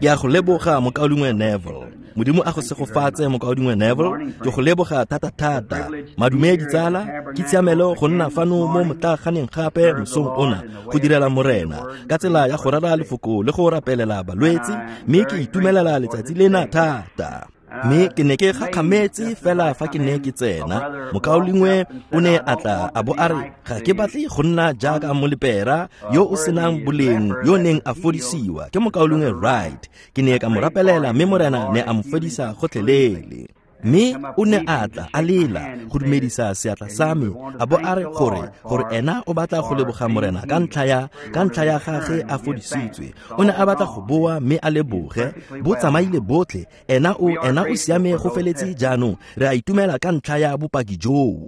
Ke a go leboga, mokaulengwe Neville. Modimo a go segofatse, mokaulengwe Neville. Ke go leboga thata-thata. Madume ditsala, ke tshiamelo go nna fano mo motlaaganeng gape mosong ona go direla Morena ka tsela ya go rera lefoko le go rapelela balwetse, mme ke itumelela letsatsi lena thata. Mme ke ne ke gakgametse fela fa ke ne ke tsena, mokaulengwe o ne a tla a bo a re, ga ke batle go nna jaaka molepera yo o senang boleng yo neng a fodisiwa ke mokaulengwe Wright. Ke ne ka mo rapelela mme Morena ne a mo fodisa gotlhelele. Mme o ne a tla a lela go dumedisa seatla sa me a bo a re gore ena o batla go leboga Morena ka ntlha ya gagwe a fodisitswe. O ne a batla go boa mme a leboge, bo tsamaile botlhe. Ena o siame go feletse jaanong. Re a itumela ka ntlha ya bopaki joo.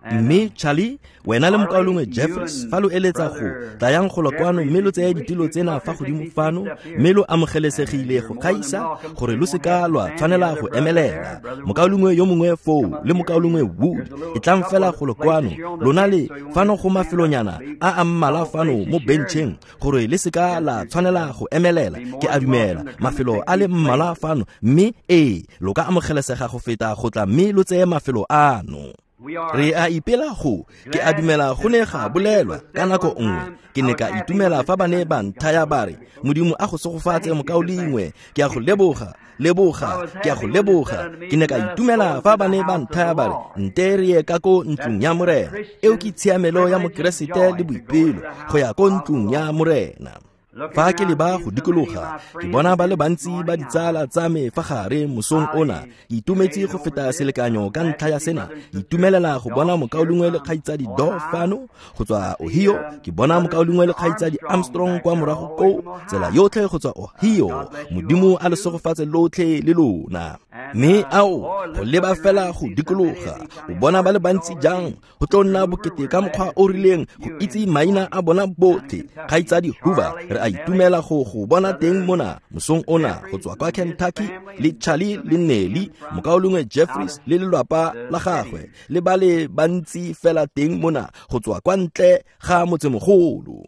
Mme Charlie, wena le mokaulengwe Jeffries, fa lo eletsa go tlayang golo kwano mme lo tseye ditilo tsena fa godimo fano, mme lo amogelesegile go gaisa gore lo seka lwa tshwanela go emelela. Mokaulengwe yo mongwe foo le mokaulengwe Wood, e tlang fela golo kwano, lona le fano go mafelonyana a a mmala fano mo bencheng gore le seka la tshwanela go emelela. Ke a dumela mafelo a le mmala fano, mme ee, lo ka amogelesega go feta go tla mme lo tseye mafelo ano. Re a ipela go, ke a dumela go ne ga bolelwa ka nako nngwe. Ke ne ka itumela fa ba ne ba nthaya ba re, Modimo a go segofatse mokaulengwe, ke a go leboga, leboga, ke a go leboga. Ke ne ka itumela fa ba ne ba nthaya ba re, nte re ye ka ko ntlong ya Morena. Eo ke tshiamelo ya Mokeresete le boipelo go ya ko ntlong ya Morena. Fa ke leba go dikologa, ke bona ba le bantsi ba ditsala tsa me fa gare mosong ona. Ke itumetse go feta selekanyo ka ntlha ya sena. Ke itumelela go bona mokaulengwe le kgaitsadi Doe fano go tswa Ohio. Ke bona mokaulengwe le kgaitsadi Armstrong kwa morago koo, tsela yotlhe go tswa Ohio. Modimo a le segofatse lotlhe le lona. Mme ao, go leba fela go dikologa, o bona ba le bantsi jang, go tlo nna bokete ka mokgwa o rileng go itse maina a bona botlhe. Kgaitsadi Hoover, re a itumela go go bona teng mona mosong ona go tswa kwa Kentucky, le Charlie le Nelly, mokaulengwe Jeffries le lelwapa la gagwe, le ba le bantsi fela teng mona go tswa kwa ntle ga motsemogolo.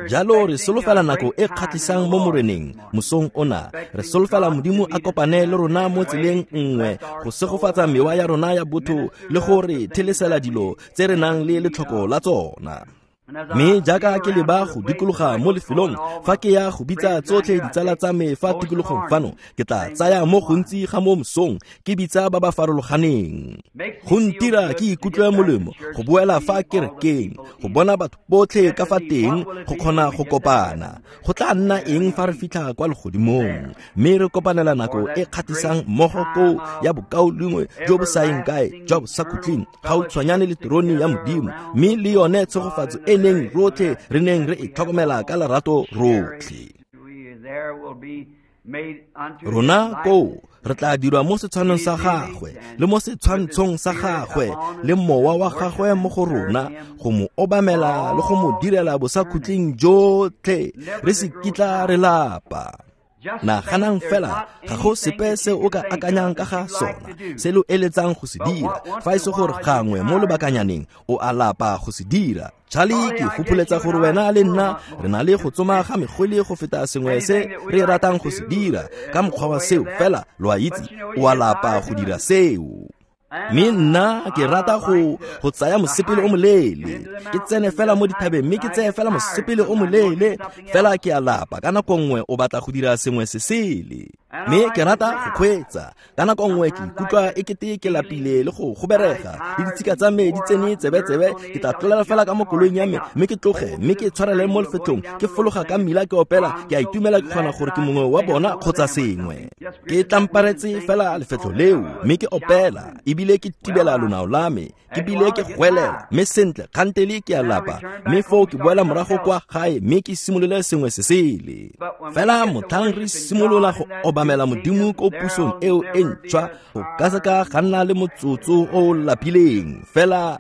Jalo re solofela nako e kgatlhisang mo Moreneng mosong ona. Re solofela Modimo a kopane le rona mo tseleng nngwe go segofatsa mewa ya rona ya botho le go re thelesela dilo tse re nang le letlhoko la tsona. Mme jaaka ke leba go dikologa mo lefelong, fa ke ya go bitsa tsotlhe ditsala tsa me fa tikologong fano, ke tla tsaya mo gontsi ga mo mosong ke bitsa ba ba farologaneng. Go ntira ke ikutlwe molemo go boela fa kerekeng, go bona batho botlhe ka fa teng, go kgona go kopana. Go tla nna eng fa re fitlha kwa legodimong, mme re kopanela nako e kgatlhisang mmogo koo ya bokaulengwe jo bo sa yeng kae jwa bosakhutleng, gautshwanyane le terone ya Modimo, mme le yone tshegofatso e neng rotlhe re neng re e tlhokomela ka lerato rotlhe. Rona koo re tla dirwa mo setshwanong sa gagwe le mo setshwantshong sa gagwe le mowa wa gagwe mo go rona, go mo obamela le go mo direla bosakhutleng jotlhe, re se kitla re lapa. Naganang fela, ga go sepe se o ka akanyang ka ga sona se lo eletsang go se dira, fa e se gore gangwe mo lobakanyaneng o a lapa go se dira. Charlie, ke gopoletsa gore wena le nna re na le go tsoma ga megwele go feta sengwe se re ratang go se dira ka mokgwa wa seo, fela lo a itse o a lapa go dira seo. Mme nna ke rata go tsaya mosepele o moleele, ke tsene fela mo dithabeng mme ke tseye fela mosepele o moleele, fela ke a lapa ka nako nngwe o batla go dira sengwe se sele. Mme ke rata go kgweetsa, ka nako nngwe ke ikutlwa e kete ke lapile le go goberega, le ditshika tsa me di tsene tsebe-tsebe, ke tla tlolela fela ka mo koloing ya me mme ke tloge, mme ke tshwarele mo lefetlong, ke fologa ka mmila ke opela, ke a itumela ke kgona gore ke mongwe wa bona kgotsa sengwe. Ke tlamparetse fela lefetlo leo mme ke opela, ebile ke tibela lonao la me, ke bile ke goelela, mme sentle kgantele ke a lapa, mme foo ke boela morago kwa gae mme ke simolole sengwe se sele. Fela motlhang re simolola go obamela Modimo ko pusong eo e ntšhwa, go ka se ka ga nna le motsotso o o lapileng, fela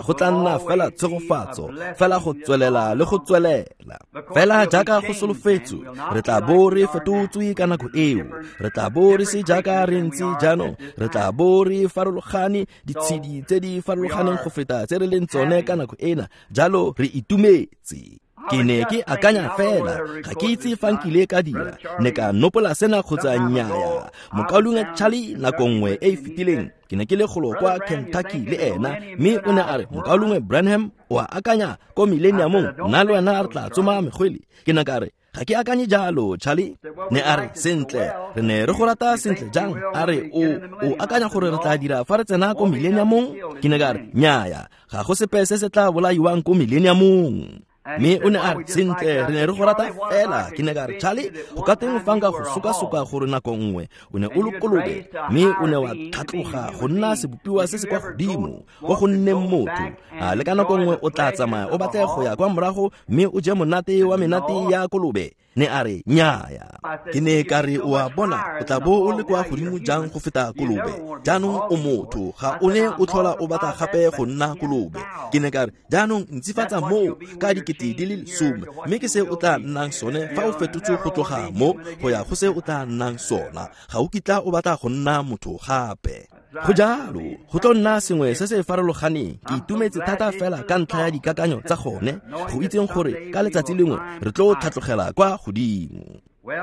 go tla nna fela tshegofatso, fela go tswelela le go tswelela. Fela jaaka go solofetswe, re tla bo re fetotswe ka nako eo, re tla bo re se jaaka re ntse jaanong, re tla bo re farologane, ditshedi tse di farologaneng go feta tse re leng tsone ka nako ena, jalo re itumetse. Ke ne ke akanya fela, ga ke itse fa nkile ka dira, ne ka nopola sena kgotsa nnyaya. Mokaulengwe Charlie nako nngwe e e fetileng, ke ne ke le golo kwa Kentucky le ena, mme o ne a re, Mokaulengwe Branham, o a akanya ko millenniumong nna le wena re tla tsoma megwele? Ke ne ka re, ga ke akanye jalo, Charlie. Ne a re, sentle, re ne re go rata sentle jang? A re, o akanya gore re tla dira fa re tsena ko millenniumong? Ke ne ka re, nnyaya, ga go sepe se se tla bolaiwang ko millenniumong. Mme o ne a re, sentle, re ne re go rata fela. Ke ne ka re, Charlie, go ka teng fa nka go sokasoka gore nako nngwe o ne o le kolobe, mme o ne wa tlhatloga go nna sebopiwa se se kwa godimo ko go nneng motho. A le ka nako nngwe o tla tsamaya o batle go ya kwa morago mme o je monate wa menate ya kolobe? Ne a re, nnyaya. Ke ne ka re, o a bona, o tla bo o le kwa godimo jang go feta kolobe? Jaanong o motho, ga o ne o tlhola o batla gape go nna kolobe. Ke ne ka re, jaanong ntsifatsa moo ka 10,000, mme ke se o tla nnang sone fa o fetotswe go tloga mo go ya go se o tla nnang sona. Ga o kitla o batla go nna motho gape. Go jalo, go tlo nna sengwe se se farologaneng. Ke itumetse thata fela ka ntlha ya dikakanyo tsa gone, go itseng gore ka letsatsi lengwe re tlo tlhatlogela kwa godimo.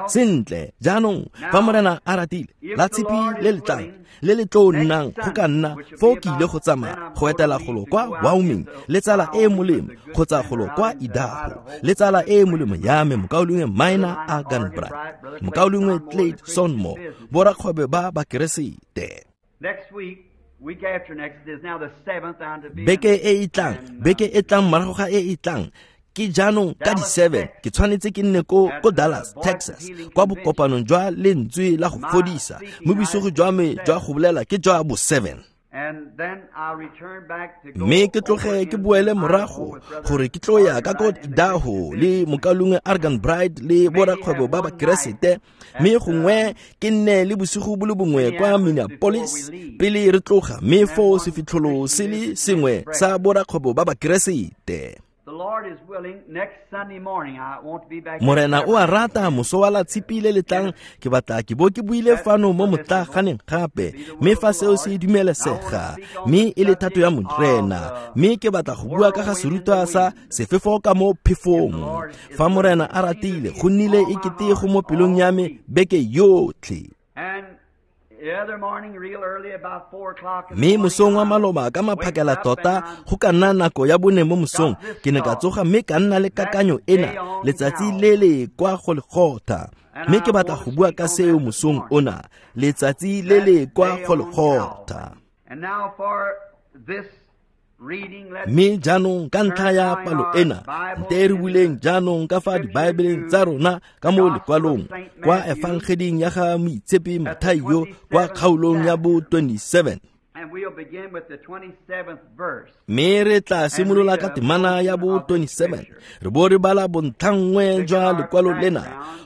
Sentle, jaanong fa Morena a ratile, la tshipi le le tlang le le tlo nnang go ka nna foo ke ile go tsamaya go etela golo kwa Wyoming le tsala e e molemo, kgotsa golo kwa Idaho le tsala e e molemo ya me, mokaulengwe Minor Arganbright, mokaulengwe Clay Sonmo, borakgwebo ba Bakeresete. Beke e e tlang, beke e tlang morago ga e e tlang, ke jaanong ka di-7 ke tshwanetse ke nne ko Dallas, Texas, kwa bokopanong jwa lentswe la go fodisa. Mo bosigo jwa me jwa go bolela ke jwa bo 7. Mme ke tloge ke boele morago gore ke tlo ya ka ko Idaho le mokaulengwe Arganbright le borakgwebo ba Bakeresete, mme gongwe ke nne le bosigo bo le bongwe kwa Minneapolis pele re tloga, mme foo sefitlholo se le sengwe sa borakgwebo ba Bakeresete. Morena o a rata, moso wa la tshipi le le tlang ke batla ke bo ke buile fano mo motlaganeng gape, mme fa seo se dumelesega mme e le thato ya Morena, mme ke batla go bua ka ga serutwa sa sefefo ka mo phefong. Fa Morena a ratile, go nnile e kete go mo pelong ya me beke yotlhe. Mme mosong wa maloba ka maphakela tota go ka nna nako ya 4 mo mosong, ke ne ka tsoga mme ka nna le kakanyo ena letsatsi le le kwa Golgotha. Mme ke batla go bua ka seo mosong ona, letsatsi le le kwa Golgotha. Mme jaanong ka ntlha ya palo ena, nte re buleng jaanong ka fa dibaebeleng tsa rona ka mo lekwalong kwa efangeding ya ga Moitshepi Mathaio kwa kgaolong ya bo 27. Mme re tla simolola ka temana ya bo 27, re bo re bala bontlhanngwe jwa lekwalo lena.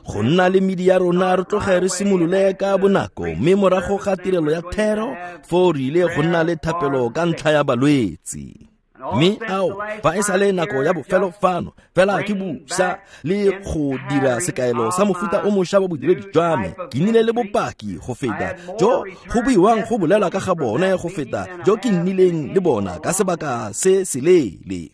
Go nna le medi ya rona re tloge re simolole ka bonako, mme morago ga tirelo ya thero foo re ile go nna le thapelo ka ntlha ya balwetsi. Mme ao, fa e sale nako ya bofelo fano, fela ke busa le go dira sekaelo sa mofuta o mošwa wa bodiredi jwa me. Ke nnile le bopaki go feta jo go buiwang go bolelwa ka ga bone go feta jo ke nnileng le bona ka sebaka se seleele.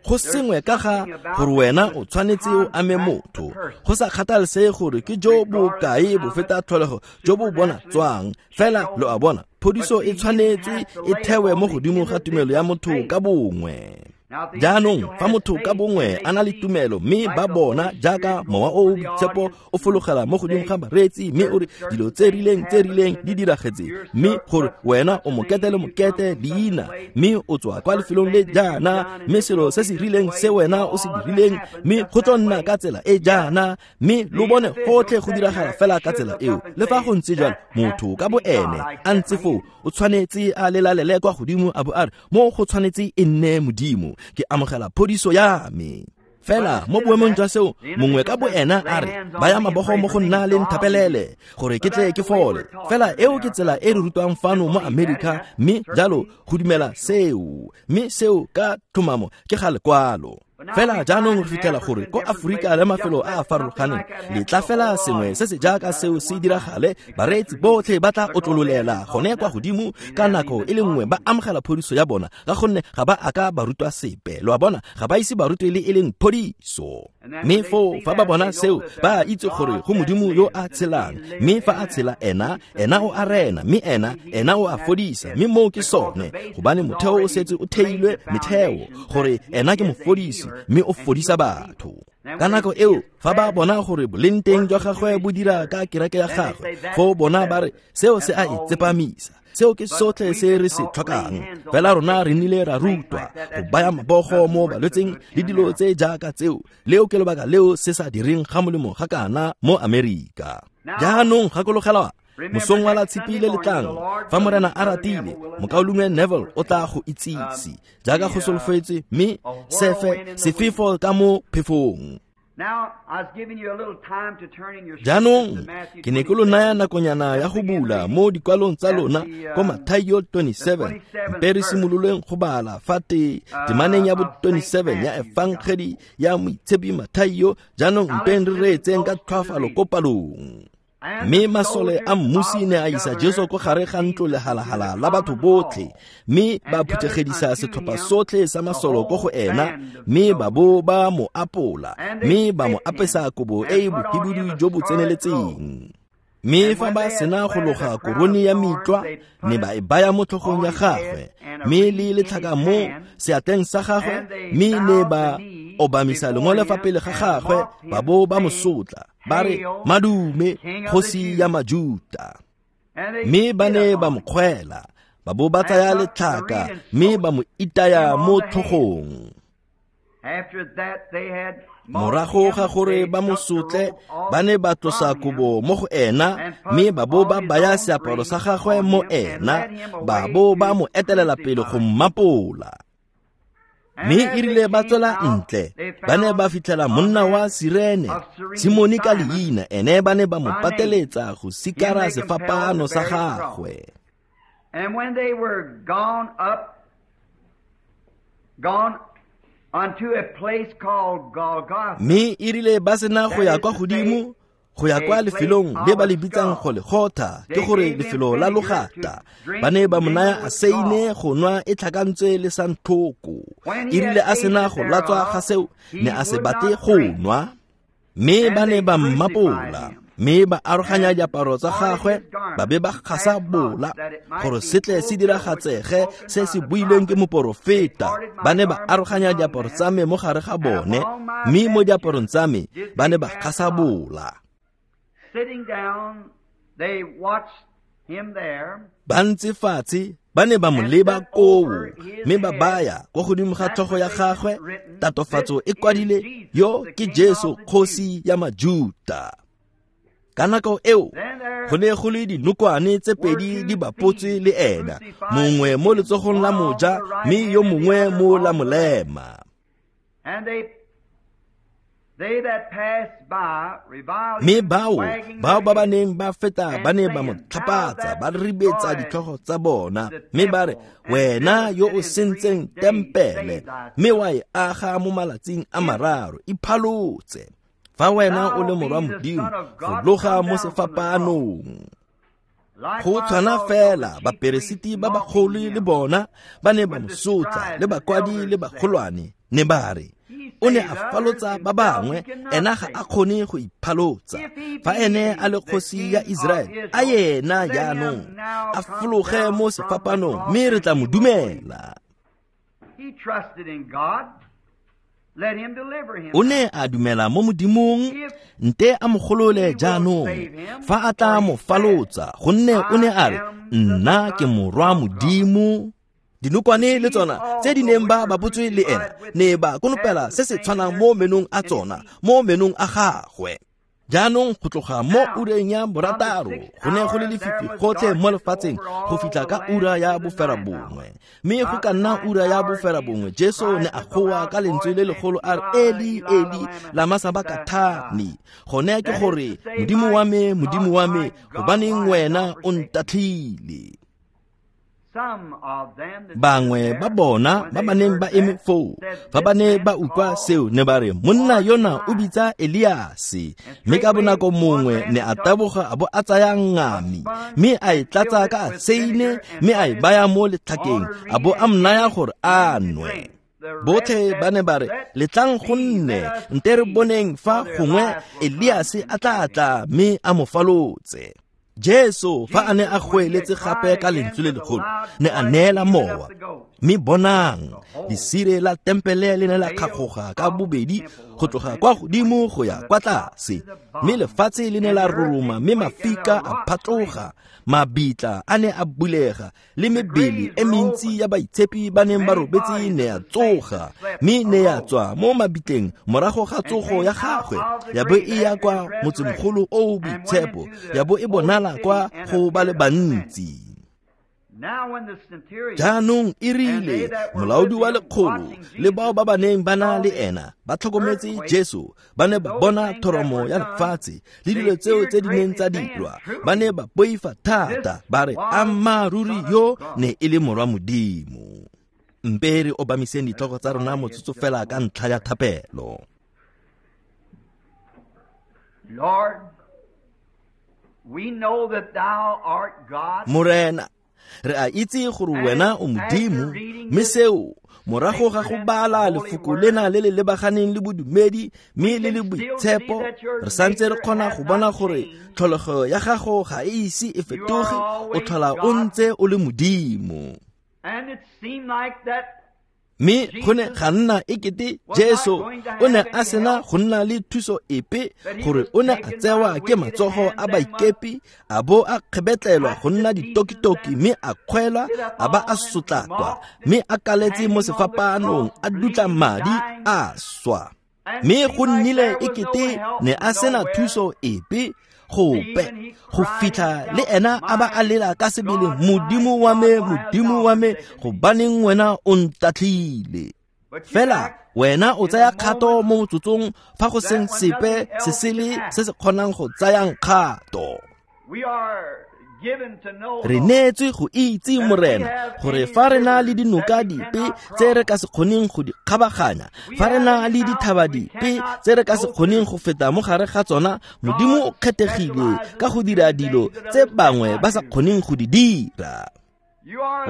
Go sengwe ka ga gore wena o tshwanetse o ame motho, go sa kgathalesege gore ke jo bokae bo feta tlholego jo bo bona tswang, fela lo a bona, phodiso e tshwanetse e thewe mo godimo ga tumelo ya motho ka bongwe. Jaanong fa motho ka bongwe a na le tumelo mme ba bona jaaka mowa o o boitshepo o fologela mo godimo ga bareetsi mme o re dilo tse rileng di diragetse, mme gore wena o mokete le mokete leina, mme o tswa kwa lefelong le jaana, mme selo se se rileng se wena o se dirileng, mme go tlo nna ka tsela e jaana, mme lo bone gotlhe go diragala fela ka tsela eo. Le fa go ntse jalo, motho ka boene a ntse foo o tshwanetse a lelalele kwa godimo a bo a re, mo go tshwanetse e nne Modimo, ke amogela phodiso ya me. Fela mo boemong jwa seo, mongwe ka boena a re, baya mabogo mo go nna le nthapelele gore ke tle ke fole. Fela eo ke tsela e re rutwang fano mo Amerika, mme jalo go dumela seo, mme seo ka tlhomamo ke ga lekwalo. Fela jaanong re fitlhela gore ko Aforika le mafelo a a farologaneng letla fela sengwe se se jaaka seo se diragale, bareetsi botlhe ba tla otlololela gone kwa godimo ka nako e le nngwe ba amogela phodiso ya bona, ka gonne ga ba aka ba rutwa sepe. Lo a bona, ga ba ise ba rutwe le e leng phodiso. Mme foo fa ba bona seo, ba itse gore go Modimo yo a tshelang, mme fa a tshela ena, ena o a rena, mme ena o a fodisa, mme moo ke sone, gobane motheo o setse o theilwe metheo gore ena ke mofodisi mme o fodisa batho. Ka nako eo fa ba bona gore boleng teng jwa gagwe bo dira ka kereke ya gagwe, foo bona ba re seo se a e tsepamisa, seo ke sotlhe se re se tlhokang. Fela rona re nnile ra rutwa go baya mabogo mo balwetseng le dilo tse jaaka tseo. Leo ke lebaka leo se sa direng ga molemo ga kana mo Amerika. Jaanong gakologelwa, mosong wa la Tshipi le letlang, fa Morena a ratile, mokaulengwe Neville o tla go itsise jaaka go solofetswe, mme sefe sefefo ka mo phefong. Jaanong ke ne ke lo naya nakonyana ya go bula mo dikwalong tsa lona ko Mathaio 27, mpe re simololeng go bala fa temaneng ya bo 27 ya Efangedi ya Moitshepi Mathaio. Jaanong mpeng re reetseng ka tlhoafalo ko palong. Mme masole a mmusi ne a isa Jesu ko gare ga ntlo lehalahala la batho botlhe, mme ba phuthegedisa setlhopha sotlhe sa masolo ko go ena, mme ba bo ba mo apola, mme ba mo apesa kobo e e bohibidu jo bo tseneletseng. Mme fa ba sena go loga korone ya mitlwa, ne ba e baya mo tlhogong ya gagwe, mme le letlhaka mo seatleng sa gagwe, mme ne ba obamisa lengole fa pele ga gagwe, ba bo ba mo sotla, ba re, Madume, kgosi ya Majuta. Mme ba ne ba mo kgwela, ba bo ba tsaya letlhaka, mme ba mo itaya mo tlhogong. Morago ga gore ba mo sotle, ba ne ba tlosa kobo mo go ena, mme ba bo ba baya seaparo sa gagwe mo ena, ba bo ba mo etelela pele go mmapola. Mme erile ba tswela ntle, ba ne ba fitlhela monna wa Sirene, Simone ka leina, ene ba ne ba mo pateletsa go sikara sefapano sa gagwe. And when they were gone unto a place called Golgotha. Mme erile ba sena go ya kwa godimo, go ya kwa lefelong le ba le bitsang Golgotha, ke gore lefelo la logata, ba ne ba mo naya aseine go nwa e tlhakantswe le santlhoko. Erile a sena go latswa ga seo, ne a se batle go nwa, mme ba ne ba mmapola, mme ba aroganya diaparo tsa gagwe, ba be ba gasa bola gore se tle se diragatsege se se builweng ke moporofeta. Ba ne ba aroganya diaparo tsa me mo gare ga bone, mme mo diaparong tsa me ba ne ba gasa bola. Ba ntse fatshe, ba ne ba mo leba koo, mme ba baya kwa godimo ga tlhogo ya gagwe tatofatso e kwadile, yo ke Jesu kgosi ya Majuta. Ka nako eo go ne go le dinokwane tse pedi di bapotswe le ena, mongwe mo letsogong la moja mme yo mongwe mo la molema. Mme bao ba ba neng ba feta ba ne ba mo tlhapatsa, ba ribetsa ditlhogo tsa bona, mme ba re, wena yo o sentseng tempele mme wa e aga mo malatsing a mararo, iphalotse. Fa wena o le morwa Modimo, fologa mo sefapanong. Go tshwana fela baperesiti ba bagolo le bona ba ne ba mo sotla, le bakwadi le bagolwane, ne ba re, o ne a falotsa ba bangwe, ena ga a kgone go iphalotsa. Fa ene a le kgosi ya Israele, a yena jaanong a fologe mo sefapanong, mme re tla mo dumela. O ne a dumela mo Modimong, nte a mo golole jaanong, fa a tla mo falotsa, gonne o ne a re, nna ke morwa Modimo. Dinokwane le tsona tse di neng ba bapotswe le ena ne ba konopela se se tshwanang mo menong a tsona, mo menong a gagwe. Jaanong go tloga mo ureng ya borataro go ne go le lefifi gotlhe mo lefatsheng go fitlha ka ura ya boferabongwe. Mme go ka nna ura ya boferabongwe, Jesu ne a goa ka lentswe le legolo a re, Eli, Eli, lama sabakthani. Gone ke gore, Modimo wa me, Modimo wa me, gobaneng wena o ntatlhile? Bangwe ba bona ba ba neng ba eme foo, fa ba ne ba utlwa seo, ne ba re, monna yona o bitsa Eliase. Mme ka bonako mongwe ne a taboga a bo a tsaya ngami, mme a e tlatsa ka aseine, mme a e baya mo letlhakeng, a bo a mo naya gore a nwe. Botlhe ba ne ba re, letlang go nne, nte re boneng fa gongwe Eliase a tla tla mme a mo falotse. Jesu fa a ne a goeletse gape ka lentswe le legolo, ne a neela mowa. Mme bonang, lesire la tempele le ne la kgagoga ka bobedi go tloga kwa godimo go ya kwa tlase, mme lefatshe le ne la roroma, mme mafika a phatloga, mabitla a ne a bulega, le mebele e mentsi ya baitshepi ba neng ba robetse ne ya tsoga, mme ne ya tswa mo mabitleng morago ga tsogo ya gagwe, ya bo e ya kwa motsemogolo o o boitshepo, ya bo e bonala kwa go ba le bantsi. Jaanong e rile molaodi wa lekgolo le bao ba ba neng ba na le ena ba tlhokometse Jesu, ba ne ba bona thoromo ya lefatshe le dilo tseo tse di neng tsa dirwa, ba ne ba boifa thata, ba re, ammaaruri yo ne e le morwa Modimo. Mpe re obamiseng ditlhogo tsa rona motsotso fela ka ntlha ya thapelo. Lord, we know that thou art God. Morena, re a itse gore wena o Modimo, mme seo morago ga go bala lefoko lena le le lebaganeng le bodumedi mme le le boitshepo, re santse re kgona go bona gore tlholego ya gago ga e ise e fetoge, o tlhola o ntse o le Modimo. Mme go ne ga nna ekete Jesu o ne a sena go nna le thuso epe, gore o ne a tsewa ke matsogo a baikepi, a bo a kgebetlelwa go nna ditokitoki, mme a kgwelwa, a ba a sotlakwa, mme a kaletse mo sefapanong, a dutla madi, a swa. Mme go nnile ekete ne a sena thuso epe gope, go fitlha le ena a ba a lela ka sebele, Modimo wa me, Modimo wa me, gobaneng wena o ntatlhile? Fela wena o tsaya kgato mo motsotsong fa go seng sepe se sele se se kgonang go tsayang kgato. Re neetswe go itse, Morena, gore fa re na le dinoka dipe tse re ka se kgoneng go di kgabaganya, fa re na le dithaba dipe tse re ka se kgoneng go feta mo gare ga tsona, Modimo o kgethegile ka go dira dilo tse bangwe ba sa kgoneng go di dira.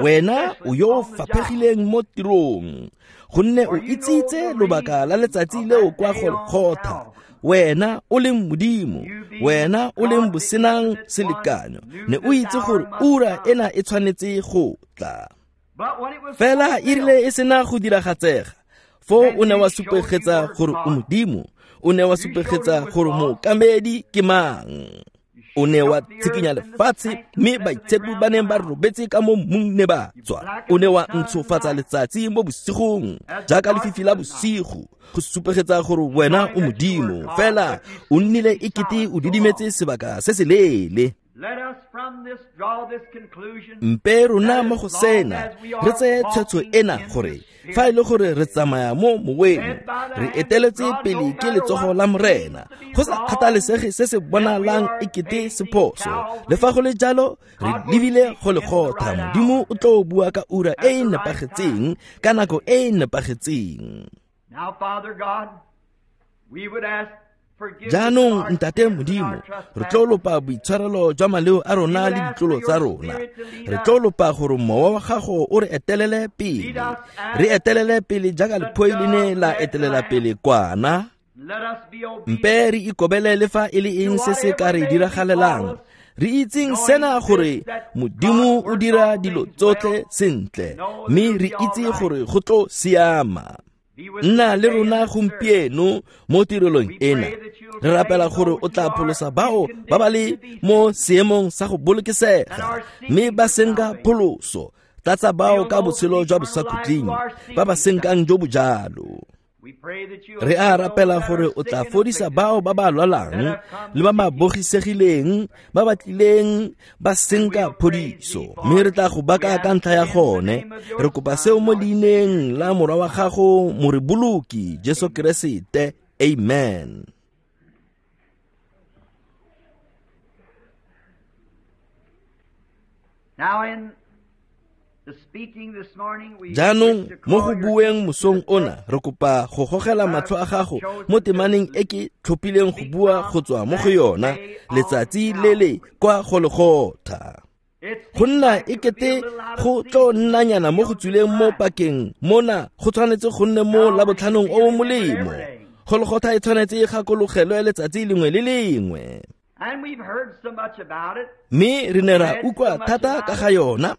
Wena o yo o faphegileng mo tirong, gonne o itsitse lobaka la letsatsi leo kwa Golgotha. Wena o leng Modimo, wena o leng bosenang selekanyo, ne o itse gore ura ena e tshwanetse go tla. Fela e rile e sena go diragatsega, foo o ne wa supegetsa gore o Modimo, o ne wa supegetsa gore mookamedi ke mang. O ne wa tshikinya lefatshe, mme baitshepi ba neng ba robetse ka mo mmung ne ba tswa. O ne wa ntshofatsa letsatsi mo bosigong jaaka lefifi la bosigo, go supegetsa gore wena o Modimo. Fela o nnile ekete o didimetse sebaka se se leele. Mpe rona mo go sena re tseye tshwetso ena, gore fa e le gore re tsamaya mo moweng, re eteletse pele ke letsogo la Morena, go sa kgathalesege se se bonalang ekete se phoso. Le fa go le jalo, re lebile go Golgotha. Modimo o tlo bua ka ura e e nepagetseng, ka nako e e nepagetseng. Jaanong, Ntate Modimo, re tlo lopa boitshwarelo jwa maleo a rona le ditlolo tsa rona. Re tlo lopa gore mowa wa gago o re etelele pele, re etelele pele jaaka lephoi le ne la etelela pele kwana. Mpe re ikobele le fa e le eng se se ka re diragalelang, re itseng sena gore Modimo o dira dilo tsotlhe sentle, mme re itse gore go tlo siama. Nna le rona gompieno mo tirelong ena. Re rapela gore o tla pholosa bao ba ba le mo seemong sa go bolokesega, mme ba senka pholoso. Tlatsa bao ka botshelo jwa bosakhutleng, ba ba senkang jo bo jalo. Re a rapela gore o tla fodisa bao ba ba lwalang le ba ba bogisegileng, ba ba tlileng ba senka phodiso, mme re tla go baka ka ntlha ya gone. Re kopa seo mo leineng la morwa wa gago, moreboloki Jesu Keresete. Amen. Now in Jaanong mo go bueng mosong ona re kopa go gogela matlho a gago mo temaneng e ke tlhophileng go bua go tswa mo go yona letsatsi le le kwa Golgotha. Go nna e kete go tlo nnanyana mo go tswileng mo pakeng mona go tshwanetse go nne mo labotlhanong o o molemo. Golgotha e tshwanetse e gakologelwe letsatsi lengwe le lengwe. Mme re ne ra utlwa thata ka ga yona,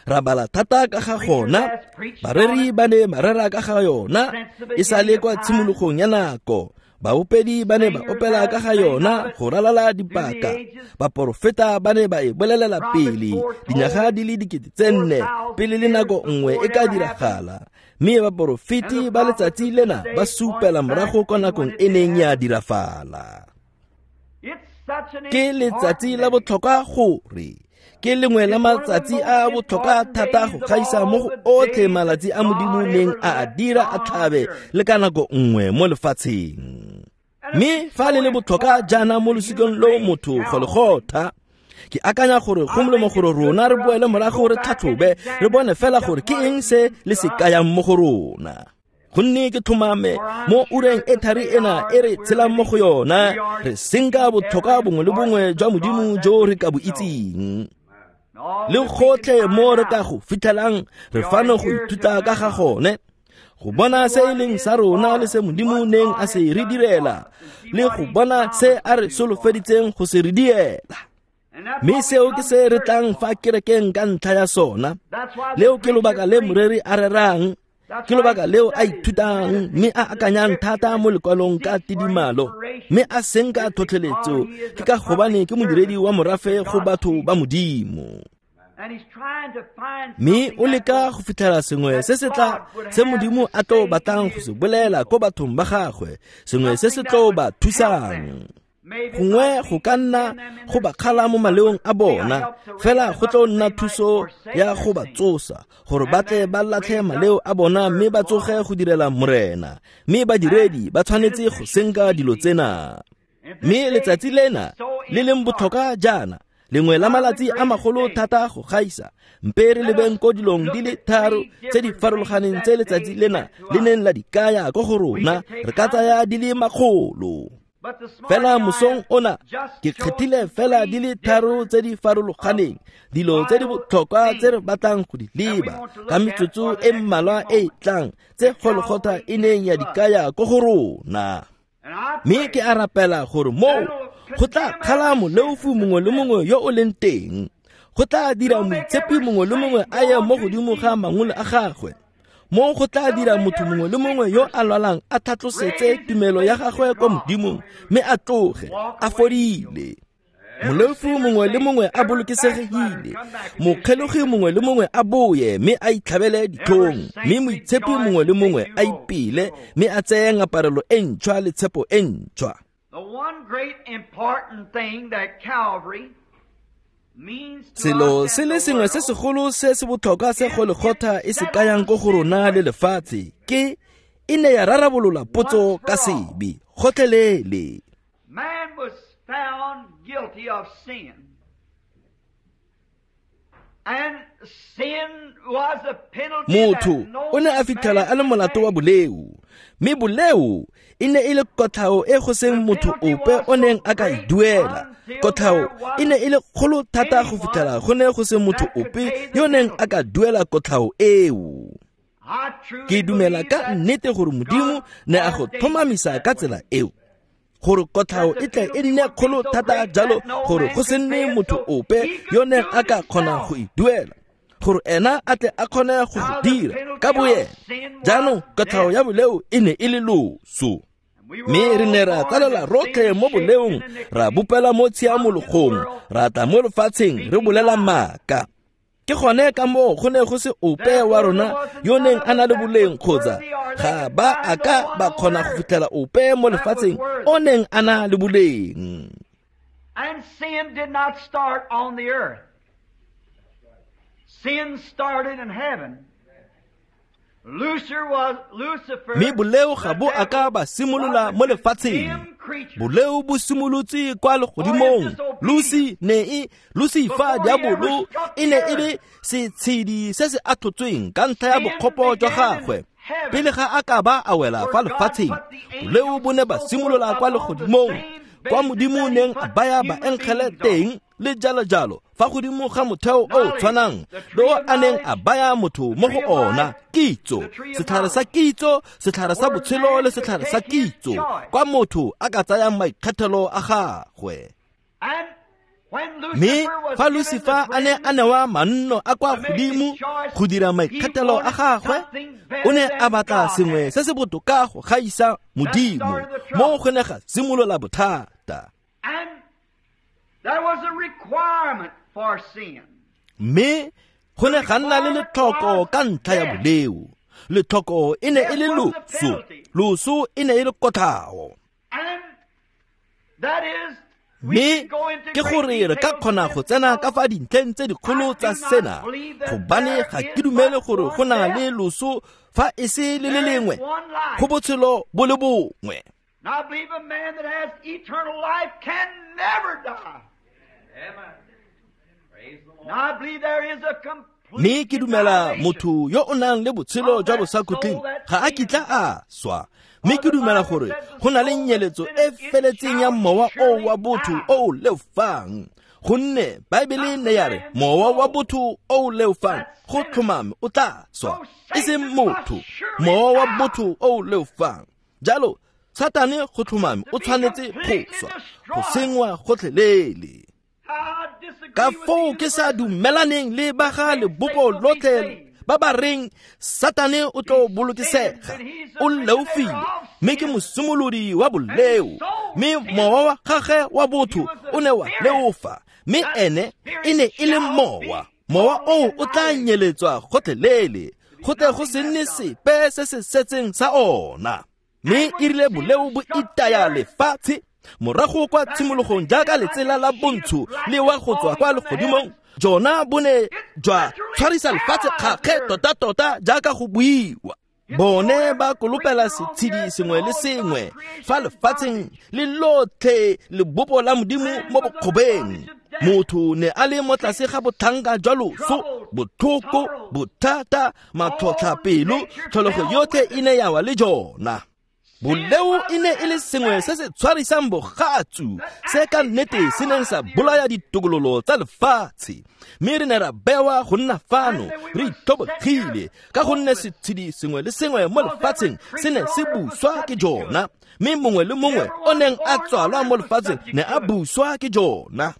ra bala thata ka ga gona, bareri ba ne ba rera ka ga yona e sa le kwa tshimologong ya nako. Baopedi ba ne ba opela ka ga yona go ralala dipaka, baporofeta ba ne ba e bolelela pele dinyaga di le 4,000 pele le nako nngwe e ka diragala, mme baporofeti ba letsatsi lena ba supela morago kwa nakong e neng ya dirafala. Ke letsatsi la botlhokwa gore ke lengwe la matsatsi a botlhokwa thata go gaisa mo go otlhe malatsi a Modimo neng a a dira a tlhabe le ka nako nngwe mo lefatsheng. Mme fa le le botlhokwa jaana mo losikeng lo motho Golgotha, ke akanya gore go molemo gore rona re boele morago re tlhatlhobe re bone fela gore ke eng se le se kayang mo go rona. Gonne ke tlhomame mo ureng e thari ena e re tshelang mo go yona re senka botlhokwa bongwe le bongwe jwa Modimo jo re ka bo itseng. Le gotlhe mo re ka go fitlhelang re fano go ithuta ka ga gone, go bona se e leng sa rona le se Modimo neng a se re direla, le go bona se a re solofeditseng go se re diela. Mme seo ke se re tlang fa kerekeng ka ntlha ya sona. Leo ke lobaka le moreri a rerang, ke lobaka leo a ithutang mme a akanyang thata mo lekwalong ka tidimalo, mme a senka tlhotlheletso ke ka gobane ke modiredi wa morafe go batho ba Modimo. Mme o leka go fitlhela sengwe se se tla se Modimo a tlo batlang go se bolela ko bathong ba gagwe, sengwe se se tlo ba thusang. Gongwe go ka nna go ba kgala mo maleong a bona, fela go tlo nna thuso ya go ba tsosa gore ba tle ba latlhe maleo a bona mme ba tsoge go direla Morena. Mme badiredi ba tshwanetse go senka dilo tsena. Mme letsatsi lena le leng botlhokwa jaana, lengwe la malatsi a magolo thata go gaisa, mpe re lebeng ko dilong di le tharo tse di farologaneng tse letsatsi lena le neng la di kaya ko go rona, re ka tsaya di le makgolo. Fela mosong ona ke kgethile fela di le tharo tse di farologaneng, dilo tse di botlhokwa tse re batlang go di leba ka metsotso e mmalwa e e tlang tse Golgotha e neng ya di kaya ko go rona. Mme ke a rapela gore moo go tla kgala moleofu mongwe le mongwe yo o leng teng, go tla dira moitshepi mongwe le mongwe a ye mo godimo ga mangole a gagwe, mo go tla dira motho mongwe le mongwe yo a lwalang a tlhatlosetse tumelo ya gagwe kwa Modimong mme a tloge a fodile. Moleofu mongwe le mongwe a bolokesegile, mokgelogi mongwe le mongwe a boye mme a itlhabele ditlhong, mme moitshepi mongwe le mongwe a ipele mme a tseye ngaparelo e ntšhwa le tshepo e ntšhwa. Selo se le sengwe se segolo se se botlhokwa se Golgotha e se kayang ko go rona le lefatshe ke e ne ya rarabolola potso ka sebe gotlhelele. Man was found guilty of sin. And sin was a penalty. Motho o ne a fitlhela a le molato wa boleo, mme boleo e ne e le kotlhao e go seng motho ope o neng a ka e duela. Kotlhao e ne e le kgolo thata go fitlhela go ne go se motho ope yo neng a ka duela kotlhao eo. Ke dumela ka nnete gore Modimo ne a go tlhomamisa ka tsela eo, gore kotlhao e tle e nne kgolo thata jalo gore go se nne motho ope yo neng a ka kgona go e duela, gore ena a tle a kgone go go dira ka boyena. Jaanong kotlhao ya boleo e ne e le loso, mme re ne ra tsalela rotlhe mo boleong, ra bopela mo tshiamologong, ra tla mo lefatsheng re bolela maaka. Ke gone ka moo go ne go se ope wa rona yo neng a na le boleng, kgotsa ga ba a ka ba kgona go fitlhela ope mo lefatsheng o neng a na le boleng. And sin did not start on the earth. Sin started in heaven. Mme boleo ga bo a ka ba simolola mo lefatsheng. Boleo bo simolotse kwa legodimong. Lusi ne e Lucifer diabolo e ne e le setshedi se se atlhotsweng ka ntlha ya bokgopo jwa gagwe pele ga a ka ba a wela fa lefatsheng. Boleo bo ne ba simolola kwa legodimong, kwa Modimo neng a baya baengele teng le jalo jalo, fa godimo ga motheo o tshwanang le o a neng a baya motho mo go ona, kitso, setlhare sa kitso, setlhare sa botshelo le setlhare sa kitso, kwa motho a ka tsayang maikgethelo a gagwe. Mme fa Lucifer a ne a newa manno a kwa godimo go dira maikgethelo a gagwe, o ne a batla sengwe se se botoka go gaisa Modimo, mo go ne ga simolola bothata. Mme go ne ga nna le letlhoko ka ntlha ya boleo. Letlhoko e ne e le loso, loso e ne e le kotlhao. Mme ke gore re ka kgona go tsena ka fa dintlheng tse dikgolo tsa sena, gobane ga ke dumele gore go na le loso fa e se le le lengwe, go botshelo bo le bongwe. Mme ke dumela motho yo o nang le botshelo jwa bosakhutleng ga a kitla a swa. Mme ke dumela gore go na le nyeletso e feletseng ya mowa o wa botho o o leofang, gonne Baebele ne ya re mowa wa botho o o leofang go tlhomame o tla swa, e seng motho, mowa wa botho o o leofang. Jalo Satane go tlhomame o tshwanetse go swa, go sengwa gotlhelele. Ka foo ke sa dumelaneng le ba ga lebopo lotlhe ba ba reng Satane o tlo bolokesega, o leofile, mme ke mosimolodi wa boleo, mme mowa wa gagwe wa botho o ne wa leofa, mme ene e ne e le mowa. Mowa oo o tla nyeletswa gotlhelele, go tle go se nne sepe se se setseng sa ona. Mme e rile boleo bo itaya lefatshe morago kwa tshimologong jaaka letsela la bontsho le wa go tswa kwa legodimong, jona bo ne jwa tshwarisa lefatshe kgakge tota-tota jaaka go buiwa. Bone ba kolopela setshedi sengwe le sengwe fa lefatsheng le lotlhe lebopo la Modimo mo bokgobeng. Motho ne a le mo tlase ga botlhanka jwa loso, botlhoko, bothata, matlhotlhapelo, tlholego yotlhe e ne ya wa le jona. Boleo e ne e le sengwe se se tshwarisang bogatsu, se ka nnete se neng sa bolaya ditokololo tsa lefatshe. Mme re ne ra bewa go nna fano re itlhobogile, ka gonne setshedi sengwe le sengwe mo lefatsheng se ne se buswa ke jona, mme mongwe le mongwe o neng a tswalwa mo lefatsheng ne a buswa ke jona.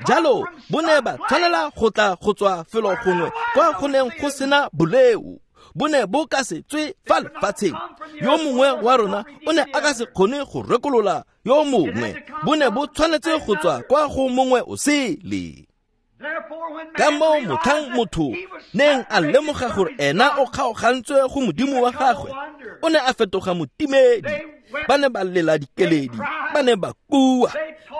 Jalo bo ne ba tshwanela go tla go tswa felo gongwe kwa go neng go sena boleo. Bo ne bo ka se tswe fa lefatsheng. Yo mongwe wa rona o ne a ka se kgone go rekolola yo mongwe. Bo ne bo tshwanetse go tswa kwa go mongwe o sele. Ka moo motlhang motho neng a lemoga gore ena o kgaogantswe go Modimo wa gagwe, o ne a fetoga motimedi. Ba ne ba lela dikeledi, ba ne ba kua,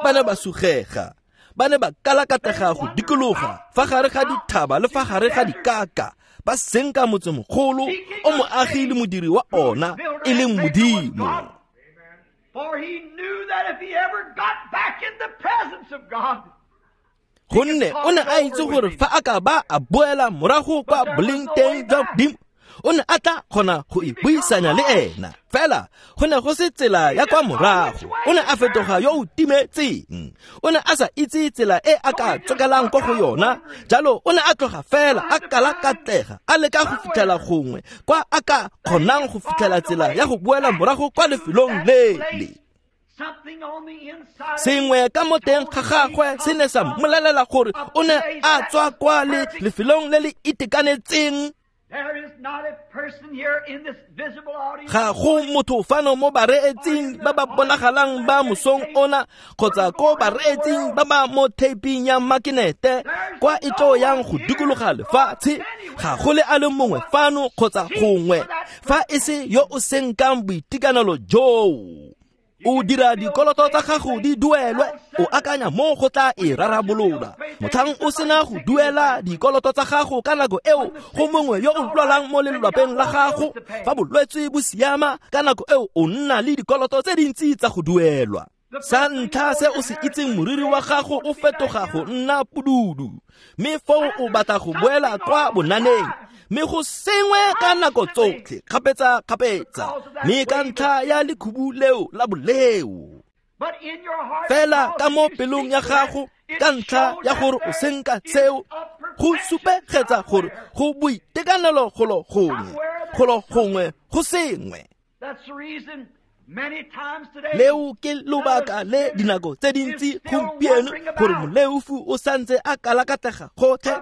ba ne ba sugega, ba ne ba kalakatega go dikologa fa gare ga dithaba le fa gare ga dikaka, ba senka motsemogolo o moagi le modiri wa ona e leng Modimo. Gonne o ne a itse gore fa a ka ba a boela morago kwa boleng teng jwa Modimo, o ne a tla kgona go ipuisanya le ena. Fela go ne go se tsela ya kwa morago, o ne a fetoga yo o timetseng. O ne a sa itse tsela e a ka tsokelang kwa go yona, jalo o ne a tloga fela a kalakatlega, a leka go fitlhela gongwe kwa a ka kgonang go fitlhela tsela ya go boela morago kwa lefelong lele. Sengwe ka mo teng ga gagwe se ne sa mmolelela gore o ne a tswa kwa le lefelong le le itekanetseng. Ga go motho fano mo bareetsing ba ba bonagalang ba mosong ona, kgotsa ko bareetsing ba ba mo thaping ya makinete kwa e tlo yang go dikologa lefatshe. Ga go le a le mongwe fano kgotsa gongwe fa e se yo o senkang boitekanelo joo. O dira dikoloto tsa gago di duelwe, o akanya mo go tla e rarabolola. Motlhang o sena go duela dikoloto tsa gago ka nako eo go mongwe yo o lwalang mo lelwapeng la gago, fa bolwetse bo siama ka nako eo o nna le dikoloto tse dintsi tsa go duelwa. Sa ntlha se o se itseng moriri wa gago o fetoga go nna pududu, mme foo o batla go boela kwa bonaneng, mme go sengwe ka nako tsotlhe kgapetsa-kgapetsa, mme ka ntlha ya lekhubu leo la boleo. Fela ka mo pelong ya gago, ka ntlha ya gore o senka seo, go supegetsa gore go boitekanelo golo gongwe go sengwe. Leo ke lobaka le dinako tse dintsi gompieno gore moleofu o santse a kalakatega gotlhe.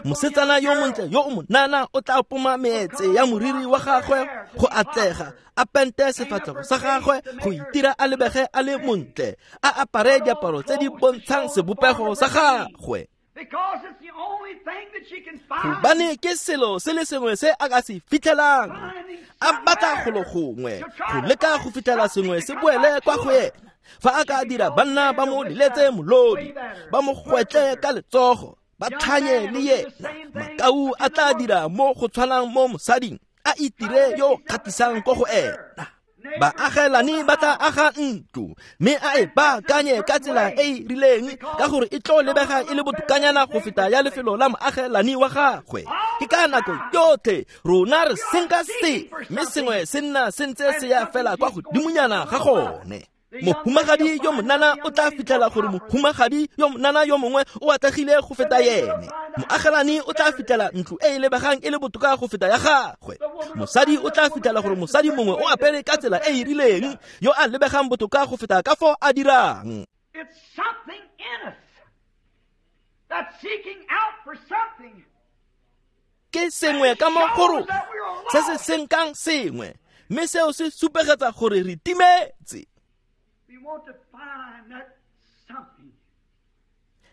Mosetsana yo montle yo o monana o tla poma meetse ya moriri wa gagwe go atlega, a pente sefatlhego sa gagwe go itira a lebege a le montle, a apare diaparo tse di bontshang sebopego sa gagwe. Gobane ke selo se le sengwe se a ka se fitlhelang, a batla golo gongwe go leka go fitlhela sengwe se boele kwa go ena. Fa a ka dira banna ba mo leletse molodi, ba mo gwetle ka letsogo, ba tlhanye le yena, makau a tla dira mo go tshwanang mo mosading, a itire yo kgatisang ko go ena. Baagelani ba tla aga ntlo, mme a e baakanye ka tsela e e rileng ka gore e tlo lebega e le botokanyana go feta ya lefelo la moagelani wa gagwe. Ke ka nako yotlhe rona re senka se, mme sengwe se nna se ntse se ya fela kwa godimonyana ga gone. Mohumagadi yo monana o tla fitlhela gore mohumagadi yo monana yo mongwe o atlegile go feta yene. Moagelani o tla fitlhela ntlo e e lebegang e le botoka go feta ya gagwe. Mosadi o tla fitlhela gore mosadi mongwe o apere ka tsela e e rileng yo a lebegang botoka go feta ka fo a dirang. Ke sengwe ka mo go rona se se senkang sengwe, mme seo se supegetsa gore re timetse.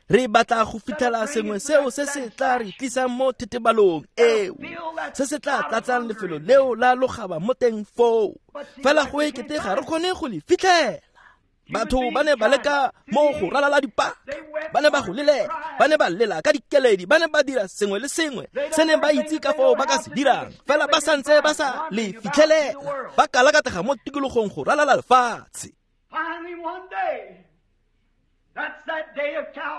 Re batla go fitlhela sengwe seo se se tla re tlisang mo thetebalong eo, se se tla tlatsang lefelo leo la logaba mo teng foo. Fela go ekete ga re kgone go le fitlhela. Batho ba ne ba leka mo go ralala dipaka, ba ne ba go lelela, ba ne ba lela ka dikeledi, ba ne ba dira sengwe le sengwe se ne ba itse ka foo ba ka se dirang, fela ba santse ba sa le fitlhelela, ba kalakatega mo tikologong go ralala lefatshe.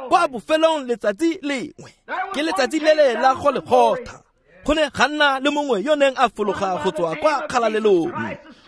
Kwa bofelong letsatsi lengwe, ke letsatsi le le la Golgotha, go ne ga nna le mongwe yo neng a fologa go tswa kwa kgalalelong,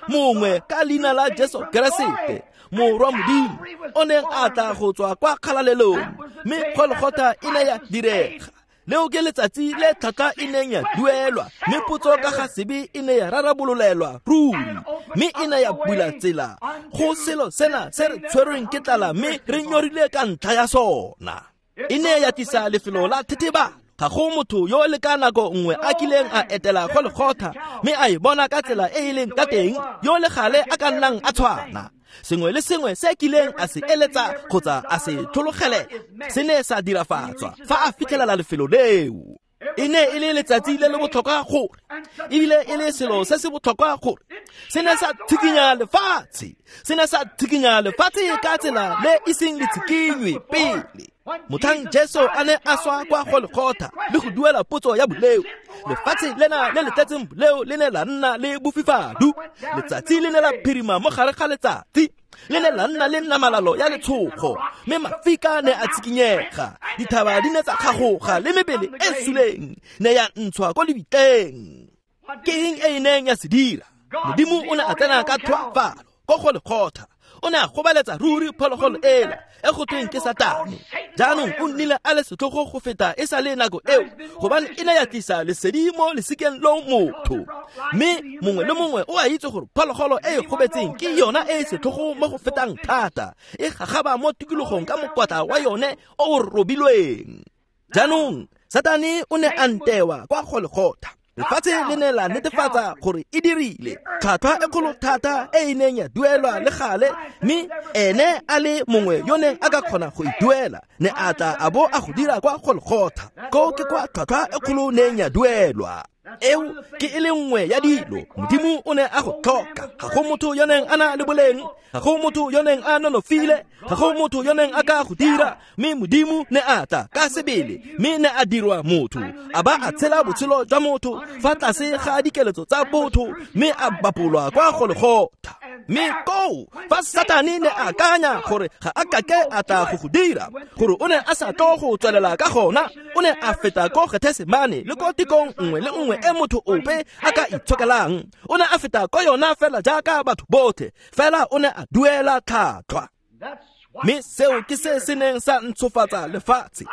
mongwe ka leina la Jesu Keresete, morwa Modimo, o neng a tla go tswa kwa kgalalelong, mme Golgotha e ne ya direga. Leo ke letsatsi le tlhwatlhwa e neng ya duelwa, mme potso ka ga sebe e ne ya rarabololelwa ruri, mme e ne ya bula tsela go selo sena se re tshwerweng ke tlala mme re nyorile ka ntlha ya sona. E ne ya tlisa lefelo la thethebalo. Ga go motho yo le ka nako nngwe a kileng a etela Golgotha mme a e bona ka tsela e e leng ka teng, yo le gale a ka nnang a tshwana. Sengwe le sengwe se kileng a se eletsa kgotsa a se tlhologelela se ne sa dirafatswa fa a fitlhelela lefelo leo. E ne e le letsatsi le le botlhokwa gore, ebile e le selo se se botlhokwa gore se ne sa tshikinya lefatshe, se ne sa tshikinya lefatshe ka tsela le e seng le tshikinywe pele. Motlhang Jesu a ne a swa kwa Golgotha le go duela potso ya boleo, lefatshe lena le le tletseng boleo le ne la nna le bofifadu. Letsatsi le ne la phirima mo gare ga letsatsi, le ne la nna le namalalo ya letshogo, mme mafika ne a tshikinyega, dithaba di ne tsa kgagoga le mebele e suleng ne ya ntshwa ko lebitleng. Ke eng e e neng ya se dira? Modimo o ne a tsena ka tlhoafalo ko Golgotha, o ne a gobaletsa ruri phologolo ela e go tweng ke Satane. Jaanong o nnile a le setlhogo go feta e sa le nako eo, gobane e ne ya tlisa lesedi mo lesikeng lo motho. Mme mongwe le mongwe o a itse gore phologolo e e gobetseng ke yona e e setlhogo mo go fetang thata, e gagaba mo tikologong ka mokwatla wa yone o o robilweng. Jaanong Satane o ne a ntewa kwa Golgotha. Lefatshe le ne la netefatsa gore e dirile tlhwatlhwa e kgolo thata e e neng ya duelwa le gale, mme ene a le mongwe yo neng a ka kgona go e duela ne a tla a bo a go dira kwa Golgotha. Ko ke kwa tlhwatlhwa e kgolo neng ya duelwa. Eo ke e le nngwe ya dilo Modimo o ne a go tlhoka. Ga go motho yo neng a na le boleng, ga go motho yo neng a nonofile, ga go motho yo neng a ka go dira, mme Modimo ne a tla ka sebele, mme ne a dirwa motho, a ba a tshela botshelo jwa motho fa tlase ga dikeletso tsa botho, mme a bapolwa kwa Golgotha. Mme koo fa Satane ne a akanya gore ga a kake a tla go go dira, gore o ne a sa tlo go tswelela ka gona, o ne a feta ko Gethesemane le ko tikong nngwe le nngwe e motho ope a ka itshokelang. O ne a feta ko yona fela jaaka batho botlhe, fela o ne a duela tlhwatlhwa. Mme seo ke se se neng sa ntshofatsa lefatshe.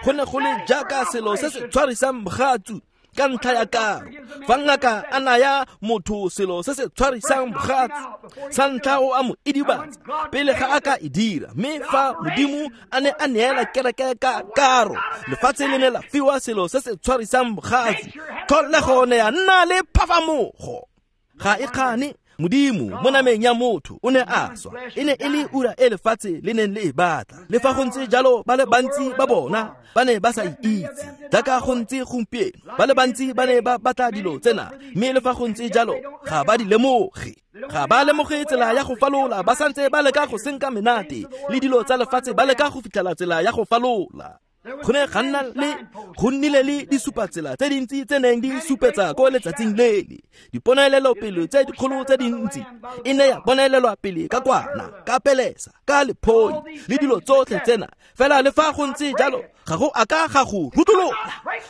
Go ne go le jaaka selo se se tshwarisang bogatsu ka ntlha ya karo. Fa ngaka a naya motho selo se se tshwarisang bogatsu, sa ntlha o a mo idibatsa pele ga a ka e dira. Mme fa Modimo a ne a neela kereke ka karo, lefatshe le ne la fiwa selo se se tshwarisang bogatsu, tlholego ne ya nna le phafamogo. Ga e kgane Modimo mo nameng ya motho o ne a swa. E ne e le ura e lefatshe le neng le e batla. Le fa go ntse jalo, ba le bantsi ba bona ba ne ba sa itse. Jaaka go ntse gompieno, ba le bantsi ba ne ba batla dilo tsena, mme le fa go ntse jalo ga ba di lemoge. Ga ba lemoge tsela ya go falola, ba santse ba leka go senka menate le dilo tsa lefatshe, ba leka go fitlhela tsela ya go falola. Go ne ga nna le go nnile le disupatsela tse dintsi tse neng di supetsa ko letsatsing lele. Diponelelopele tse dikgolo tse dintsi e ne ya bonelelwa pele ka kwana, ka pelesa, ka lephoi le dilo tsotlhe tsena. Fela le fa go ntse jalo, ga go a ka ga go rutolola.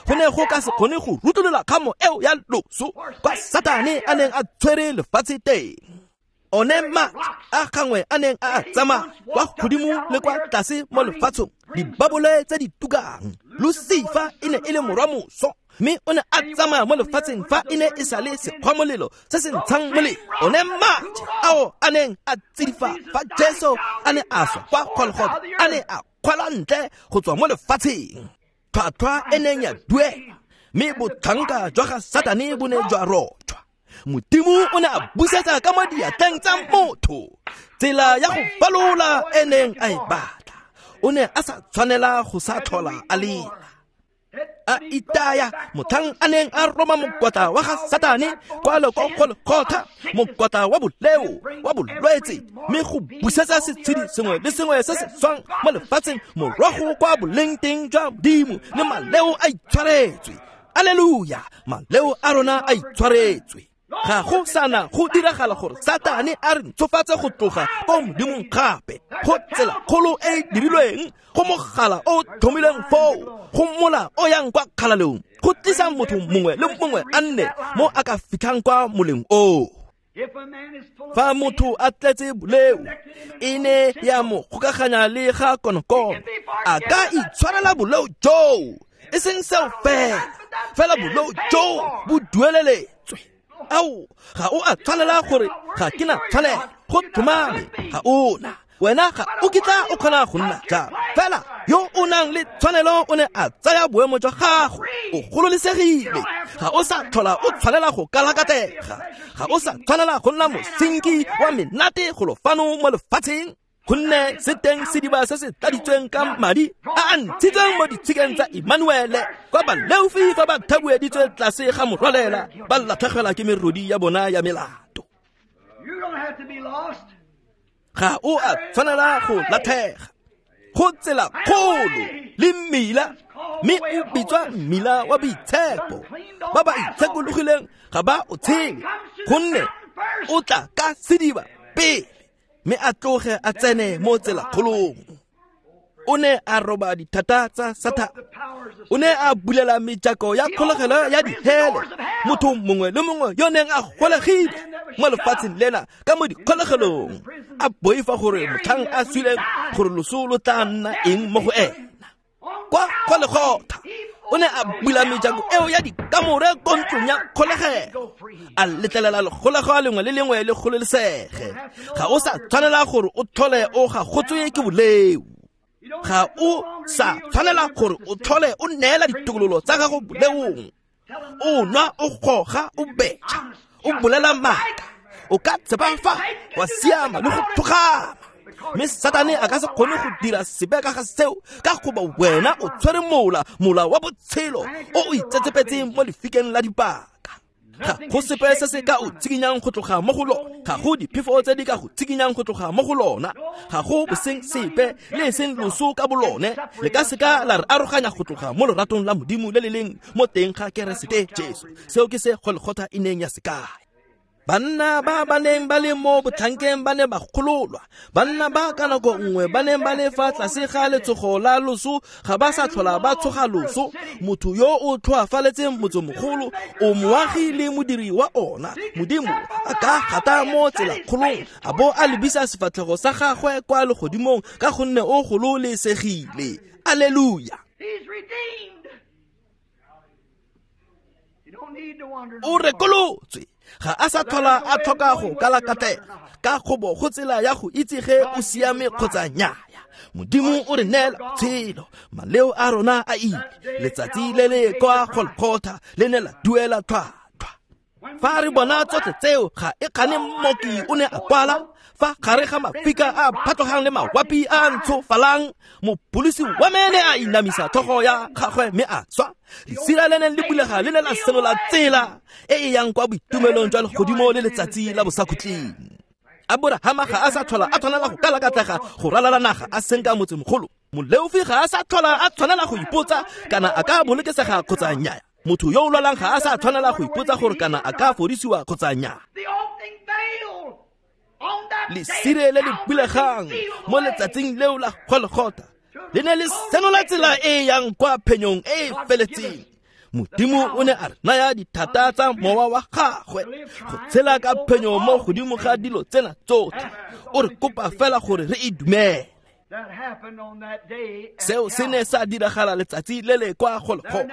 Go ne go ka se kgone go rutolola kgamo eo ya loso kwa Satane a neng a tshwere lefatshe teng. One maatla a gangwe a neng a tsamaya kwa godimo le kwa tlase mo lefatsheng, dibabole tse di tukang. Lucifer e ne e le morwa moso, mme o ne a tsamaya mo lefatsheng fa e ne e sa le sekgwamolelo se se ntshang molelo. One maatla ao a neng a tsidifa fa Jesu a ne a swa kwa Golgotha, a ne a kgwela ntle go tswa mo lefatsheng. Tlhwatlhwa e neng ya duela, mme botlhanka jwa ga Satane bo ne jwa rotshwa. Modimo o ne a busetsa ka mo diatleng tsa motho tsela ya go falola e neng a e batla. O ne a sa tshwanela go sa tlhola a lela. A itaya motlhang a neng a roma mokwatla wa ga Satane kwa Golgotha, mokwatla wa boleo wa bolwetse, mme go busetsa setshedi sengwe le sengwe se se swang mo lefatsheng morago kwa boleng teng jwa Modimo, le maleo a itshwaretswe. Alleluia, maleo a rona a itshwaretswe. Ga go sana go diragala gore Satane a re ntshofatse go tloga ko Modimong gape. Go tsela kgolo e e dirilweng, go mogala o tlhomilweng foo, go mola o yang kwa kgalalong, go tlisa motho mongwe le mongwe a nne mo a ka fitlhang kwa moleng oo. Fa motho a tletse boleo, e ne ya mo kgokaganya le ga konokono, a ka itshwarela boleo joo, e seng seo fela, fela boleo joo bo dueleletswe. Ao, ga o a tshwanela gore ga ke na tshwanelo, go tlhomame ga ona. Wena ga o kitla o kgona go nna jalo. Fela yo o nang le tshwanelo o ne a tsaya boemo jwa gago, o gololesegile. Ga o sa tlhola o tshwanela go kalakatega, ga o sa tshwanela go nna mosenki wa menate golo fano mo lefatsheng. Gonne se teng sediba se se tladitsweng ka madi a a ntshitsweng mo ditshikeng tsa Emmanuele, kwa baleofi fa ba thabueditswe tlase ga morwalela, ba latlhegelwa ke merodi ya bona ya melato. Ga o a tshwanela go latlhega. Go tsela kgolo le mmila, mme o bitswa mmila wa boitshepo. Ba ba itshekologileng ga ba o tshele, gonne o tla ka sediba pele, mme a tloge a tsene mo tsela kgolong. O ne a roba dithata tsa Satane. O ne a bulela mejako ya kgolegelo ya dihele. Motho mongwe le mongwe yo neng a golegile mo lefatsheng lena ka mo dikgolegelong, a boifa gore motlhang a swileng gore loso lo tla nna eng mo go ena. Kwa Golgotha o ne a bula mejako eo ya dikamore ko ntlong ya kgolegelo, a letlelela lekgolego lengwe le lengwe le kgololesege. Ga o sa tshwanela gore o tlhole o gagotswe ke boleo. Ga o sa tshwanela gore o tlhole o neela ditokololo tsa gago boleong. O nwa, o goga, o betšha, o bolela maaka, o ka tshepa fa wa siama le go thokgama. Mme Satane a ka se kgone go dira sepe ka ga seo, ka goba wena o tshwere mola wa botshelo o o itsetsepetseng mo lefikeng la dipaka. Ga go sepe se se ka o tshikinyang go tloga mo go lona, ga go diphefo tse di ka go tshikinyang go tloga mo go lona, ga go boseng sepe le e seng loso ka bolone le ka seka la re aroganya go tloga mo loratong la Modimo le le leng mo teng ga Keresete Jesu. Seo ke se Golgotha e neng ya se kaya. Banna ba ba neng ba le mo botlhankeng ba ne ba gololwa. Banna ba ka nako nngwe ba neng ba le fa tlase ga letsogo la loso ga ba sa tlhola ba tshoga loso. Motho yo o tlhoafaletseng motsemogolo o moagi le modiri wa ona. Modimo a ka gata mo tselakgolong a bo a lebisa sefatlhego sa gagwe kwa legodimong ka gonne o gololesegile. Alleluia. O rekolotswe. Ga a sa tlhola a tlhoka go kalakatega ka gobo go tsela ya go itse ge o siame kgotsa nnyaya. Modimo o re neela botshelo, maleo a rona a ile. Letsatsi le le kwa Golgotha le ne la duela tlhwatlhwa. Fa re bona tsotlhe tseo, ga e kgane mmoki o ne a kwala fa gare ga mafika a phatlogang le mawapi a ntshofalang, mopolisi wa mene a inamisa tlhogo ya gagwe mme a swa. Lesira le neng le bulega le ne la senola tsela e e yang kwa boitumelong jwa legodimo le letsatsi la bosakhutleng. Aborahama ga a sa tlhola a tshwanela go kalakatlega go ralala naga a senka motsemogolo. Moleofi ga a sa tlhola a tshwanela go ipotsa kana a ka bolokesega kgotsa nnyaya. Motho yo o lwalang ga a sa tshwanela go ipotsa gore kana a ka fodisiwa kgotsa nnyaya. Lesire le le bulegang mo letsatsing leo la Golgotha le ne le senola tsela e e yang kwa phenyong e e feletseng. Modimo o ne a re naya dithata tsa mowa wa gagwe go tshela ka phenyo mo godimo ga dilo tsena tsotlhe. O re kopa fela gore re e dumele. Seo se ne sa diragala letsatsi le le kwa Golgotha.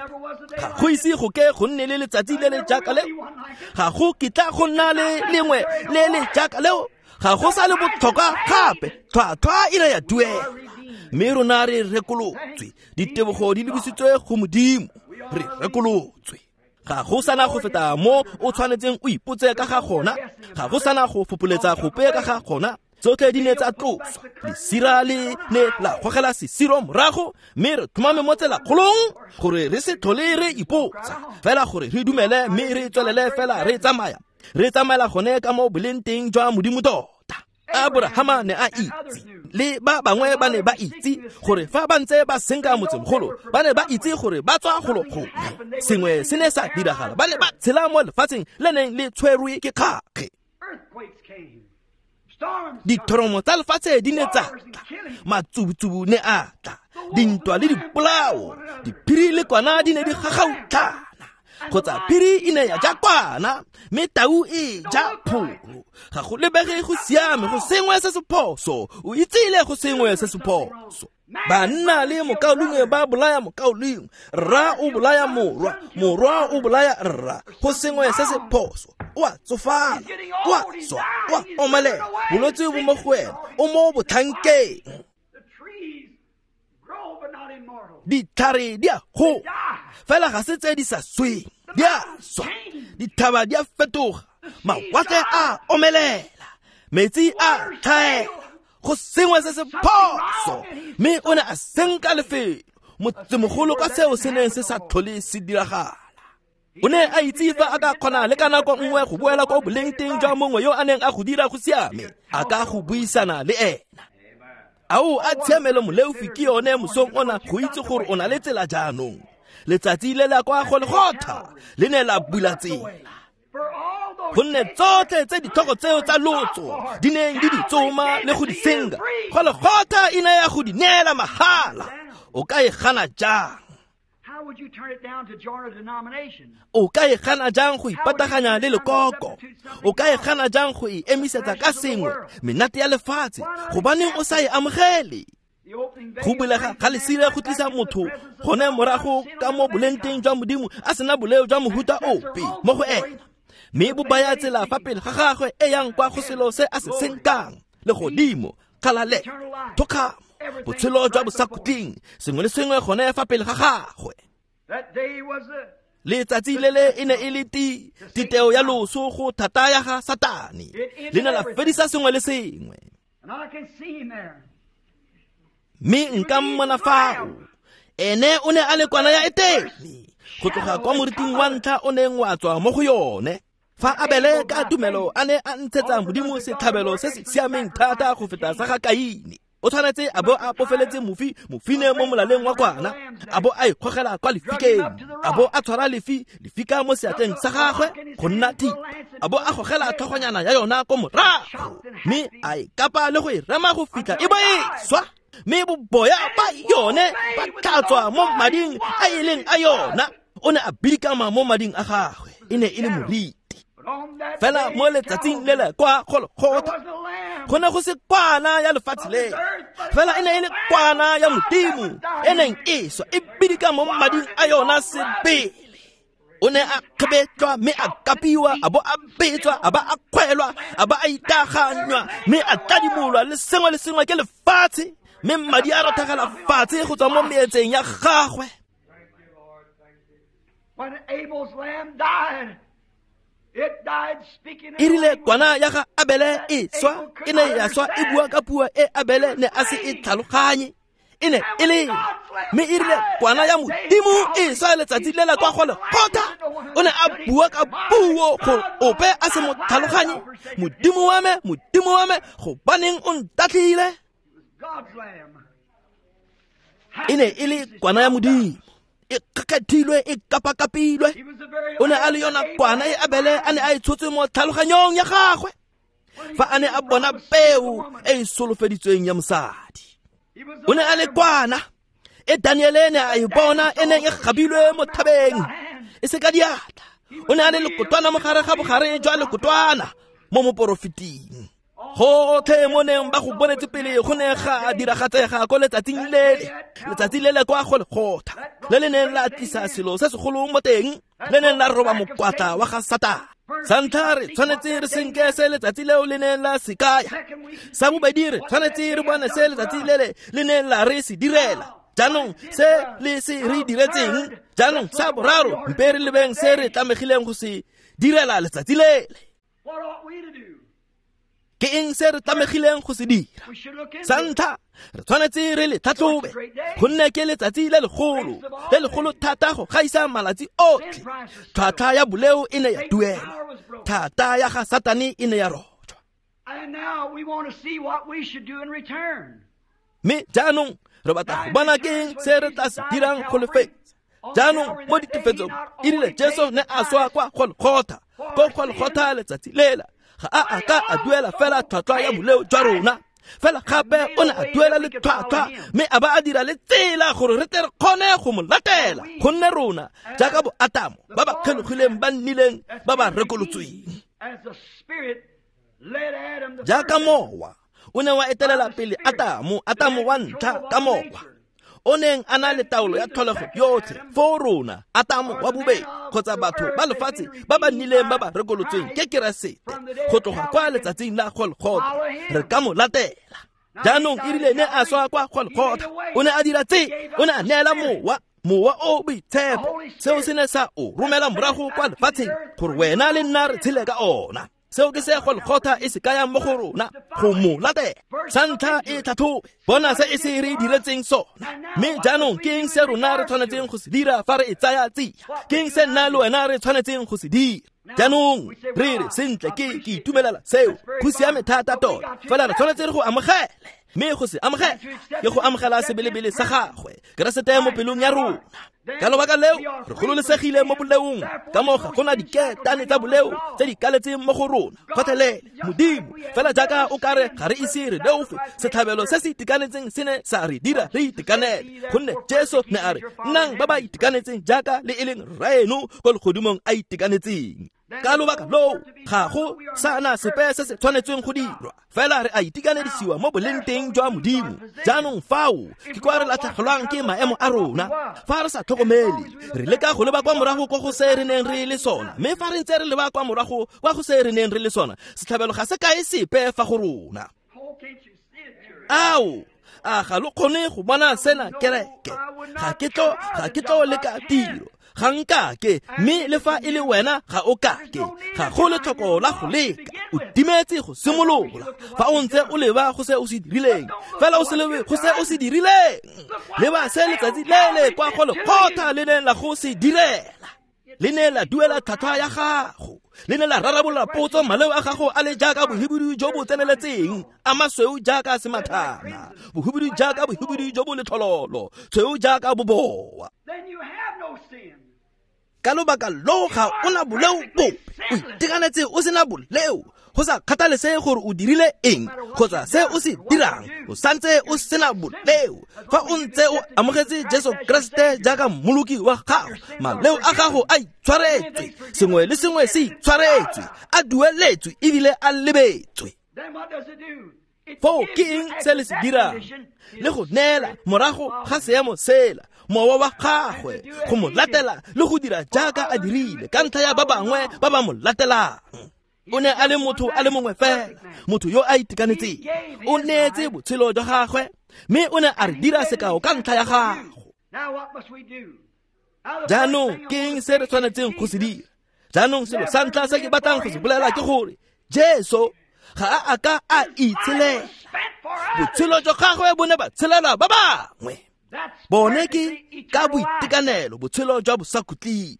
Ga go ise go ke go nne le letsatsi le le jaaka leo. Ga go kitla go nna le lengwe le le jaaka leo. Ga go sa le botlhokwa gape. Tlhwatlhwa e ne ya duela. Mme rona re rekolotswe. Ditebogo di lebisitswe go Modimo. Re rekolotswe. Ga go sana go feta mo o tshwanetseng o ipotse ka ga gona. Ga go sana go fopoletsa gope ka ga gona. Tsotlhe di ne tsa tloswa. Lesira le ne la gogela sesiro morago, mme re tlhomame mo tselakgolong gore re se tlhole re ipotsa, fela gore re dumele mme re tswelele fela re tsamaya. Re tsamaela gone ka mo boleng teng jwa Modimo tota. Aborahama ne a itse, le ba bangwe ba ne ba itse gore fa ba ntse ba senka motsemogolo, ba ne ba itse gore ba tswa golo gongwe. Sengwe se ne sa diragala, ba ne ba tshela mo lefatsheng le neng le tshwerwe ke kgakge. Dithoromo tsa lefatshe di ne tsa tla, matsubutsubu ne a tla, dintwa le dipolao, diphiri le kwana di ne di gagautlhana. Kgotsa phiri e ne ya ja kwana, mme tau e ja pholo. Ga go lebege go siame, go sengwe se se phoso. O itsile go sengwe se se phoso. Banna le mokaulengwe ba bolaya mokaulengwe, rra o bolaya morwa, morwa o bolaya rra. Go sengwe se se phoso. O a tsofala, o a swa, o a omelela. Bolwetse bo mo go wena, o mo botlhankeng. Ditlhare di a gola, fela ga se tse di sa sweng, di a swa. Dithaba di a fetoga, mawatle a omelela, metsi a tlhaela. Go sengwe se se phoso. Mme o ne a senka lefelo motsemogolo ka seo se neng se sa tlhole se diragala. O ne a itse fa a ka kgona le ka nako nngwe go boela kwa boleng teng jwa mongwe yo a neng a go dira go siame, a ka go buisana le ena. Ao a tshiamelo moleofi ke yone mosong ona go itse gore o na le tsela jaanong. Letsatsi le la kwa Golgotha le ne la bula tsela. Gonne tsotlhe tse ditlhogo tseo tsa lotso di neng di di tsoma le go di senka, Golgotha e ne ya go di neela mahala. O ka e gana jang? O ka e gana jang go ipataganya le lekoko? O ka e gana jang go e emisetsa ka sengwe menate ya lefatshe? Gobaneng o sa e amogele? Go bulega ga lesire go tlisa motho gone morago ka mo boleng teng jwa Modimo a sena boleo jwa mohuta ope mo go ena, mme bo baya tsela fa pele ga gagwe e yang kwa go selo se a se senkang, legodimo, kgalale, thokgamo, botshelo jwa bosakhutleng, sengwe le sengwe gone fa pele ga gagwe. Letsatsi le le e ne e le titeo ya loso go thata ya ga Satane, le ne la fedisa sengwe le sengwe. Mme nka mmona fao. Ene o ne a le kwana ya Etene, go tloga kwa moriting wa ntlha o neng wa tswa mo go yone. Fa Abele ka tumelo a ne a ntshetsa Modimo setlhabelo se se siameng thata go feta sa ga Kaine, o tshwanetse a bo a pofeletse mofine mo molaleng wa kwana, a bo a ikgogela kwa lefikeng, a bo a tshwara lefika mo seatleng sa gagwe go nna thipa, a bo a gogela tlhogonyana ya yona ko morago, mme a e kapa le go e rema go fitlha e bo e swa, mme boboya ba yone ba tlhatswa mo mading a e leng a yona. O ne a bidikama mo mading a gagwe, e ne e le moriti. Fela mo letsatsing le le kwa Golgotha go ne go se kwana ya lefatshe le, fela e ne e le kwana ya Modimo e neng e swa e bidika mo mading a yona sebele. O ne a kgebetlwa mme a kapiwa, a bo a betswa, a ba a kgwelwa, a ba a itaganywa, mme a tladimolwa le sengwe le sengwe ke lefatshe, mme madi a rothagela fatshe go tswa mo meetseng ya gagwe. When Abel's lamb died, it died speaking. E rile kwana ya ga Abele e swa, e ne ya swa e bua ka puo e Abele ne a se e tlhaloganye. E ne e le, mme e rile kwana ya Modimo e swa letsatsi le la kwa Golgotha, o ne a bua ka puo gore ope a se mo tlhaloganye. Modimo wa me, Modimo wa me, gobaneng o ntatlhile? E ne e le kwana ya Modimo e kgakgathilwe, e kapakapilwe. O ne a le yona kwana e Abele a ne a e tshotse mo tlhaloganyong ya gagwe fa a ne a bona peo e e solofeditsweng ya mosadi. O ne a le kwana e Daniele ne a e bona e neng e gabilwe mo thabeng e se ka diatla. O ne a le lekotwana mo gare ga bogare jwa lekotwana mo moporofeting. Gotlhe mo neng ba go bonetse pele go ne ga diragatsega ko letsatsing lele, letsatsi lele kwa Golgotha, le le neng la tlisa selo se segolo mo teng, le neng la roba mokwatla wa ga Satane. Sa ntlha re tshwanetse re senke se letsatsi leo le neng la se kaya. Sa bobedi re tshwanetse re bone se letsatsi lele le neng la re se direla. Jaanong se le se re diretseng. Jaanong sa boraro mpe re lebeng se re tlamegileng go se direla letsatsi lele. Ke eng se re tlamegileng go se dira? Sa ntlha re tshwanetse re le tlhatlhobe, gonne ke letsatsi le legolo, le legolo thata go gaisa malatsi otlhe. Tlhwatlhwa ya boleo e ne ya duelwa, thata ya ga Satane e ne ya rojwa. Mme jaanong re batla go bona ke eng se re tla se dirang go lefetsa. Jaanong mo ditefetsong e rile Jesu ne a swa kwa Golgotha, ko Golgotha letsatsi lela ga a a ka a duela fela tlhwatlhwa ya boleo jwa rona, fela gape o ne a duela le tlhwatlhwa mme a ba a dira le tsela gore re tle re kgone go mo latela, gonne rona jaaka bo Atamo ba ba kgelogileng ba nnileng ba ba rekolotsweng. Jaaka mowa o ne wa etelela pele Atamo, Atamo wa ntlha ka mowa o neng a na le taolo ya tlholego yotlhe, foo rona Atamo wa bobedi kgotsa batho ba lefatshe ba ba nnileng ba ba rekolotsweng ke Keresete go tloga kwa letsatsing la Golgotha, re ka mo latela. Jaanong e rile ne a swa kwa Golgotha, o ne a dira tse, o ne a neela mowa, mowa o boitshepo. Seo se ne sa o romela morago kwa lefatsheng gore wena le nna re tshele ka ona. Seo ke se Golgotha e se kayang mo go rona, go mo latela. Sa ntlha e tlhatlhobe, bona se e se re diretseng sona. Mme jaanong ke eng se rona re tshwanetseng go se dira fa re e tsaya tsia? Ke eng se nna le wena re tshwanetseng go se dira? Jaanong re re sentle, ke itumelela seo, go siame thata tota, fela re tshwanetse re go amogele. Mme go se amogela ke go amogela sebelebele sa gagwe Keresete mo pelong ya rona. Ka lobaka leo re gololesegile mo boleong, ka moo ga gona diketane tsa boleo tse di kaletseng mo go rona gotlhelele. Modimo fela jaaka o kare ga re ise re leofe, setlhabelo se se itekanetseng se ne sa re dira re itekanele, gonne Jesu ne a re nnang ba ba itekanetseng jaaka le e leng Rraeno ko legodimong a itekanetseng. Ka lobaka loo ga go sana sepe se se tshwanetsweng go dirwa, fela re a itekanedisiwa mo boleng teng jwa Modimo. Jaanong fao ke kwa re latlhegelwang ke maemo a rona fa re sa tlhokomele. Re leka go leba kwa morago kwa go se re neng re le sona, mme fa re ntse re leba kwa morago kwa go se re neng re le sona, setlhabelo ga se kae sepe fa go rona. Ao, a ga lo kgone go bona sena kereke? Ga ke tlo leka tiro, ga nkake, mme le fa e le wena ga o kake. Ga go letlhoko la go leka. O timetse go simolola fa o ntse o leba go se o se dirileng, fela o se lebe go se o se dirileng. Leba se letsatsi le le kwa go lekgotla le neng la go se direla. Le ne la duela tlhwatlhwa ya gago, le ne la rarabolola potso maleo a gago a le jaaka bohibidu jo bo tseneletseng, a masweu jaaka semathana, bohibidu jaaka bohibidu jo bo letlhololo, tshweu jaaka boboa. Ka lobaka loo ga o na boleo bope, o itekanetse o sena boleo, go sa kgathalesege gore o dirile eng kgotsa se o se dirang, o santse o sena boleo. Fa o ntse o amogetse Jesu Keresete jaaka mmoloki wa gago, maleo a gago a itshwaretswe, sengwe le sengwe se itshwaretswe, a dueletswe ebile a lebetswe. Foo ke eng se le se dirang? Le go neela morago ga seemo sela mowa wa gagwe go mo latela le go dira jaaka a dirile ka ntlha ya ba bangwe ba ba mo latelang. O ne a le motho a le mongwe fela, motho yo a itekanetseng. O neetse botshelo jwa gagwe mme o ne a re dira sekao ka ntlha ya gago. Jaanong ke eng se re tshwanetseng go se dira? Jaanong selo sa ntlha se ke batlang go se bolela ke gore Jesu ga a ka a itshelela. Botshelo jwa gagwe bo ne ba tshelela ba bangwe. Bone ke ka boitekanelo botshelo jwa bosakhutleng.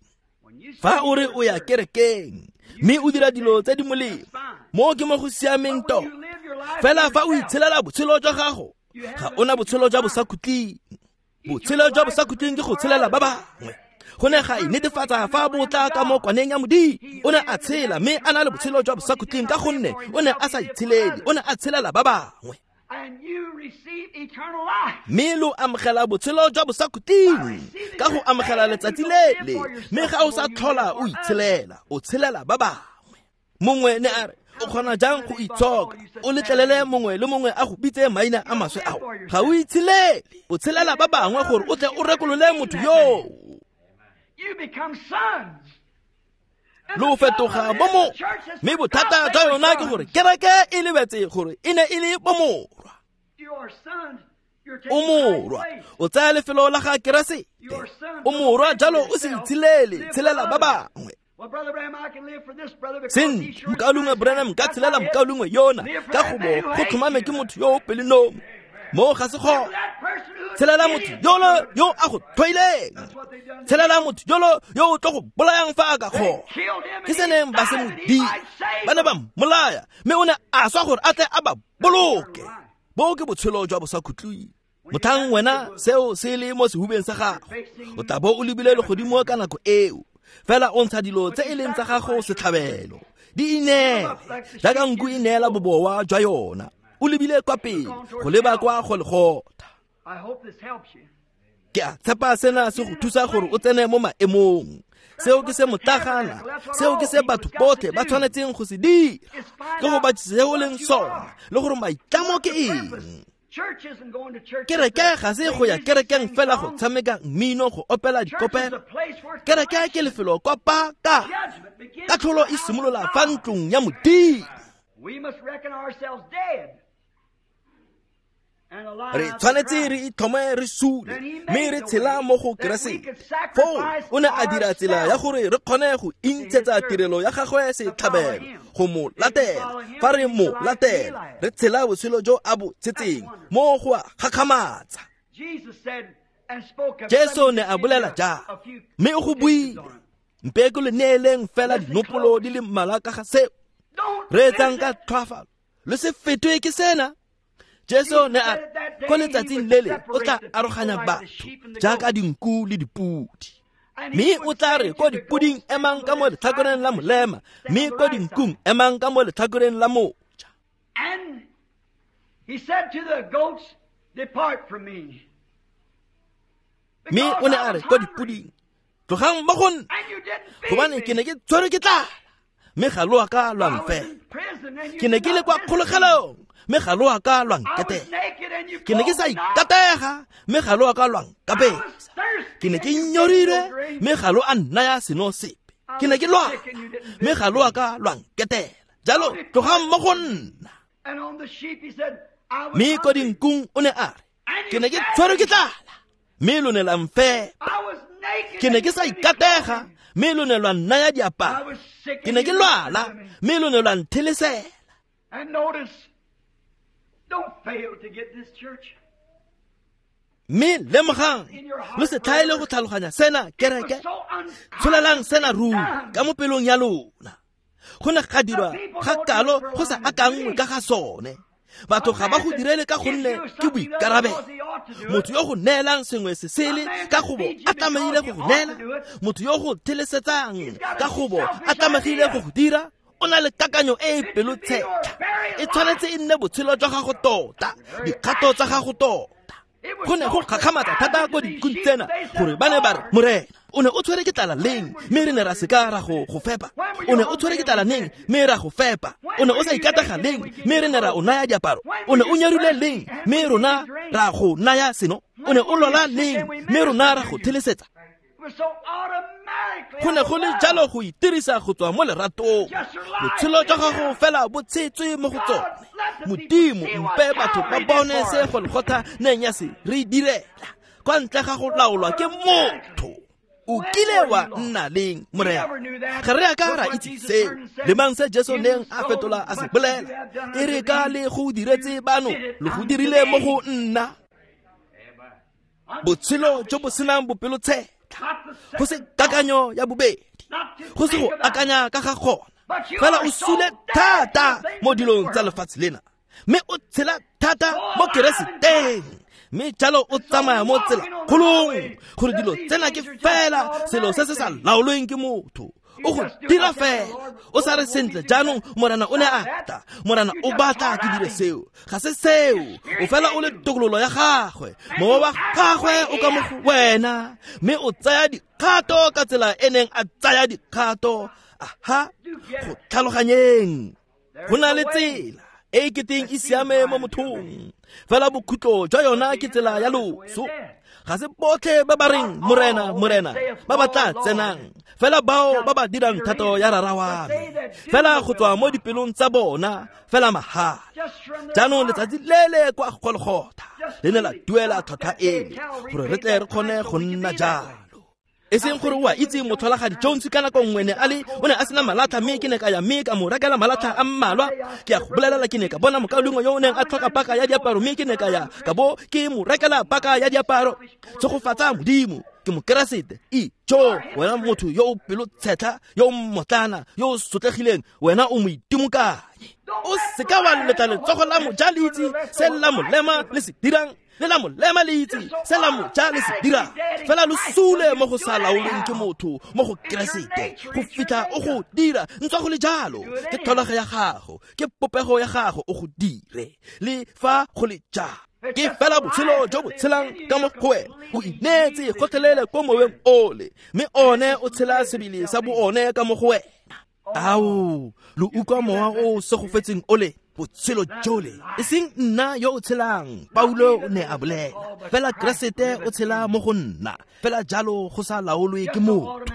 Fa o re o ya kerekeng mme o dira dilo tse di molemo, mo ke mo go siameng tota. Fela fa o itshelela botshelo jwa gago, ga o na botshelo jwa bosakhutleng. Botshelo jwa bosakhutleng ke go tshelela ba bangwe. Go ne ga inetefatsa fa bo tla ka mo kwaneng ya Modimo. O ne a tshela mme a na le botshelo jwa bosakhutleng ka gonne o ne a sa itshelele, o ne a tshelela ba bangwe. Mme lo amogela botshelo jwa bosakhutleng ka go amogela letsatsi lele, mme ga o sa tlhola o itshelela, o tshelela ba bangwe. Mongwe ne a re, o kgona jang go itshoka o letlelele mongwe le mongwe a go bitse maina a maswe ao? Ga o itshelele, o tshelela ba bangwe gore o tle o rekolole motho yoo. Lo fetoga bomorwa, mme bothata jwa yona ke gore kereke e lebetse gore e ne e le bomorwa. O morwa, o tsaya lefelo la ga Keresete. O morwa, jalo o se itshelele, tshelela ba bangwe. Sentle, mokaulengwe Branham ka tshelela mokaulengwe yona ka gobo go tlhomame ke motho yo o pelonomi. Mo ga se gone. Tshelela motho yolo yo a go tlhoileng, tshelela motho yolo yo o tlo go bolayang fa a ka kgona. Ke se neng ba se mo dira, ba ne ba mmolaya mme o ne a swa gore a tle a ba boloke. Bo ke botshelo jwa bosakhutleng. Motlhang wena seo se le mo sehubeng sa gago, o tla bo o lebile legodimo ka nako eo. Fela o ntsha dilo tse e leng tsa gago setlhabelo, di ineele jaaka nku e neela bobowa jwa yona. O lebile kwa pele go leba kwa Golgotha. Ke a tshepa sena se go thusa gore o tsene mo maemong. Seo ke se motlagana, seo ke se batho botlhe ba tshwanetseng go se dira, ke go batlisisa se o leng sona le gore maitlamo ke eng. Kereke ga se go ya kerekeng fela go tshameka mmino, go opela dikopelo. Kereke ke lefelo kwa paka katlholo e simolola fa ntlong ya Modimo. Re tshwanetse re itlhome re sule mme re tshela mo go Keresete. Foo o ne a dira tsela ya gore re kgone go intshetsa tirelo ya gagwe setlhabelo go mo latela. Fa re mo latela, re tshela botshelo jo a bo tshetseng, mo go a gakgamatsa. Jesu ne a bolela jang, mme o go buile. Mpe ke lo neeleng fela dinopolo di le mmalwa ka ga seo. Reetsang ka tlhoafalo, lo se fetwe ke sena. Jesu ne a ko letsatsing lele o tla aroganya batho jaaka dinku le dipudi, mme o tla re ko dipuding emang ka mo letlhakoreng la molema, mme ko dinkung emang ka mo letlhakoreng la moja. Mme o ne a re ko dipuding, tlogang mo go nna, gobane ke ne ke tshwerwe ke tlala, mme ga lo a ka lwa mfela. Ke ne ke le kwa kgolegelong, mme ga lo a ka lwa nketela. Ke ne ke sa ikatega, mme ga lo a ka lwa nkapesa. Ke ne ke nyorilwe, mme ga lo a nnaya seno sepe. Ke ne ke lwala, mme ga lo a ka lwa nketela. Jalo tlogang mo go nna. Mme ko dinkung o ne a re, ke ne ke tshwerwe ke tlala, mme lo ne la mfepa. Ke ne ke sa ikatega, mme lo ne lwa nnaya diaparo. Ke ne ke lwala, mme lo ne lwa nthelesela. Mme lemogang, lo se tlhaele go tlhaloganya sena kereke, tsholelang sena ruri ka mo pelong ya lona. Go ne ga dirwa ga kalo go sa akangwe ka ga sone. Batho ga ba go direle ka gonne ke boikarabelo. Motho yo go neelang sengwe se sele ka gobo a tlamehile go go neela, motho yo go thelesetsang ka gobo a tlamehile go go dira, o na le kakanyo e e pelotshetlha. E tshwanetse e nne botshelo jwa gago tota, dikgato tsa gago tota. Go ne go gakgamatsa thata ko dinkung tsena gore ba ne ba re, Morena, o ne o tshwere ke tlala leng, mme re ne ra seka ra go fepa? O ne o tshwere ke tlala neng, mme ra go fepa? O ne o sa ikatega leng, mme re ne ra o naya diaparo? O ne o nyerile leng, mme rona ra go naya seno? O ne o lwala leng, mme rona ra go thelesetsa? Go ne go le jalo go itirisa go tswa mo leratong. Botshelo jwa gago fela bo tshetswe mo go tsone. Modimo mpe batho ba bone se Golgotha neng ya se re direla, kwa ntle ga go laolwa ke motho. O kile wa nna leng, Morena? Ga re a ka ra itse seo. Lemang se Jesu neng a fetola a se bolela, e re ka le go diretse bano, lo go dirile mo go nna. Botshelo jo bo senang bopelotshetlha, go se kakanyo ya bobedi, go se go akanya ka ga gona, fela o sule thata mo dilong tsa lefatshe lena, mme o tshela thata mo Kereseteng, mme jalo o tsamaya mo tsela kgolong, gore dilo tsena ke fela selo se se sa laolweng ke motho. O go dira fela, o sa re sentle jaanong Morena o ne a tla, Morena o batla ke dire seo. Ga se seo, o fela o le tokololo ya gagwe, mowa wa gagwe o ka mo go wena, mme o tsaya dikgato ka tsela e neng a tsaya dikgato. Aha, go tlhaloganyeng, go na le tsela e e keteng e siame mo mothong, fela bokhutlo jwa yona ke tsela ya loso. Ga se botlhe ba ba reng Morena, Morena ba ba tla tsenang, fela bao ba ba dirang thato ya Rara wa me, fela go tswa mo dipelong tsa bona, fela mahala. Jaanong letsatsi lele kwa Golgotha le ne la duela tlhwatlhwa eno gore re tle re kgone go nna jalo. E seng gore o a itse motlholagadi Jones ka nako nngwe ne a le o ne a sena malatlha, mme ke ne ka ya mme ka mo rekela malatlha a mmalwa. Ke a go bolelela, ke ne ka bona mokaulengwe yo o neng a tlhoka paka ya diaparo, mme ke ne ka ya ka bo ke mo rekela paka ya diaparo. Tshegofatsa Modimo, ke Mokeresete. Ijo, wena motho yo o pelotshetlha, yo o mmotlana, yo o sotlegileng, wena o moitimokanyi. O seka wa letla letsogo la moja le itse se la molema le se dirang, le la molema le itse se la moja le se dirang. Fela lo sule mo go sa laolweng ke motho mo go Keresete go fitlha o go dira. Ntswa go le jalo, ke tlholego ya gago, ke popego ya gago, o go dire le fa go le jalo. Ke fela botshelo jo bo tshelang ka mo go wena. O ineetse gotlhelele ko moweng ole, mme one o tshela sebele sa bo one ka mo go wena. Ao, lo utlwa mowa o segofetseng ole, botshelo jole. E seng nna yo o tshelang, Paulo o ne a bolela, fela Keresete o tshela mo go nna, fela jalo go sa laolwe ke motho.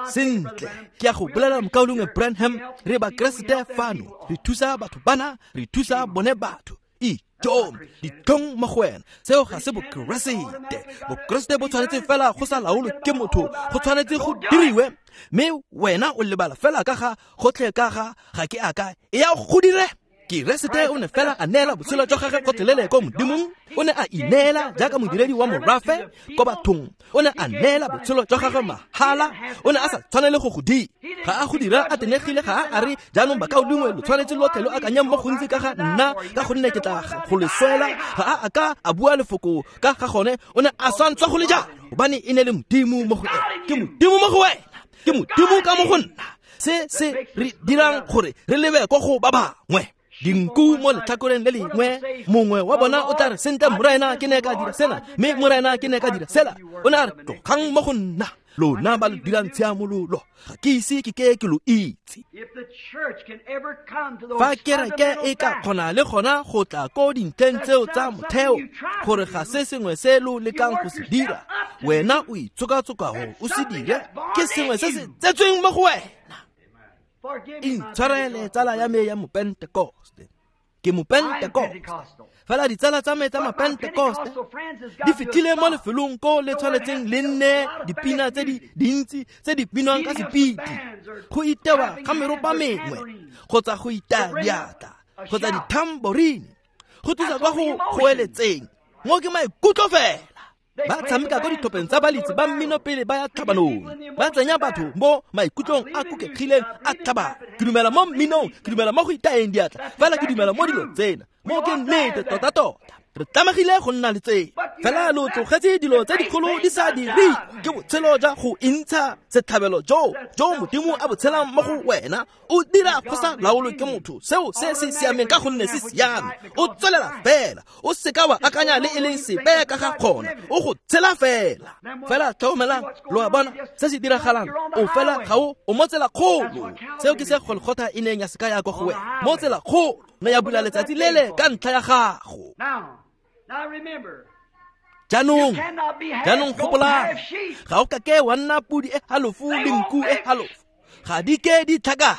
Sentle, ke a go bolela mokaulengwe Branham, re ba Keresete fano, re thusa batho bana, re thusa bone batho. Ijo, ditlhong mo go wena, seo ga se Bokeresete. Bokeresete bo tshwanetse fela go sa laolwe ke motho, go tshwanetse go diriwe, mme wena o lebala fela ka ga gotlhe ka ga ga ke aka e ya go dire. Keresete o ne fela a neela botshelo jwa gagwe gotlhelele ko Modimong. O ne a ineela jaaka modiredi wa morafe ko bathong. O ne a neela botshelo jwa gagwe mahala. O ne a sa tshwanele go go dira. Ga a go dira a tenegile, ga a re jaanong bakaulengwe lo tshwanetse lotlhe lo akanyang mo gontsi ka ga nna, ka gonne ke tla go le swela. Ga a ka a bua lefoko ka ga gone. O ne a swantswa go le jalo, gobane e ne le Modimo mo go ena. Ke Modimo mo go wena, ke Modimo ka mo go nna. Se se re dirang gore re lebe ko go ba bangwe. Dinku mo letlhakoreng le lengwe, mongwe wa bona o tla re, sentle Morena, ke ne ka dira sena, mme Morena, ke ne ka dira sela. O ne a re, tlogang mo go nna, lona ba lo dirang tshiamololo, ga ke ise ke ke ke lo itse. Fa kereke e ka kgona le gona go tla ko dintlheng tseo tsa motheo, gore ga se sengwe se lo lekang go se dira, wena o itsokatsokago o se dire, ke sengwe se se tsetsweng mo go wena. Intshwarele tsala ya me ya Mopentekoste. Ke mopentekoste. Fela ditsala tsa me tsa mapentekoste di fitlhile mo lefelong ko le tshwanetseng le nne dipina tse di dintsi tse di binwang ka sepiti, go itewa ga meropa mengwe kgotsa go itaya diatla kgotsa dithamborine go thusa kwa go goeletseng. Mo ke maikutlo fela. Ba tshameka ko ditlhopheng tsa balitsi ba mmino pele ba ya tlhabanong, ba tsenya batho mo maikutlong a kukegileng a tlhabano. Ke dumela mo mminong, ke dumela mo go itayeng diatla, fela ke dumela mo dilo tsena. Mo ke nnete tota-tota. Re tlamegile go nna le tsena. Fela lo tlogetse dilo tse dikgolo di sa dire. Ke botshelo jwa go intsha setlhabelo jo Modimo a bo tshelang mo go wena. O dira go sa laolwe ke motho seo se se siameng ka gonne se siame. O tswelela fela, o seka wa akanya le e leng sepe ka ga gona, o go tshela fela. Fela tlhokomelang, lo a bona se se diragalang. O fela ga o mo tsela kgolo. Seo ke se Golgotha e neng ya seka ya kwa go wena. Mo tsela kgolo ne ya bula letsatsi lele ka ntlha ya gago. Jaanong gopolang, ga o kake wa nna pudi e halofo le nku e halofo. Ga di ke di tlhakana.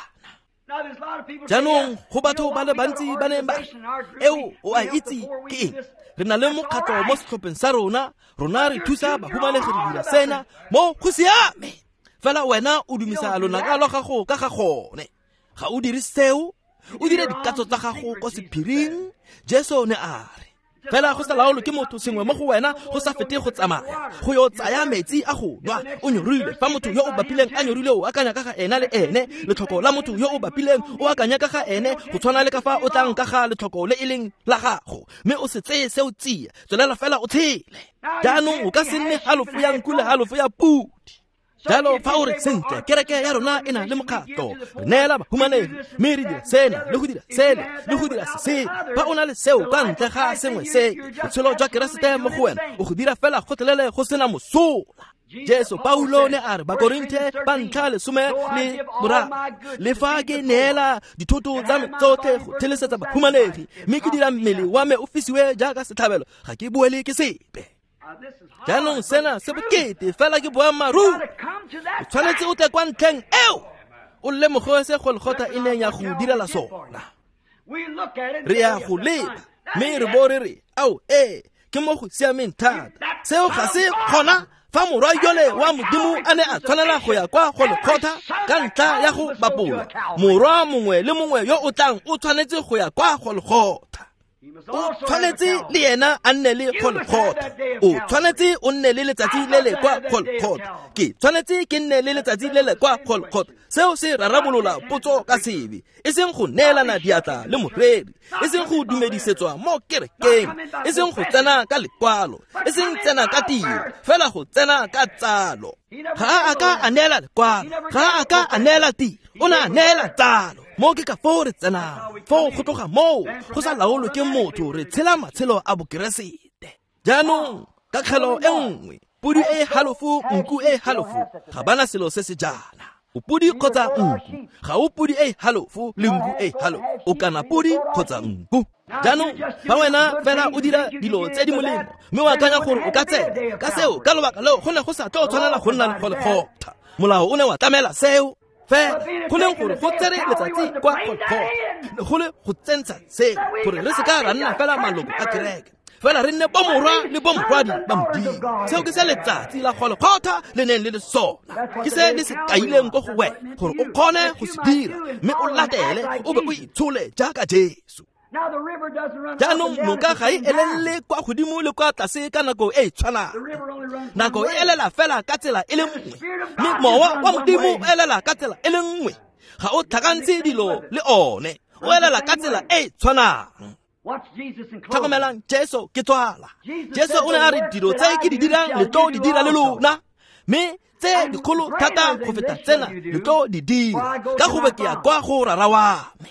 Jaanong go batho ba le bantsi ba neng ba eo o a itse ke eng. Re na le mokgatlho mo setlhopheng sa rona, rona re thusa bahumanegi re dira sena mo go siame. Fela wena o dumisa lonaka lwa gago ka ga gone. Ga o dire seo, o dire dikatso tsa gago ko sephiring. Jesu ne a re fela go sa laolwe ke motho sengwe mo go wena go sa fete go tsamaya go yo tsaya metsi a go nwa o nyorile. Fa motho yo o bapileng a nyorile, o akanya ka ga ena le ene. Letlhoko la motho yo o bapileng o akanya ka ga ene, go tshwana le ka fa o tlang ka ga letlhoko le e leng la gago. Mme o se tseye seo tsia, tswelela fela o tshele. Jaanong o ka se nne halofo ya nku le halofo ya pudi. Jalo fa o re sentle, kereke ya rona e na le mokgatlho, re neela bahumanegi, mme re dira sena le go dira sele le go dira se. Fa o na le seo ka ntle ga sengwe se, botshelo jwa Keresete mo go wena o go dira fela gotlhelele go sena mosola. Jesu Paulo ne a re Bakorinthe ba ntlha 13, le fa ke neela dithoto tsa me tsotlhe go thelesetsa bahumanegi, mme ke dira mmele wa me o fisiwe jaaka setlhabelo, ga ke boele ke sepe. Jaanong sena se bokete fela ke boammaaruri. O tshwanetse o tle kwa ntlheng eo, o lemoge se Golgotha e neng ya go direla sona. Re ya go leba mme re bo re re ao ee, ke mo go siameng thata. Seo ga se kgona fa morwa yole wa Modimo a ne a tshwanela go ya kwa Golgotha ka ntlha ya go bapolwa. Morwa mongwe le mongwe yo o tlang o tshwanetse go ya kwa Golgotha. O tshwanetse le yena a nne le Golgotha. O tshwanetse o nne le letsatsi le le kwa Golgotha. Ke tshwanetse ke nne le letsatsi le le kwa Golgotha. Seo se rarabolola potso ka sebe, e seng go neelana diatla le moreri, e seng go dumedisetswa mo kerekeng, e seng go tsena ka lekwalo, e seng tsena ka tiro, fela go tsena ka tsalo. Ga a ka a neela lekwalo, ga a ka a neela tiro, o ne a neela tsalo. Mo ke ka foo re tsenang, foo go tloga moo go sa laolwe ke motho, re tshela matshelo a bokeresete. Jaanong ka kgelo e nngwe, pudi e halofo, nku e halofo, ga bana selo se se jaana. O pudi kgotsa nku, ga o pudi e halofo le nku e halofo, o kana pudi kgotsa nku. Jaanong fa wena fela o dira dilo tse di molemo mme o akanya gore o ka tsena ka seo, ka lobaka leo go ne go sa tlo tshwanela go nna le Golgotha. Molao o ne wa tlamela seo. Fela go leng gore go tsere letsatsi kwa Golgotha go le go tsentsha seo, gore re se ka ra nna fela maloko a kereke, fela re nne bomorwa le bomorwadi ba Modimo. Seo ke se letsatsi la Golgotha le neng le le sona. Ke se le se kaileng ko go wena gore o kgone go se dira, mme o latele o be o itshole jaaka Jesu. Jaanong noka ga e elele kwa godimo le kwa tlase ka nako e e tshwanang. Nako e elela fela ka tsela e le nngwe, mme mowa wa Modimo o elela ka tsela e le nngwe. Ga o tlhakantse dilo le one, o elela ka tsela e e tshwanang. Tlhokomelang, Jesu ke tswala. Jesu o ne a re dilo tse ke di dirang le tlo di dira le lona, mme tse dikgolo thata go feta tsena le tlo di dira, ka gobe ke ya kwa go Rara wa me.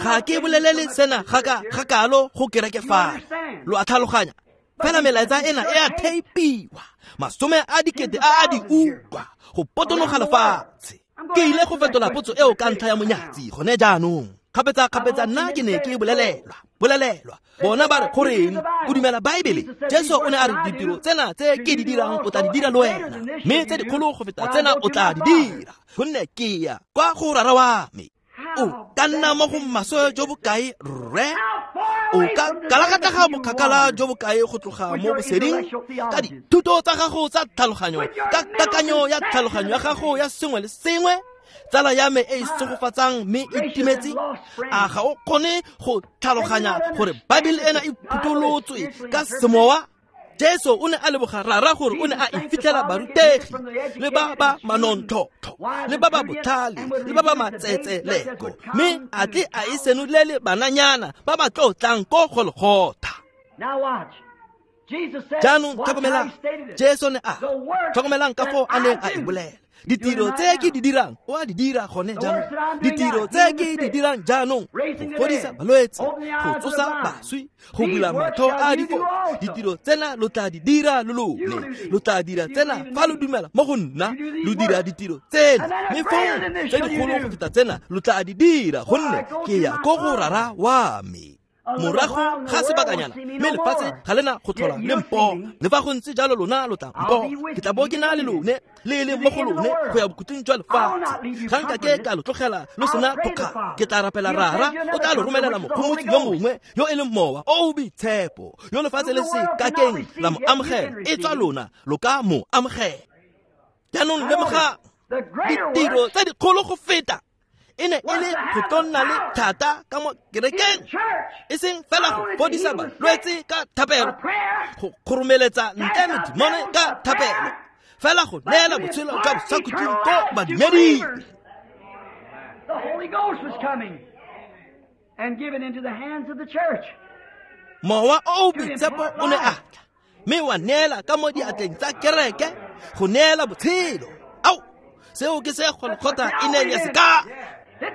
Ga ke bolelele sena ga kalo go kereke fano. Lo a tlhaloganya? Fela melaetsa ena e a theipiwa, 10 000 a a di utlwa go potonoga lefatshe. Ke ile go fetola potso eo ka ntlha ya monyatsi gone jaanong. Kgapetsa nna ke ne ke bolelelwa. Bona ba re goreng o dumela Baebele? Jesu o ne a re ditiro tsena tse ke di dirang o tla di dira le wena, mme tse dikgolo go feta tsena o tla di dira, gonne ke ya kwa go Rara wa me. O ka nna mo go maswe jo bokae, rre? O ka kalakatlega bokgakala jo bo kae go tloga mo boseding ka dithuto tsa gago tsa tlhaloganyo, ka kakanyo ya tlhaloganyo ya gago ya sengwe le sengwe? Tsala ya me e e segofatsang mme e timetse, a ga o kgone go tlhaloganya gore Baebele ena e phutolotswe ka semowa? Jesu o ne a leboga Rara gore o ne a e fitlhela barutegi le ba ba manontlhotlho le ba ba botlhale le ba ba matsetseleko, mme a tle a e senolele bananyana ba ba tlotlang ko Golgotha. Jaanong tlhokomelang, Jesu ne a tlhokomelang ka foo a neng a e bolela. Ditiro tse ke di dirang o a di dira gone jaanong. Ditiro tse ke di dirang jaanong, go fodisa balwetse, go tsosa baswi, go bula matlho a difofu, ditiro tsena lo tla di dira lo lone. Lo tla dira tsena fa lo dumela mo go nna, lo dira ditiro tsena, mme fong tse dikgolo go feta tsena lo tla di dira, gonne ke ya ko go Rara wa me. Morago ga sebakanyana, mme lefatshe ga lena go tlhola le mpona. Le fa go ntse jalo lona lo tla mpona. Ke tla bo ke na le lone, le le mo go lone go ya bokhutlong jwa lefatshe. Ga nka ke ka lo tlogela lo sena thokgamo. Ke tla rapela Rara, o tla lo romelela mogomotsi yo mongwe yo e leng Mowa o o Boitshepo, yo lefatshe le se kakeng la mo amogela, e tswa lona lo ka mo amogela. Jaanong lemogang ditiro tse dikgolo go feta e ne e le go tlo nna le thata ka mo kerekeng, e seng fela go fodisa balwetse ka thapelo, go kgoromeletsa ntle medimone ka thapelo, fela go neela botshelo jwa bosakhutleng ko badumeding. The Holy Ghost was coming and given into the hands of the church. Mowa o o Boitshepo o ne a tla mme wa neela ka mo diatleng tsa kereke go neela botshelo. Ao, seo ke se Golgotha e neng ya se ka.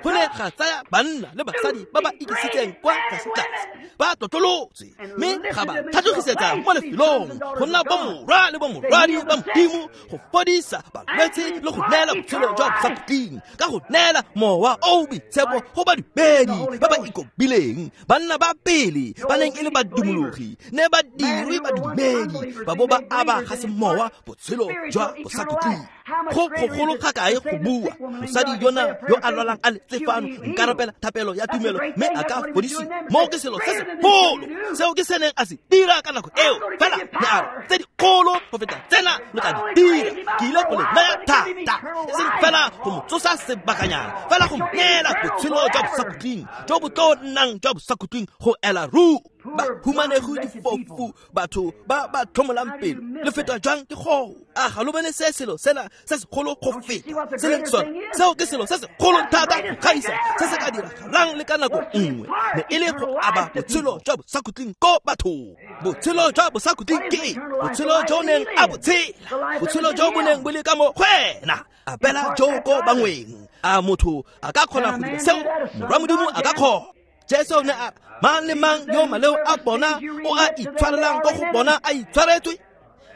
Go ne ga tsaya banna le basadi ba ba ikisitseng kwa tlase-tlase, ba tlotlolotswe, mme ga ba tlhatlogisetsa mo lefelong go nna bomorwa le bomorwadi ba Modimo, go fodisa balwetse le go neela botshelo jwa bosakhutleng ka go neela Mowa o o Boitshepo go badumedi ba ba ikobileng. Banna ba pele ba neng e le badumologi ne ba dirwe badumedi, ba bo ba aba ga semowa botshelo jwa bosakhutleng. Go gogolo ga kae go bua mosadi yona yo a lwalang a letse fano, nka rapela thapelo ya tumelo mme a ka fodisiwa. Moo ke selo se segolo seo ke se neng a se dira ka nako eo. Fela ne a re tse dikgolo go feta tsena lo tla di dira. Ke ile go le naya thata, e seng fela go mo tsosa sebakanyana, fela go mo neela botshelo jwa bosakhutleng jo bo tlo nnang jwa bosakhutleng go ela ruri. Ba humanego difofu, batho ba ba tlhomolang pelo, le fetwa jwang ke go? A ga lo bone se selo sena se segolo go feta se leng sone? Seo ke selo se segolo thata go gaisa se se ka diragalang le ka nako nngwe, ne e le go aba botshelo jwa bosakhutleng ko bathong. Botshelo jwa bosakhutleng ke eng? Botshelo jo neng a bo tshela, botshelo jo bo neng bo le ka mo go ena, abela jo ko bangweng. A motho a ka kgona go dira seo? Morwa Modimo a ka kgona. Jesu ne a re, mang le mang yo maleo a bona o a itshwarelang ko go bona a itshwaretswe,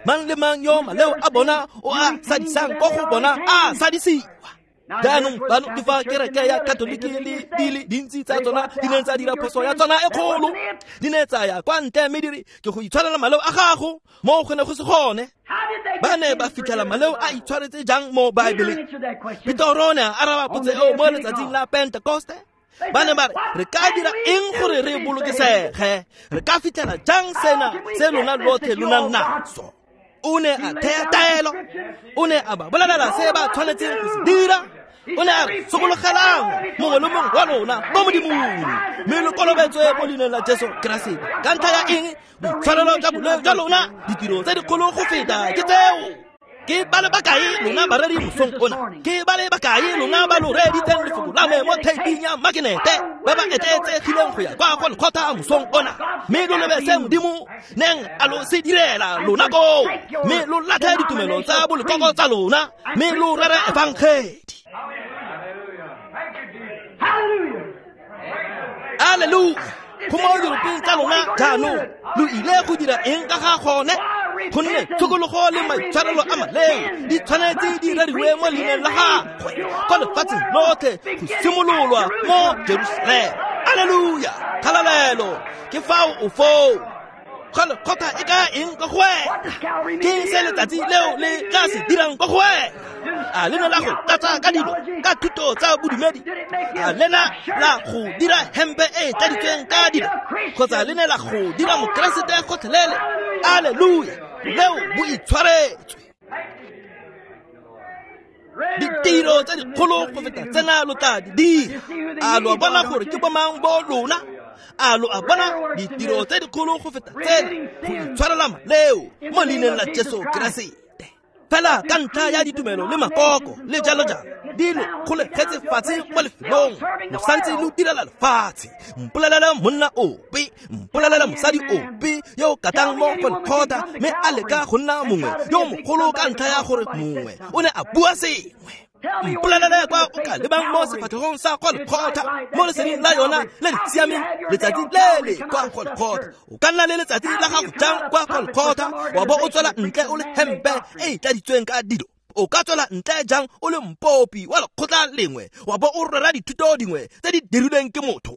mang le mang yo maleo a bona o a sadisang ko go bona a sadisiwa. Jaanong bano ke fa kereke ya Katoliki le di le dintsi tsa tsona di neng tsa dira phoso ya tsona e kgolo, di ne tsa ya kwa ntle mme di re ke go itshwarela maleo a gago, mo go ne go se gone. Ba ne ba fitlhela maleo a itshwaretse jang mo Baebeleng? Petoro o ne a araba potso eo mo letsatsing la Pentekoste. Ba ne ba re, re ka dira eng gore re bolokesege? Re ka fitlhela jang sena se lona lotlhe lo nang naso? O ne a thea taelo, o ne a ba bolelela se ba tshwanetseng go se dira. O ne a re, sokologelang mongwe le mongwe wa lona mo Modimong, mme lo kolobetswe mo leineng la Jesu Keresete. Ka ntlha ya eng? Boitshwarelo jwa boleo jwa lona, ditiro tse dikgolo go feta ke tseo. Ke ba le bakae lona bareri mosong ona? Ke ba le bakae lona ba lo reeditseng lefoko la me mo theiping ya makenete, ba ba etleetsegileng go ya kwa Golgotha mosong ona, mme lo lebe se Modimo neng a lo se direla lona koo, mme lo latlhe ditumelo tsa bolekoko tsa lona, mme lo rere efangedi. Alleluia! Go mo diropeng tsa lona jaanong, lo ile go dira eng ka ga gone? Gonne tshokologo le maitshwarelo a maleo di tshwanetse di reriwe mo leineng la gagwe kwa lefatsheng lotlhe, go simololwa mo Jerusalema. Alleluia! Kgalalelo! Ke fao o foo. Golgotha e ka eng ka go wena? Ke eng se letsatsi leo le tla se dirang ka go wena? A le ne la go tlatsa ka dilo ka thuto tsa bodumedi? A le na la go dira hempe e e tladitsweng ka dilo, kgotsa le ne la go dira mokeresete gotlhelele? Alleluia, leo bo itshwaretswe. Ditiro tse dikgolo go feta tsena lo tla di dira. A lo bona gore ke bomang bo lona? A lo a bona ditiro tse dikgolo go feta tsena go itshwarela maleo mo leineng la Jesu Keresete? Fela ka ntlha ya ditumelo le makoko le jalo jalo di lo kgolegetse fatshe mo lefelong, lo santse lo direla lefatshe. Mpolelele monna ope, mpolelela mosadi ope yo o katang mo Golgotha mme a leka go nna mongwe yo mogolo ka ntlha ya gore mongwe o ne a bua sengwe. Mpolelele kwa o ka lebang mo sefatlhegong sa Golgotha mo leseding la yona le le siameng letsatsi le le kwa Golgotha. O ka nna le letsatsi la gago jang kwa Golgotha wa bo o tswela ntle o le hempe e e tladitsweng ka dilo? O ka tswela ntle jang o le mpopi wa lekgotla lengwe wa bo o rera dithuto dingwe tse di dirilweng ke motho?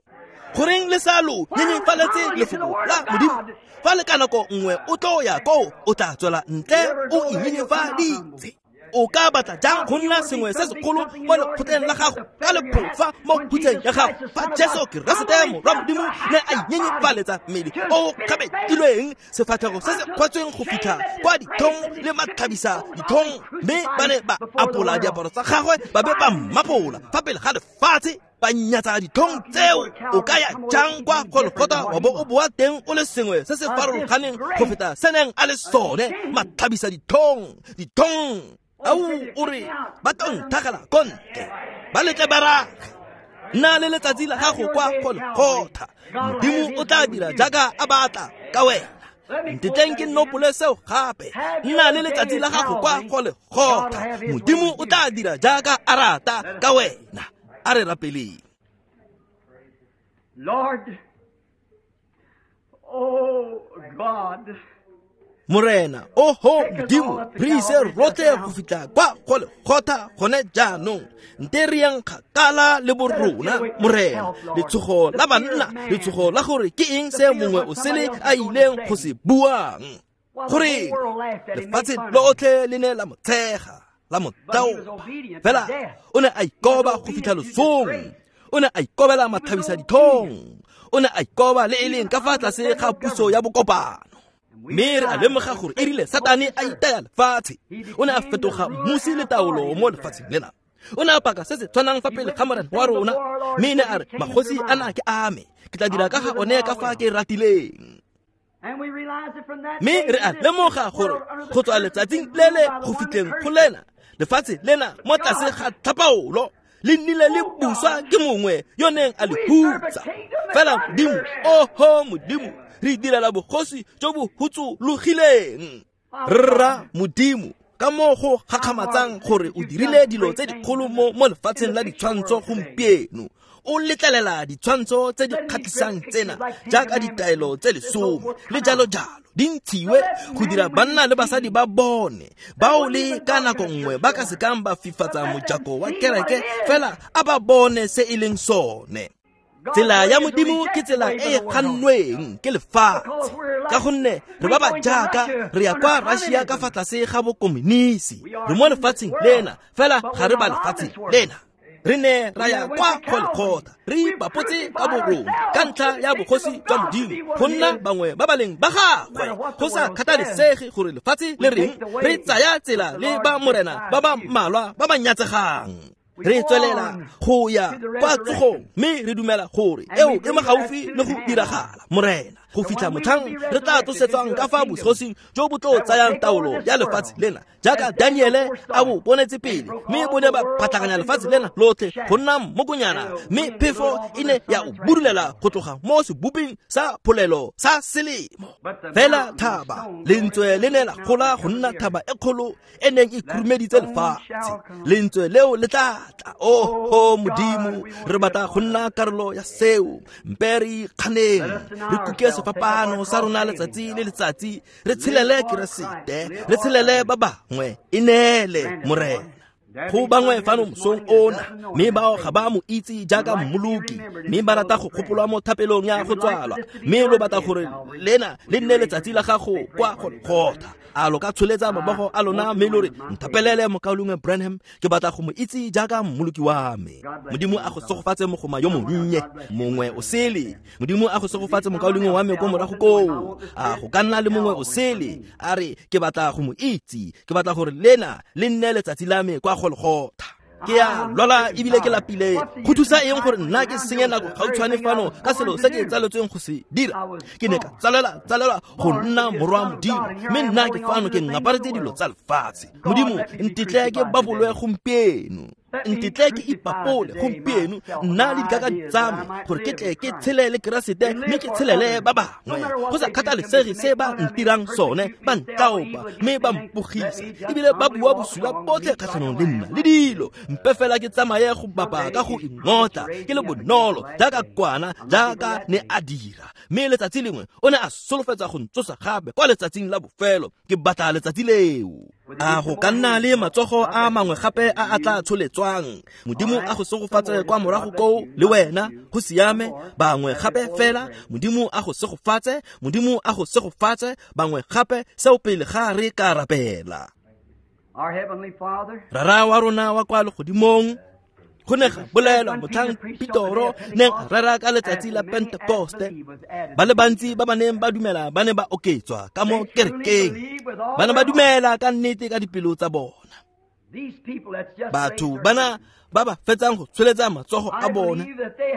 Goreng le sa lo nyenyefaletse lefoko la Modimo? Fa le ka nako nngwe o tlo ya koo, o tla tswela ntle o inyenyefaditse. O ka batla jang go nna sengwe se segolo mo lekgotleng la gago ka lephofa mo phutseng ya gago, fa Jesu Keresete Morwa Modimo ne a inyenyefaletsa mmele o kgabetilweng, sefatlhego se se kgwatsweng go fitlha kwa dithong le matlhabisa dithong, mme ba ne ba apola diaparo tsa gagwe ba be ba mmapola fa pele ga lefatshe, ba nyatsa dithong tseo? O ka ya jang kwa Golgotha wa bo o boa teng o le sengwe se se farologaneng go feta se neng a le sone, matlhabisa dithong dithong? Au, o re ba tlo nthagela ko ntle, ba letle ba rage. Nna le letsatsi la gago kwa Golgotha, Modimo o tla dira jaaka a batla ka wena. Ntetleng ke nopole seo gape. Nna le letsatsi la gago kwa Golgotha, Modimo o tla dira jaaka a rata ka wena. A re rapeleng. Lord, oh God, Morena, oho Modimo, re ise rotlhe go fitlha kwa Golgotha gone jaanong. Nte re yang kgakala le borona, Morena. Letshogo la banna, letshogo la gore ke eng se mongwe o sele a ileng go se buang. Gore lefatshe lotlhe le ne la mo tshega, la mo taopa, fela o ne a ikoba go fitlha losong. O ne a ikobela matlhabisa dithong. O ne a ikoba le e leng ka fa tlase ga puso ya bokopano. Mme re a lemoga gore e rile Satane a itaya lefatshe, o ne a fetoga mmusi le taolo mo lefatsheng lena. O ne a paka se se tshwanang fa pele ga Morena wa rona, mme ne a re, magosi ana ke a me, ke tla dira ka ga one ka fa ke ratileng. Mme re a lemoga gore go tswa letsatsing le le go fitlheng go lena, lefatshe lena mo tlase ga tlhapaolo le nnile le buswa ke mongwe yo neng a le hutsa. Fela Modimo, oho Modimo, re direla bogosi jo bo hutsologileng. Rra Modimo, ka mo go gakgamatsang gore o dirile dilo tse dikgolo mo lefatsheng la ditshwantsho gompieno. O letlelela ditshwantsho tse di kgatlhisang tsena jaaka ditaelo tse 10 le jalo jalo di ntshiwe go dira banna le basadi ba bone bao le ka nako nngwe ba ka sekang ba fifatsa mojako wa kereke, fela a ba bone se e leng sone. Tsela ya Modimo ke tsela e e gannweng ke lefatshe, ka gonne re ba ba jaaka re ya kwa Russia ka fa tlase ga bokomonisi. Re mo lefatsheng lena, fela ga re ba lefatsheng lena. Re ne ra ya kwa Golgotha, re ipapotse ka borona ka ntlha ya bogosi jwa Modimo, go nna bangwe ba ba leng ba gagwe. Go sa kgathalesege gore lefatshe le reng, re tsaya tsela le ba Morena ba ba mmalwa ba ba nyatsegang. Re tswelela go ya kwa tsogong, mme re dumela gore eo e mo gaufi le go diragala, Morena, go fitlha motlhang re tla tlosetswang ka fa bogosing jo bo tlo tsayang taolo ya lefatshe lena, jaaka Daniele a bo bonetse pele, mme bo ne ba phatlhaganya lefatshe lena lotlhe go nna mmokonyana, mme phefo e ne ya o budulela go tloga mo seboping sa pholelo sa selemo. Fela thaba lentswe le ne la gola go nna thaba e kgolo e neng e khurumeditse lefatshe. Lentswe leo le tla tla. Oho Modimo, re batla go nna karolo ya seo. Mpe re ikganeng, re kuke sefapano sa rona letsatsi le letsatsi, re tshelele Keresete, re tshelele ba bangwe. E neele, Morena. Go bangwe fano mosong ona, mme bao ga ba mo itse jaaka mmoloki, mme ba rata go gopolwa mo thapelong ya go tswalwa, mme lo batla gore lena le nne letsatsi la gago kwa Golgotha. A lo ka tsholetsa mabogo a lona mme lo re, nthapelele mokaulengwe Branham, ke batla go mo itse jaaka mmoloki wa me. Modimo a go segofatse mogoma yo monnye, mongwe o sele. Modimo a go segofatse mokaulengwe wa me ko morago koo. A go ka nna le mongwe o sele, a re ke batla go mo itse, ke batla gore lena le nne letsatsi la me kwa Golgotha. Ke a lwala ebile ke lapile. Go thusa eng gore nna ke senye nako gautshwane fano ka selo se ke tsaletsweng go se dira? Ke ne ka tsalelwa go nna morwa Modimo, mme nna ke fano ke ngaparetse dilo tsa lefatshe. Modimo, ntetle ke babolwe gompieno, ntetle ke ipapole gompieno, nna le dikakanyo tsa me, gore ke tle ke tshelele Keresete mme ke tshelele ba bangwe. Go sa kgathalesege se ba ntirang sone, ba ntlaopa mme ba mpogisa, ebile ba bua bosula botlhe kgatlhanong le nna le dilo. Mpe fela ke tsamaye go bapa ka go ingotla, ke le bonolo jaaka kwana, jaaka ne a dira. Mme letsatsi lengwe o ne a solofetsa go ntsosa gape kwa letsatsing la bofelo. Ke batla letsatsi leo. A go ka nna le matsogo a mangwe gape a a tla tsholetswang? Modimo a go segofatse kwa morago koo le wena, go siame. Bangwe gape fela, Modimo a go segofatse, Modimo a go segofatse, bangwe gape, seo pele ga re ka rapela. Rara wa rona wa kwa legodimong, go ne ga bolelwa motlhang Petoro neng a rera ka letsatsi la Pentekoste, ba le bantsi ba ba neng ba dumela ba ne ba oketswa ka mo kerekeng. Ba ne ba dumela ka nnete ka dipelo tsa bona. Batho bana ba ba fetsang go tsholetsa matsogo a bona,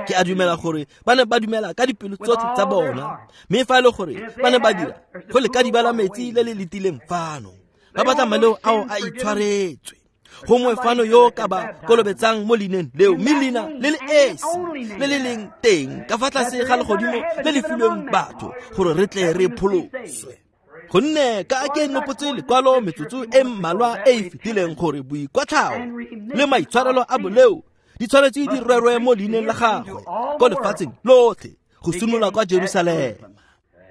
ke a dumela gore ba ne ba dumela ka dipelo tsotlhe tsa bona. Mme fa e le gore ba ne ba dira, go le ka dibala metsi le le letileng fano, ba batla maleo ao a itshwaretswe. Gongwe fano yo ka ba kolobetsang mo leineng leo, mme leina le le esi le le leng teng ka fa tlase ga legodimo le le filweng batho, gore re tle re pholoswe. Gonne ka ke nopotse lekwalo metsotso e mmalwa e e fetileng gore boikwatlhao le maitshwarelo a boleo di tshwanetse di rerwe mo leineng la gagwe ko lefatsheng lotlhe, go simolola kwa Jerusalema.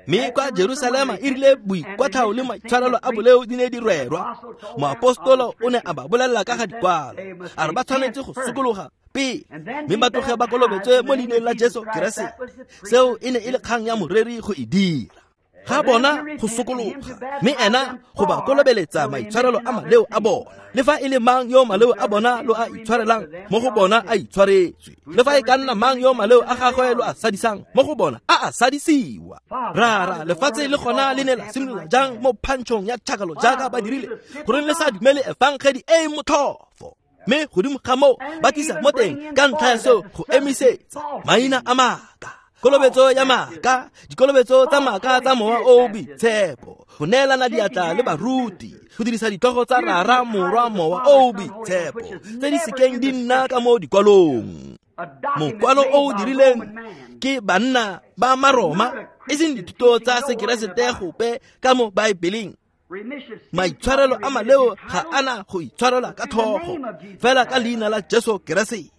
Mme kwa Jerusalema e rile boikwatlhao le maitshwarelo a boleo di ne di rerwa, moapostolo o ne a ba bolelela ka ga dikwalo, a re ba tshwanetse go sokologa pele, mme ba tloge ba kolobetswe mo leineng la Jesu Keresete. Seo e ne e le kgang ya moreri go e dira. Ga bona go sokologa, mme ena go ba kolobeletsa maitshwarelo a maleo a bona. Le fa e le mang yo maleo a bona lo a itshwarelang, mo go bona a itshwaretswe. Le fa e ka nna mang yo maleo a gagwe lo a sadisang, mo go bona a a sadisiwa. Rara, lefatshe le gona le ne la simolola jang mo phantšhong ya tšhakalo jaaka ba dirile, goreng le sa dumele efangedi e e motlhofo? Mme godimo ga moo ba tlisa mo teng ka ntlha ya seo go emisetsa maina a maaka, kolobetso ya maaka, dikolobetso tsa maaka tsa mowa o boitshepo, go neelana diatla le baruti, go dirisa ditlhogo tsa Rara, Morwa, Mowa o boitshepo, tse di sekeng di nna ka mo dikwalong. Mokwalo o o dirileng ke banna ba Maroma, e seng dithuto tsa Sekeresete gope ka mo Baebeleng. Maitshwarelo a maleo ga ana go itshwarelwa ka tlhogo, fela ka leina la Jesu Keresete.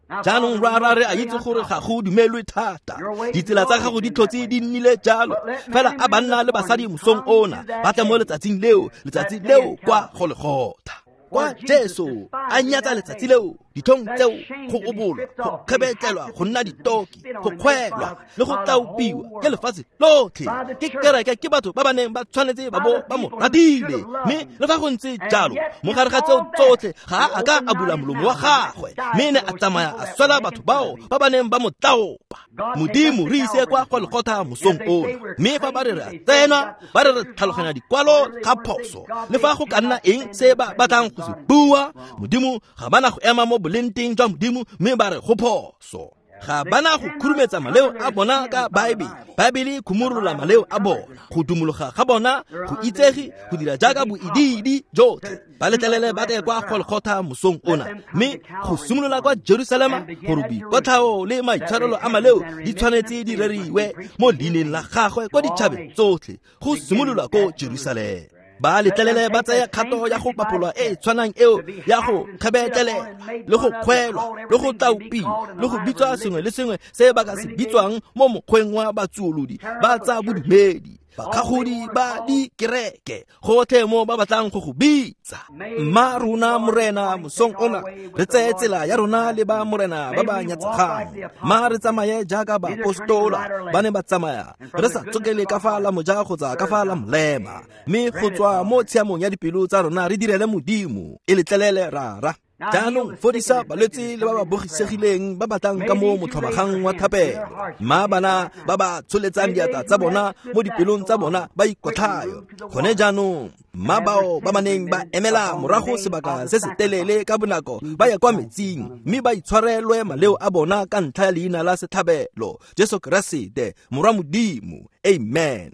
Jaanong rara, re a itse gore ga go dumelwe thata, ditsela tsa gago di tlhotse di nnile jalo, fela a banna le basadi mosong ona ba tle mo letsatsing leo, letsatsi leo kwa Golgotha, kwa Jesu a nyatsa letsatsi leo, ditlhong tseo, go obolwa, go kgebetlelwa, go nna ditoki, go kgwelwa le go tlaopiwa ke lefatshe lotlhe, ke kereke, ke batho ba ba neng ba tshwanetse ba bo ba mo ratile. Mme le fa go ntse jalo, mo gare ga tseo tsotlhe ga a ka a bula molomo wa gagwe, mme ne a tsamaya a swela batho bao ba ba neng ba mo tlaopa. Modimo, re ise kwa Golgotha mosong ona. Mme fa ba re re a tsena, ba re re tlhaloganya dikwalo ga phoso, le fa go ka nna eng se ba batlang go se bua, Modimo, ga bana go ema mo bolenteng jwa Modimo mme ba re go phoso. Ga bana go khurumetsa maleo a bona ka Baebele. Baebele e khumolola maleo a bona, go dumologa ga bona, go itsege, go dira jaaka boidiidi jotlhe. Ba letlelele ba tle kwa Golgotha mosong ona, mme go simolola kwa Jerusalema, gore boikotlhao le maitshwarelo a maleo di tshwanetse di reriwe mo leineng la gagwe kwa ditšhabeng tsotlhe, go simolola ko Jerusalema. Ba letlelele ba tsaya kgato ya go bapolwa e e tshwanang eo ya go kgebetlelela le go kgwelwa le go tlaopiwa le go bitswa sengwe le sengwe se ba ka se bitswang mo mokgweng wa batsuolodi ba tsa bodumedi. bakgagodi ba dikereke, gotlhe mo ba batlang go go bitsa. Mma rona Morena mosong ona re tseye tsela ya rona le ba Morena ba ba nyatsegang. Mma re tsamaye jaaka baapostola ba ne ba tsamaya, re sa tsokele ka fa la moja kgotsa ka fa la molema, mme go tswa mo tshiamong ya dipelo tsa rona re direle Modimo. E letlelele Rara. Jaanong fodisa balwetse le ba ba bogisegileng ba batlang ka mo motlhomagang wa thapelo. Mma bana ba ba tsholetsang diatla tsa bona mo dipelong tsa bona ba ikotlhayo gone jaanong. Mma bao ba baneng ba emela morago sebaka se se telele ka bonako ba ye kwa metsing, mme ba itshwarelwe maleo a bona ka ntlha ya leina la setlhabelo, Jesu Keresete Morwa Modimo. Amen.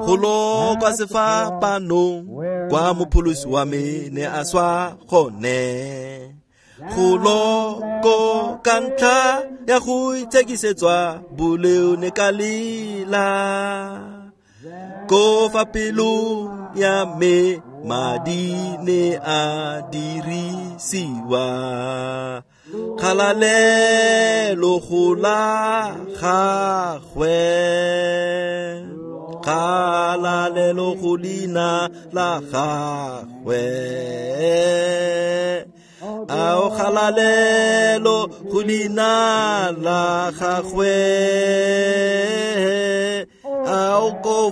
Golo kwa sefapanong kwa mopholosi wa me ne a swa gone, golo ko ka ntlha ya go itshekisetswa boleo ne ka lela, ko fa pelong ya me madi ne a dirisiwa, kgalalelo go la gagwe, kgalalelo go leina la gagwe, ao kgalalelo go leina la gagwe, ao ko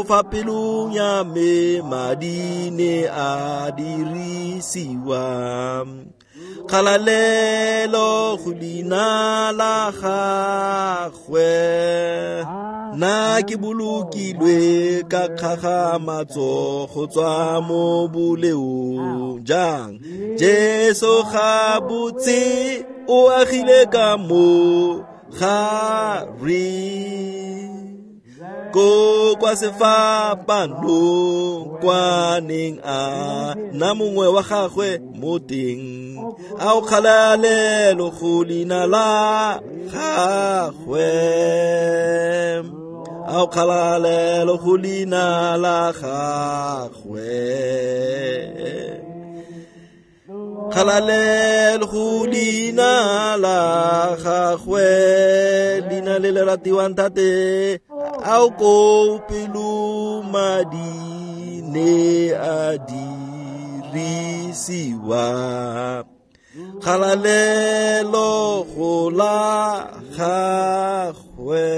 fa pelong ya me madi ne a dirisiwa, kgalalelo go leina la gagwe. Nna ke bolokilwe ka kgagamatso go tswa mo boleong jang, Jesu ga botse o agile ka mo gare, ko kwa sefapanong kwa neng a nna mongwe wa gagwe mo teng, ao kgalalelo go leina la gagwe, ao kgalalelo go leina la gagwe, kgalalelo go leina la gagwe, leina le le ratiwang thate, ao ko pelo madi ne a dirisiwa, kgalalelo go la gagwe.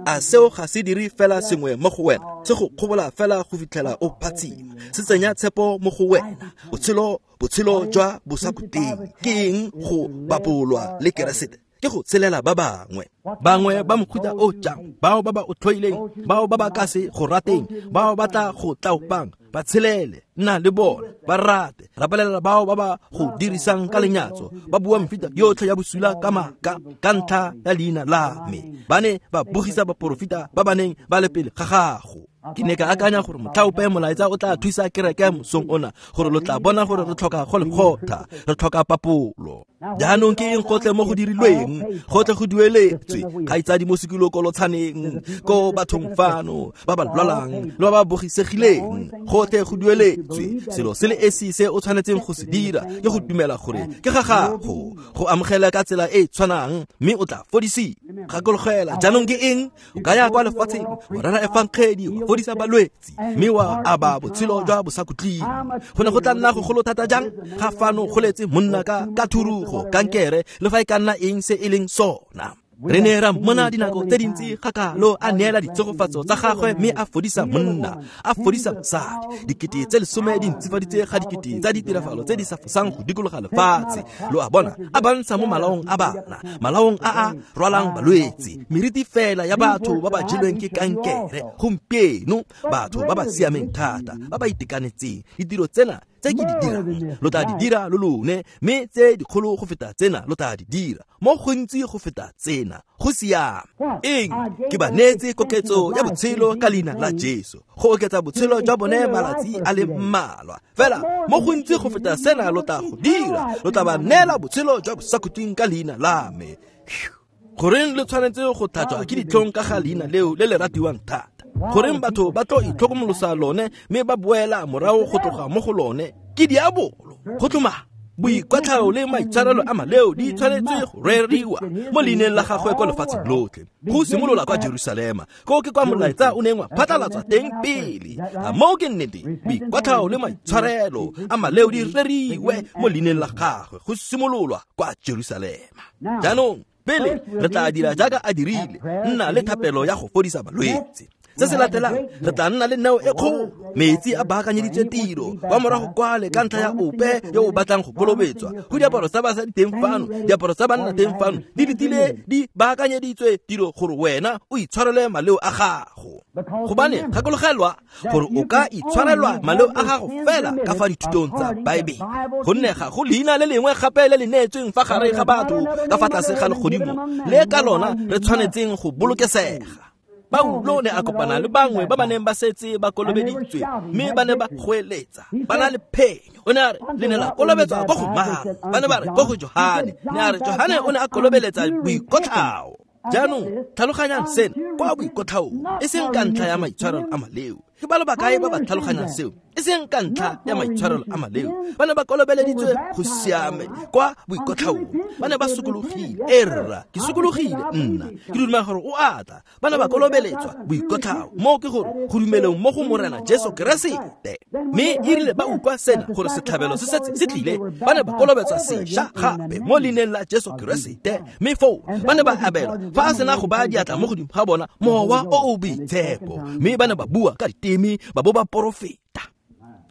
A seo ga se dire fela sengwe mo go wena, se go kgobola fela go fitlhela o phatsima, se tsenya tshepo mo go wena, botshelo jwa bosakhutleng. Ke eng go bapolwa le Keresete? Ke go tshelela ba bangwe, bangwe ba mohuta o jang, bao ba ba o tlhoileng, bao ba ba ka se go rateng, bao ba tla go tlaopang, ba tshelele, nna le bona, ba rate, rapelela bao ba ba go dirisang ka lenyatso, ba bua mefuta yotlhe ya bosula ka maaka ka ntlha ya leina la me. Ba ne ba bogisa baporofeta ba ba neng ba le pele ga gago. Ke ne ka akanya gore motlhaope molaetsa o tla thusa kereke mosong ona, gore lo tla bona gore re tlhoka go lekgotha, re tlhoka papolo. Jaanong ke eng gotlhe mo go dirilweng, gotlhe go dueletswe, kgaitsadi mo sekilokolotshaneng, ko bathong fano ba ba lwalang le ba ba bogisegileng, gotlhe go dueletswe. Selo se le esi se o tshwanetseng go se dira ke go dumela gore ke ga gago, go amogela ka tsela e e tshwanang, mme o tla fodisiwa. Gakologela jaanong ke eng? O ka ya kwa lefatsheng wa rera efangedi, wa fodisa balwetse, mme wa aba botshelo jwa bosakhutleng. Go ne go tla nna gogolo thata jang ga fano go letse monna ka thurugo, kankere, le fa e ka nna eng se e leng sona. Re ne ra mmona dinako tse dintsi gakalo a neela ditshegofatso tsa gagwe, mme a fodisa monna, a fodisa mosadi. 10 000 di ntsifaditse ga 10,000 tsa ditirafalo tse di sa fosang go dikologa lefatshe. Lo a bona, a bantsha mo malaong a bana, malaong a a rwalang balwetse, meriti fela ya batho ba ba jelweng ke kankere gompieno, batho ba ba siameng thata, ba ba itekanetseng. Ditiro tsena tse ke di dirang lo tla di dira lo lone, mme tse dikgolo go feta tsena lo tla di dira, mo gontsi go feta tsena. Go siame. Eng? Ke ba neetse koketso ya botshelo ka leina la Jesu, go oketsa botshelo jwa bone malatsi a le mmalwa fela. Mo gontsi go feta sena lo tla go dira, lo tla ba neela botshelo jwa bosakhutleng ka leina la me. Goreng le tshwanetse go tlhatswa ke ditlhong ka ga leina leo le le ratiwang thata? Goreng batho ba tlo itlhokomolosa lone mme ba boela morago go tloga mo go lone ke diabolo. Go tloma boikwatlhao le maitshwarelo a maleo di tshwanetse go reriwa mo leineng la gagwe kwa lefatsheng lotlhe, go simolola kwa Jerusalema, ko ke kwa molaetsa o neng wa phatlalatswa teng pele. A moo ke nnete, boikwatlhao le maitshwarelo a maleo di reriwe mo leineng la gagwe go simololwa kwa Jerusalema. Jaanong pele re tla dira jaaka a dirile, nna le thapelo ya go fodisa balwetse. Se se latelang re tla nna le neo e kgolo, metsi a baakanyeditswe tiro kwa morago kwale ka ntlha ya ope yo o batlang go kolobetswa. Go diaparo tsa basadi teng fano, diaparo tsa banna teng fano, di letile di baakanyeditswe tiro gore wena o itshwarele maleo a gago. Gobane gakologelwa gore o ka itshwarelwa maleo a gago fela ka fa dithutong tsa Baebele, gonne ga go leina le lengwe gape le le neetsweng fa gare ga batho ka fa tlase ga legodimo le ka lona re tshwanetseng go bolokesega. Paulo ne a kopana le bangwe ba ba neng ba setse ba kolobeditswe mme ba ne ba goeletsa ba na le phenyo. O ne a re le ne la kolobetswa ko go mang? Ba ne ba re ko go Johane. Ne a re Johane o ne a kolobeletsa boikotlhao. Jaanong tlhaloganyang sena kwa boikotlhaong, e seng ka ntlha ya maitshwarelo a maleo. Ke ba le bakae ba ba tlhaloganyang seo? E seng ka ntlha ya maitshwarelo a maleo. Ba ne ba kolobeleditswe go siame kwa boikotlhaong, ba ne ba sokologile. E rra, ke sokologile nna, ke dumela gore o atla. Ba ne ba kolobeletswa boikotlhao, moo ke gore go dumeleng mo go Morena Jesu Keresete. Mme e rile ba utlwa sena gore setlhabelo se setse se tlile, ba ne ba kolobetswa sešwa gape mo leineng la Jesu Keresete. Mme foo ba ne ba abelwa fa a sena go baya diatla mo godimo ga bona mowa o o boitshepo, mme ba ne ba bua ka diteme ba bo ba porofeta.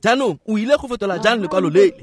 Jaanong o ile go fetola jang lekwalo lele?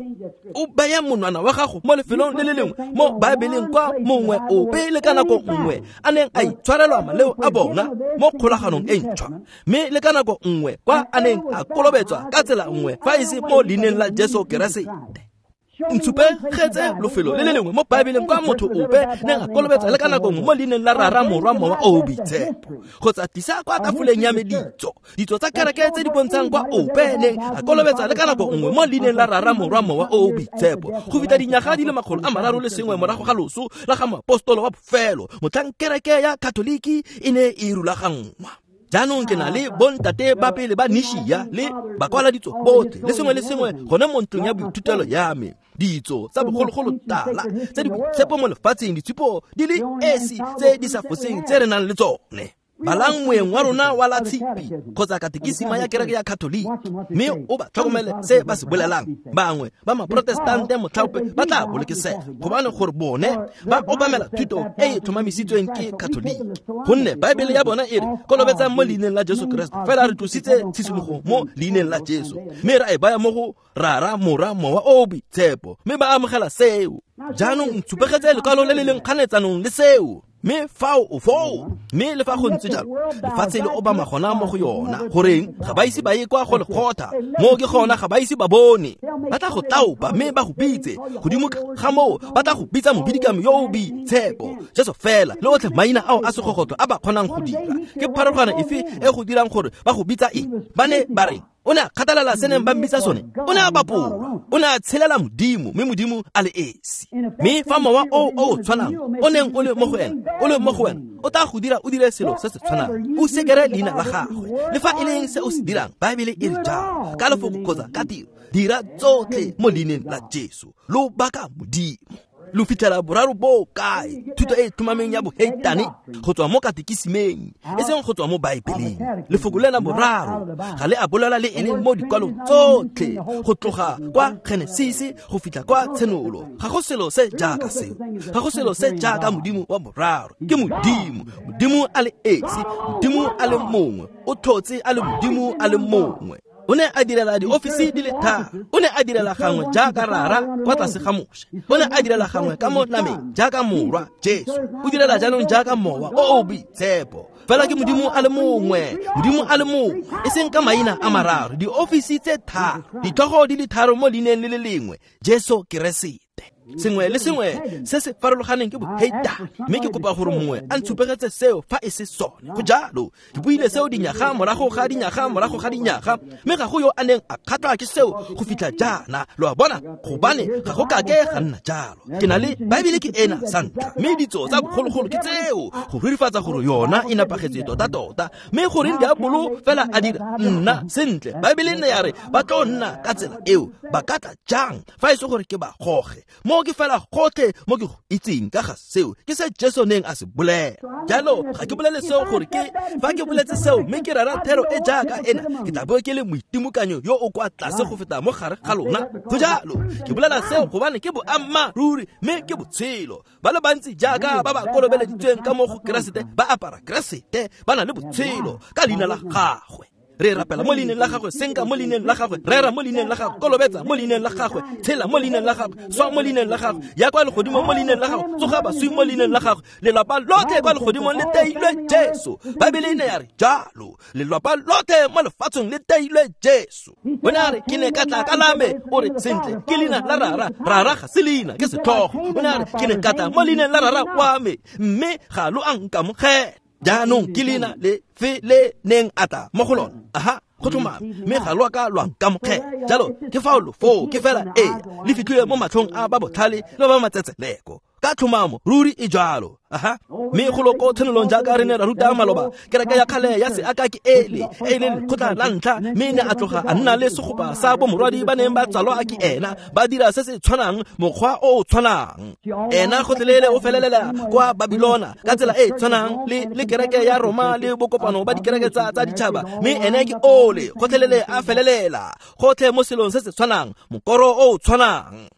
O baya monwana wa gago mo lefelong le le lengwe mo Baebeleng kwa mongwe ope le ka nako nngwe a neng a itshwarelwa maleo a bona mo kgolaganong e ntšhwa, mme le ka nako nngwe kwa a neng a kolobetswa ka tsela nngwe fa e se mo leineng la Jesu Keresete. Ntshupegetse lofelo le le lengwe mo Baebeleng kwa motho ope neng a kolobetsa le ka nako nngwe mo leineng la Rara, Morwa, Mowa o o Boitshepo, kgotsa tlisa kwa tafoleng ya me ditso tsa kereke tse di bontshang kwa ope neng a kolobetsa le ka nako nngwe mo leineng la Rara, Morwa, Mowa o o Boitshepo, go feta dinyaga di le 301 morago ga loso la ga moapostolo wa bofelo, motlhang kereke ya Katoliki e ne e rulaganngwa. Jaanong ke na le bontate ba pele ba Nishia le bakwaladitso botlhe le sengwe le sengwe gone mo ntlong ya boithutelo ya me. Ditso tsa bogologolo tala tse di boitshepo mo lefatsheng, ditshupo di le esi tse di sa foseng tse re nang le tsone. Balang moeng wa rona wa la tshipi kgotsa katekisima ya kereke ya Katoliki, mme o ba tlhokomele se ba se bolelang. Bangwe ba maprotestante motlhaope ba tla bolokesega gobane gore bone ba obamela thuto e e tlhomamisitsweng ke Katoliki, gonne Baebele ya bona e re kolobetsang mo leineng la Jesu Keresete. Fela re tlositse tshisimogo mo leineng la Jesu mme ra e baya mo go Rara, Morwa, Mowa o o Boitshepo, mme ba amogela seo. Jaanong ntshupegetse lekwalo le le leng kganetsanong le seo, mme fao o foo. Mme le fa go ntse jalo, lefatshe le obama gona mo go yona. Goreng ga ba ise ba ye kwa go lekgotha? Moo ke gona ga ba ise ba bone. Ba tla go taopa mme ba go bitse godimo ga moo, ba tla go bitsa mobidikami yo o boitshepo, Jesu fela le otlhe maina ao a segogotlo a ba kgonang go dira. Ke pharologano efe e go dirang gore ba go bitsa eng? Ba ne ba reng? O ne a kgathalela se neng ba mmitsa sone. O ne a bapolwa, o ne a tshelela Modimo, mme Modimo a le esi. Mme fa mowa o o tshwanang o neng o le mo go ena o le mo go wena, o tla go dira o dire selo se se tshwanang, o sekere leina la gagwe. Le fa e leng se o se dirang, Baebele e re jalo, ka lefoko kgotsa ka tiro, dira tsotlhe mo leineng la Jesu, lo baka Modimo. Lo fitlhela boraro bo kae? Thuto e e tlhomameng ya boheitane go tswa mo katekisimeng, e seng go tswa mo Baebeleng. Lefoko lena boraro ga le a bolela le e leng mo dikwalong tsotlhe go tloga kwa Genesisi go fitlha kwa Tshenolo. Ga go selo se jaaka seo, ga go selo se jaaka Modimo wa boraro. Ke Modimo, Modimo a le esi, Modimo a le mongwe, o tlhotse a le Modimo a le mongwe. O ne a direla diofisi di le tharo. O ne a direla gangwe jaaka Rara kwa tlase ga Moshe. O ne a direla gangwe ka mo nameng jaaka Morwa Jesu. O direla jaanong jaaka Mowa o o Boitshepo. Fela ke Modimo a le mongwe, Modimo a le mongwe, e seng ka maina a mararo, diofisi tse tharo, ditlhogo di le tharo mo leineng le le lengwe, Jesu Keresete. Sengwe le sengwe se se farologaneng ke boheitane, mme ke kopa gore mongwe a ntshupegetse seo fa e se sone. Go jalo, ke buile seo dinyaga morago ga dinyaga morago ga dinyaga, mme ga go yo a neng a kgatlwa ke seo go fitlha jaana. Lo a bona, gobane ga go kake ga nna jalo. Ke na le Baebele ke ena sa ntlha, mme ditso tsa bogologolo ke tseo go rurifatsa gore yona e nepagetse tota-tota. Mme goreng diabolo fela a dira nna sentle, Baebele nne ya re ba tlo nna ka tsela eo, ba ka tla jang fa e se gore ke ba goge? Mo ke fela gotlhe mo ke go itseng ka ga seo ke se Jesu neng a se bolela. Jalo ga ke bolele seo gore ke fa ke boletse seo mme ke rera thero e jaaka ena, ke tla bo ke le moitimokanyo yo o kwa tlase go feta mo gare ga lona. Go jalo, ke bolela seo gobane ke boammaaruri mme ke botshelo. Ba le bantsi jaaka ba ba kolobeleditsweng ka mo go Keresete ba apara Keresete, ba na le botshelo ka leina la gagwe. Re rapela mo leineng la gagwe, senka mo leineng la gagwe, rera mo leineng la gagwe, kolobetsa mo leineng la gagwe, tshela mo leineng la gagwe, swa mo leineng la gagwe, ya kwa legodimong mo leineng la gagwe, tsoga baswi mo leineng la gagwe. Lelapa lotlhe kwa legodimong le teilwe Jesu. Baebele e ne ya re jalo, lelapa lotlhe mo lefatsheng le teilwe Jesu. O ne a re ke ne ka tla ka la me, o re sentle ke leina la rara, rara ga se leina, ke setlhogo. O ne a re ke ne ka tla mo leineng la rara wa me, mme ga lo a nkamogela. Jaanong ke leina le fe le neng a tla mo go lona. Aha, go tlhomame, mme ga lo a ka lwa nkamogela. Jalo ke fao lo foo, ke fela ee, le fitlhile mo matlhong a ba botlhale le ba matsetseleko. Ka tlhomamo, ruri e jalo. Aha, mme go loko tshenolong jaaka re ne ra ruta maloba, kereke ya kgale ya seaka ke ele, e leng lekgotla la ntlha, mme ne a tloga a nna le segopa sa bomorwadi ba neng ba tsalwa ke ena, ba dira se se tshwanang, mokgwa o o tshwanang. Ena gotlhelele o felelela kwa Babilona ka tsela e tshwanang le kereke ya Roma le bokopano ba dikereke tsa ditšhaba, mme ene ke ole gotlhelele a felelela gotlhe mo selong se se tshwanang, mokoro o o tshwanang.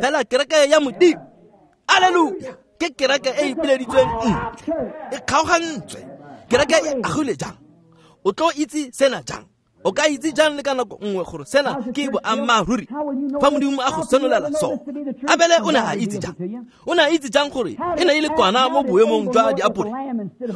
Fela kereke ya Modimo, alleluia, ke kereke e ipileditsweng ntle, e kgaogantswe. Kereke e agilwe jang? O tlo itse sena jang? O ka itse jang le ka nako nngwe gore sena ke boammaaruri fa Modimo a go senolela sona? Abele o ne a itse jang? O ne a itse jang gore e ne e le kwana mo boemong jwa diapole?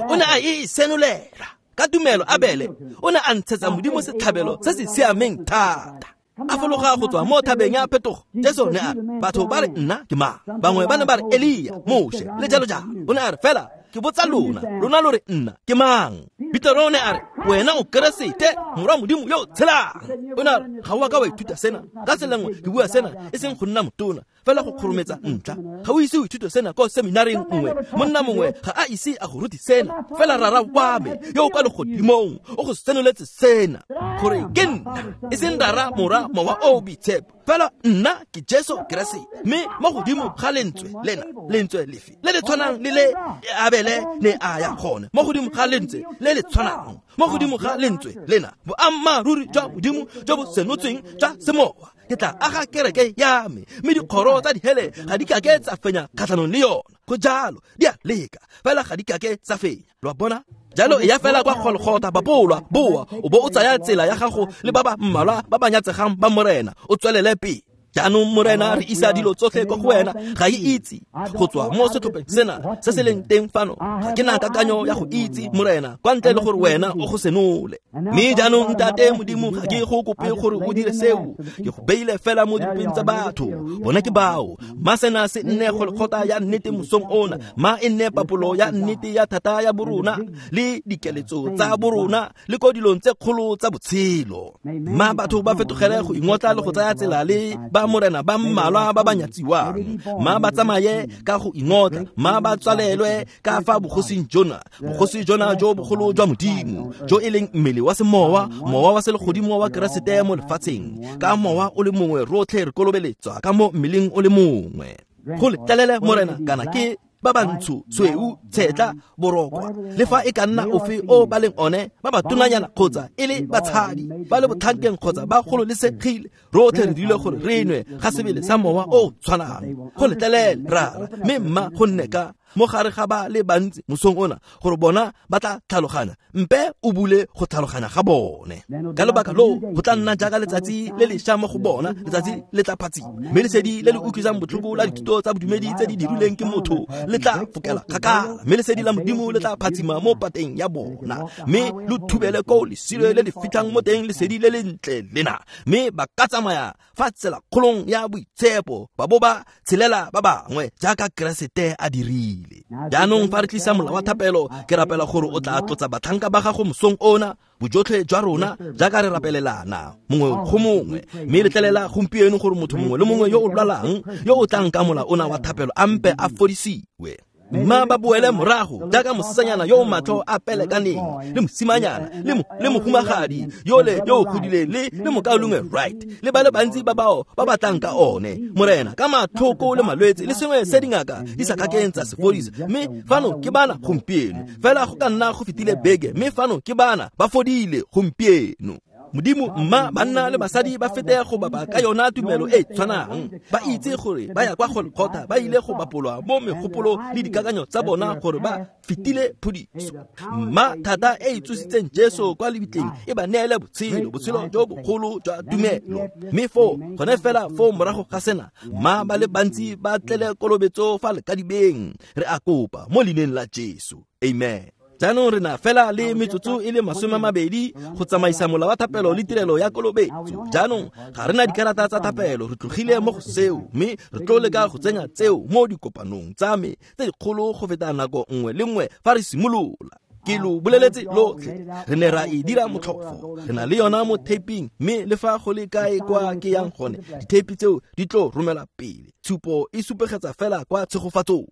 O ne a e senolela ka tumelo. Abele o ne a ntshetsa Modimo setlhabelo se se siameng thata. A fologa go tswa mo thabeng ya phetogo, Jesu ne a re, batho ba re nna ke mang? Bangwe ba ne ba re Elia, Moshe, le jalo jalo. O ne a re fela ke botsa lona, lona lo re nna ke mang? Petero o ne a re wena o Keresete, morwa Modimo yo o tshelang. O ne a re ga o a ka wa ithuta sena ka tsela nngwe, ke bua sena e seng go nna motona, fela go kgorometsa ntlha. Ga o ise o ithute sena ko seminareng nngwe, monna mongwe ga a ise a go rute sena, fela rara wa me yo o kwa legodimong o go senoletse sena, gore ke nna, e seng rara, morwa, mowa o boitshepo, fela nna ke Jesu Keresete. Mme mo godimo ga lentswe lena, lentswe lefe le le tshwanang le le Abele ne a ya gone, mo godimo ga lentswe le le tshwanang, mo godimo ga lentswe lena, boammaaruri jwa Modimo jo bo senotsweng jwa semowa, ke tla aga kereke ya me, mme dikgoro tsa dihele ga di kake tsa fenya kgatlhanong le yona. Go jalo, di a leka, fela ga di kake tsa fenya. Lo a bona? Jalo e ya fela kwa Golgotha, bapolwa, boa, o bo o tsaya tsela ya gago le ba ba mmalwa ba ba nyatsegang ba Morena, o tswelele pele. Jaanong Morena, re isa dilo tsotlhe kwa go wena. Ga e itse go tswa mo setlhopheng sena se se leng teng fano, ga ke na kakanyo ya go itse Morena, kwa ntle le gore wena o go senole. Mme jaanong Ntate Modimo, ga ke go kope gore o dire seo, ke go beile fela mo dipeng tsa batho. Bona ke bao, ma sena se nne Golgotha ya nnete mosong ona, ma e nne papolo ya nnete ya thata ya borona le dikeletso tsa borona le ko dilong tse kgolo tsa botshelo. Ma batho ba fetogele go ingotla le go tsaya tsela le ba Morena ba mmalwa ba ba nyatsiwang. Ma ba tsamaye ka go ingotla, ma ba tswalelwe ka fa bogosing jona, bogosi jona jo bogolo jwa Modimo, jo e leng mmele wa semowa, mowa wa selegodimo wa Keresete mo lefatsheng. Ka mowa o le mongwe rotlhe re kolobeletswa ka mo mmeleng o le mongwe. Go letlelele Morena, kana ke ba bantsho, tshweu, tshetla, borokwa, le fa e ka nna ofe o ba leng one, ba ba tonanyana kgotsa e le batshadi, ba le botlhankeng kgotsa ba gololesegile, rotlhe re dirile gore re nwe ga sebele sa mowa o tshwanang. Go letlelele Rara, mme mma go nne ka mo gare ga ba le bantsi mosong ona gore bona ba tla tlhaloganya mpe o bule go tlhaloganya ga bone ka lobaka loo go tla nna jaaka letsatsi le lešwa mo go bona letsatsi le tla phatsima mme lesedi le le utlwisang botlhoko la dithuto tsa bodumedi tse di dirilweng ke motho le tla fokela kgakala mme lesedi la modimo le tla phatsima mo pateng ya bona mme lo thubele ko lesilo le le fitlhang mo teng lesedi le lentle lena mme ba ka tsamaya fa tsela kgolong ya boitshepo ba bo ba tshelela ba bangwe jaaka Keresete a dirile. Jaanong fa re tlisa mola wa thapelo ke rapela gore o tla tlotsa batlhanka ba gago mosong ona bojotlhe jwa rona jaaka re rapelelana mongwe go mongwe mme letlelela gompieno gore motho mongwe le mongwe yo o lwalang yo o tlang ka mola ona wa thapelo a mpe a fodisiwe. Mma ba boele morago jaaka mosetsanyana yo o matlho a pelekaneng le mosimanyana le mohumagadi yole yo o godileng le mokaulengwe Wright le ba le bantsi ba bao ba batlang ka one morena ka matlhoko le malwetse le sengwe se dingaka di sa kakeng tsa se fodisa mme fano ke bana gompieno fela go ka nna go fetile beke mme fano ke bana ba fodile gompieno. Modimo mma banna le basadi ba fete go bapa ka yona tumelo e tshwanang ba itse gore ba ya kwa Golgotha ba ile go bapolwa mo megopolo le dikakanyo tsa bona gore ba fetile phodiso. Mma thata e e tsositseng Jesu kwa lebitleng e ba neele botshelo botshelo jo bogolo jwa tumelo mme foo gone fela foo morago ga sena mma ba le bantsi ba tlele kolobetso fa lekadibeng re a kopa mo leineng la Jesu. Amen. Jaanong re na fela le metsotso e le 20 go tsamaisa mola wa thapelo le tirelo ya kolobetso. Jaanong ga re na dikarata tsa thapelo re tlogile mo go seo mme re tlo leka go tsenya tseo mo dikopanong tsa me tse dikgolo go feta nako nngwe le nngwe fa re simolola. Ke lo boleletse lotlhe re ne ra e dira motlhofo re na le yona mo taping mme le fa go le kae kwa ke yang gone ditheipi tseo di tlo romela pele. Tshupo e supegetsa fela kwa tshegofatsong.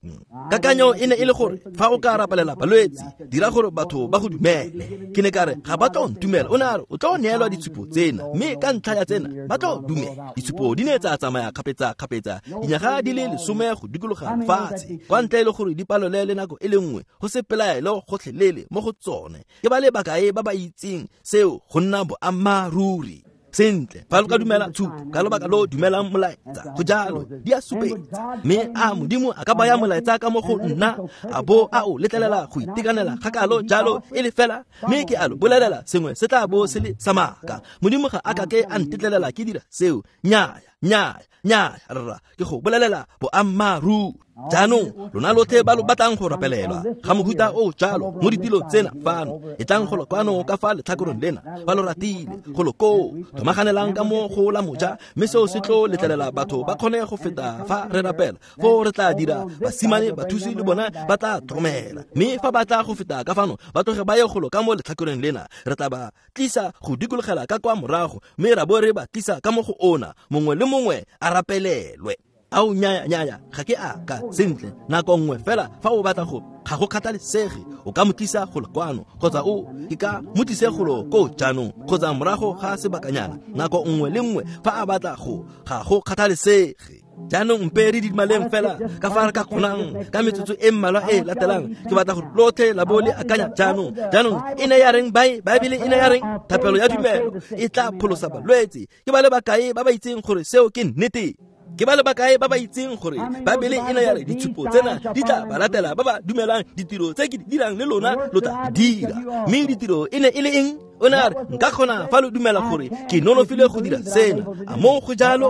Kakanyo e ne e le gore fa o ka rapelela balwetse dira gore batho ba go dumele. Ke ne ka re ga ba tlo ntumela o ne a re o tlo neelwa ditshupo tsena mme ka ntlha ya tsena ba tlo dumela. Ditshupo di ne tsa tsamaya kgapetsa-kgapetsa dinyaga di le 10 go dikologa lefatshe kwa ntle le gore di palole le nako e le nngwe go se pelaelo gotlhelele mo go tsone. Ke ba le bakae ba ba itseng seo go nna boammaaruri. Sentle fa lo ka dumela tshupo ka lobaka lo dumelang molaetsa go jalo di a supetsa mme a modimo a ka baya molaetsa ka mo go nna a bo a o letlelela go itekanela kgakalo jalo e le fela mme ke a lo bolelela sengwe se tla bo se le sa maaka. Modimo ga a kake a ntetlelela ke dira seo. Nnyaya nnyaya nnyaya rra ke go bolelela boammaaruri. Jaanong lona lotlhe ba lo batlang go rapelelwa ga mohuta o jalo mo ditilong tsena fano e tlang go lo kwano ka fa letlhakoreng lena ba lo ratile go lo koo thomaganelang ka mo go la moja mme seo se tlo letlelela batho ba kgone go feta fa re rapela foo re tla dira basimane bathusi le bona ba tla tlhokomela mme fa ba tla go feta ka fano ba tloge ba ye go lo ka mo letlhakoreng lena re tla ba tlisa go dikologela ka kwa morago mme ra bo re ba tlisa ka mo go ona mongwe le mongwe a rapelelwe. Ao nnyaya nnyaya ga ke a ka sentle nako nngwe fela fa o batla go ga go kgathalesege o ka mo tlisa go le kwano kgotsa o ke ka mo tlise golo ko jaanong kgotsa morago ga sebakanyana nako nngwe le nngwe fa a batla go ga go kgathalesege. Jaanong mpe re didimaleng fela ka fa re ka kgonang ka metsotso e mmalwa e latelang ke batla gore lotlhe la bo le akanya jaanong. Jaanong e ne ya reng Baebele e ne ya reng thapelo ya tumelo e tla pholosa balwetse. Ke ba le bakae ba ba itseng gore seo ke nnete? Ke ba le bakae ba ba itseng gore Baebele e ne ya re ditshupo tsena di tla ba latela ba ba dumelang ditiro tse ke di dirang le lona lo tla di dira. Mme ditiro e ne e le eng? O ne a re nka kgona fa lo dumela gore ke nonofile go dira sena. A mo go jalo?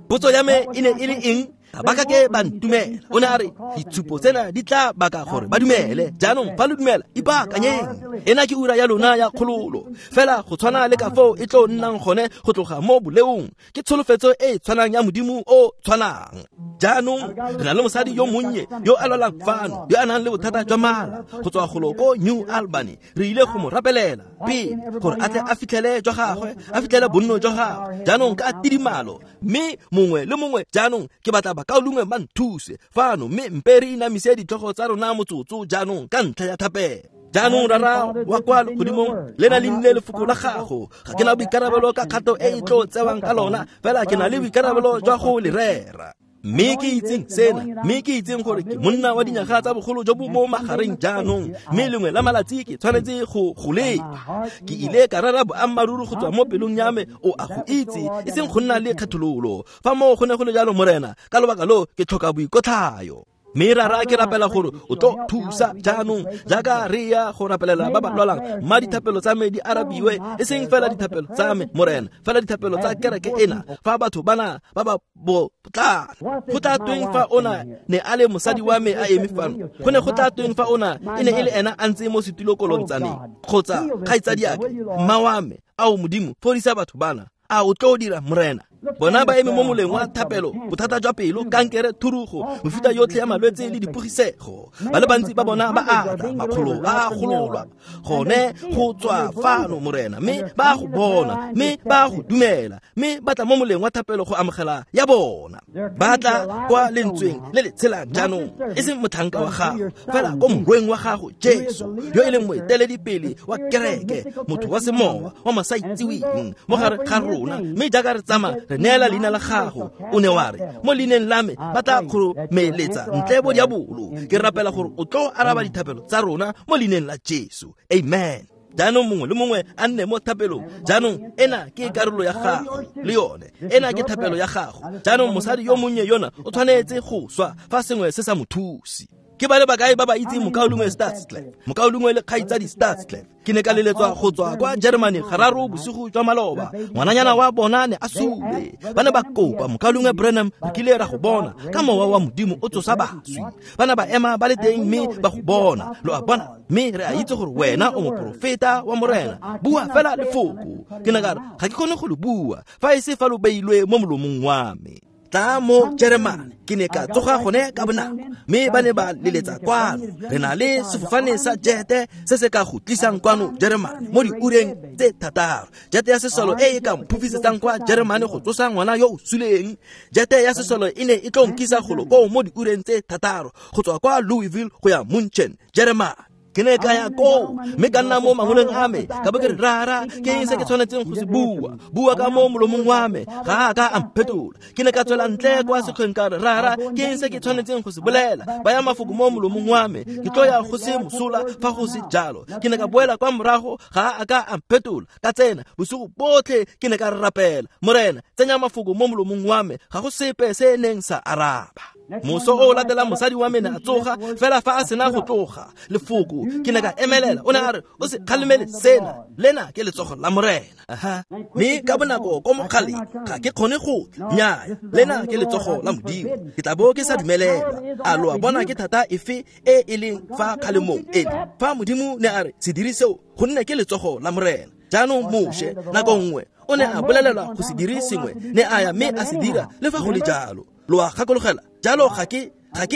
Potso ya me e ne e le eng? Ga ba kake ba ntumela. O ne a re ditshupo tsena di tla baka gore ba dumele. Jaanong fa lo dumela ipaakanyeng. Ena ke ura ya lona ya kgololo fela go tshwana le ka foo e tlo nnang gone go tloga mo boleong. Ke tsholofetso e tshwanang ya modimo o tshwanang. Jaanong re na le mosadi yo monnye yo a lwalang fano yo a nang le bothata jwa mala go tswa golo ko New Albany. Re ile go mo rapelela pele gore a tle a fitlhele jwa gagwe a fitlhele bonno jwa gagwe jaanong ka tidimalo mme mongwe le mongwe jaanong ke batla bakaulengwe ba nthuse fano mme mpe re inamise ditlhogo tsa rona motsotso jaanong ka ntlha ya thapelo. Jaanong rara wa kwa legodimong le na le nnile lefoko la gago ga ke na boikarabelo ka kgato e e tlo tsewang ka lona fela ke na le boikarabelo jwa go le rera. Mme ke itseng sena mme ke itseng gore ke monna wa dinyaga tsa bogolo jo bo mo magareng jaanong mme lengwe la malatsi ke tshwanetse go go leba. Ke ile ka rera boammaaruri go tswa mo pelong ya me o a go itse e seng go nna le kgethololo. Fa moo go ne go le jalo morena ka lobaka lo ke tlhoka boikotlhayo. Mme rara ke rapela gore o tlo thusa jaanong jaaka re ya go rapelela ba ba lwalang. Mma dithapelo tsa me di arabiwe, e seng fela dithapelo tsa me, Morena, fela dithapelo tsa kereke ena. Fa batho bana ba ba botlana, go tla tweng fa ona ne a le mosadi wa me a eme fano? Go ne go tla tweng fa ona e ne e le ena a ntse mo setilokolong tsaneng, kgotsa kgaitsadiake, mma wa me? Ao Modimo, fodisa batho bana. A o tlo dira, Morena? Bona ba eme mo moleng wa thapelo, bothata jwa pelo, kankere, thurugo, mefuta yotlhe ya malwetse le dipogisego. Ba le bantsi ba bona ba ata, makgolo a gololwa gone go tswa fano, Morena, mme ba go bona, mme ba go dumela, mme ba tla mo moleng wa thapelo go amogela ya bona. Ba tla kwa lentsweng le le tshelang jaanong, e seng motlhanka wa gago, fela ko morweng wa gago Jesu, yo e leng moeteledipele wa kereke, motho wa semowa wa masaitsiweng mo gare ga rona. Mme jaaka re tsamaya re neela leina la gago, o ne wa re mo leineng la me ba tla kgoromeletsa ntle bo diabolo. Ke rapela gore o tlo araba dithapelo tsa rona mo leineng la Jesu. Amen. Jaanong mongwe le mongwe a nne mo thapelong. Jaanong ena ke karolo ya gago le yone, ena ke thapelo ya gago. Jaanong mosadi yo monnye yona o tshwanetse go swa fa sengwe se sa mo thuse. Ke ba le bakae ba ba itseng mokaulengwe Statsclef, mokaulengwe le kgaitsadi Statsclef? Ke ne ka leletswa go tswa kwa Germany gararo bosigo jwa maloba. Ngwananyana wa bona ne a sule. Ba ne ba kopa mokaulengwe Branham, re kile ra go bona ka mowa wa Modimo o tsosa baswi. Ba ne ba ema ba le teng mme ba go bona. Lo a bona, mme re a itse gore wena o moporofeta wa Morena. Bua fela lefoko. Ke ne ka re ga ke kgone go le bua fa e se fa lo beilwe mo molomong wa me. Tla mo Jeremane, ke ne ka tsoga gone ka bonako, mme ba ne ba leletsa kwano. Re na le sefofane sa jete se se ka go tlisang kwano Jeremane mo diureng tse 6. Jete ya sesolo e e ka mphofisetsang kwa Jeremane go tsosa ngwana yo o suleng. Jete ya sesolo e ne e tlo nkisa golo koo mo diureng tse 6 go tswa kwa Louisville go ya Munchen, Jeremane. Ke ne ka ya koo mme ka nna mo mangoleng a me, ka bo ke re, rara, ke eng se ke tshwanetseng go se bua? Bua ka mo molomong wa me. Ga a ka a mphetola. Ke ne ka tswela ntle kwa sekgweng ka re, rara, ke eng se ke tshwanetseng go se bolela? Baya mafoko mo molomong wa me, ke tlo ya go se mosola fa go se jalo. Ke ne ka boela kwa morago, ga a ka a mphetola. Ka tsena bosigo botlhe ke ne ka rapela, Morena, tsenya mafoko mo molomong wa me. Ga go sepe se neng sa araba. Moso o latelang mosadi wa me ne a tsoga, fela fa a sena go tloga lefoko, ke ne ka emelela. O ne a re, o se kgalemele sena, lena ke letsogo la Morena. Aha. Mme ka bonako ko mogaleng, ga ke kgone go tla. Nnyaya, lena ke letsogo la Modimo. Ke tla bo ke sa dumelelwa. A lo a bona ke thata efe e e leng fa kgalemong ele? Fa Modimo ne a re se dire seo, gonne ke letsogo la Morena. Jaanong Moshe nako nngwe o ne a bolelelwa go se dire sengwe, ne a ya mme a se dira le fa go le jalo. Lo a gakologela? Jalo ga ke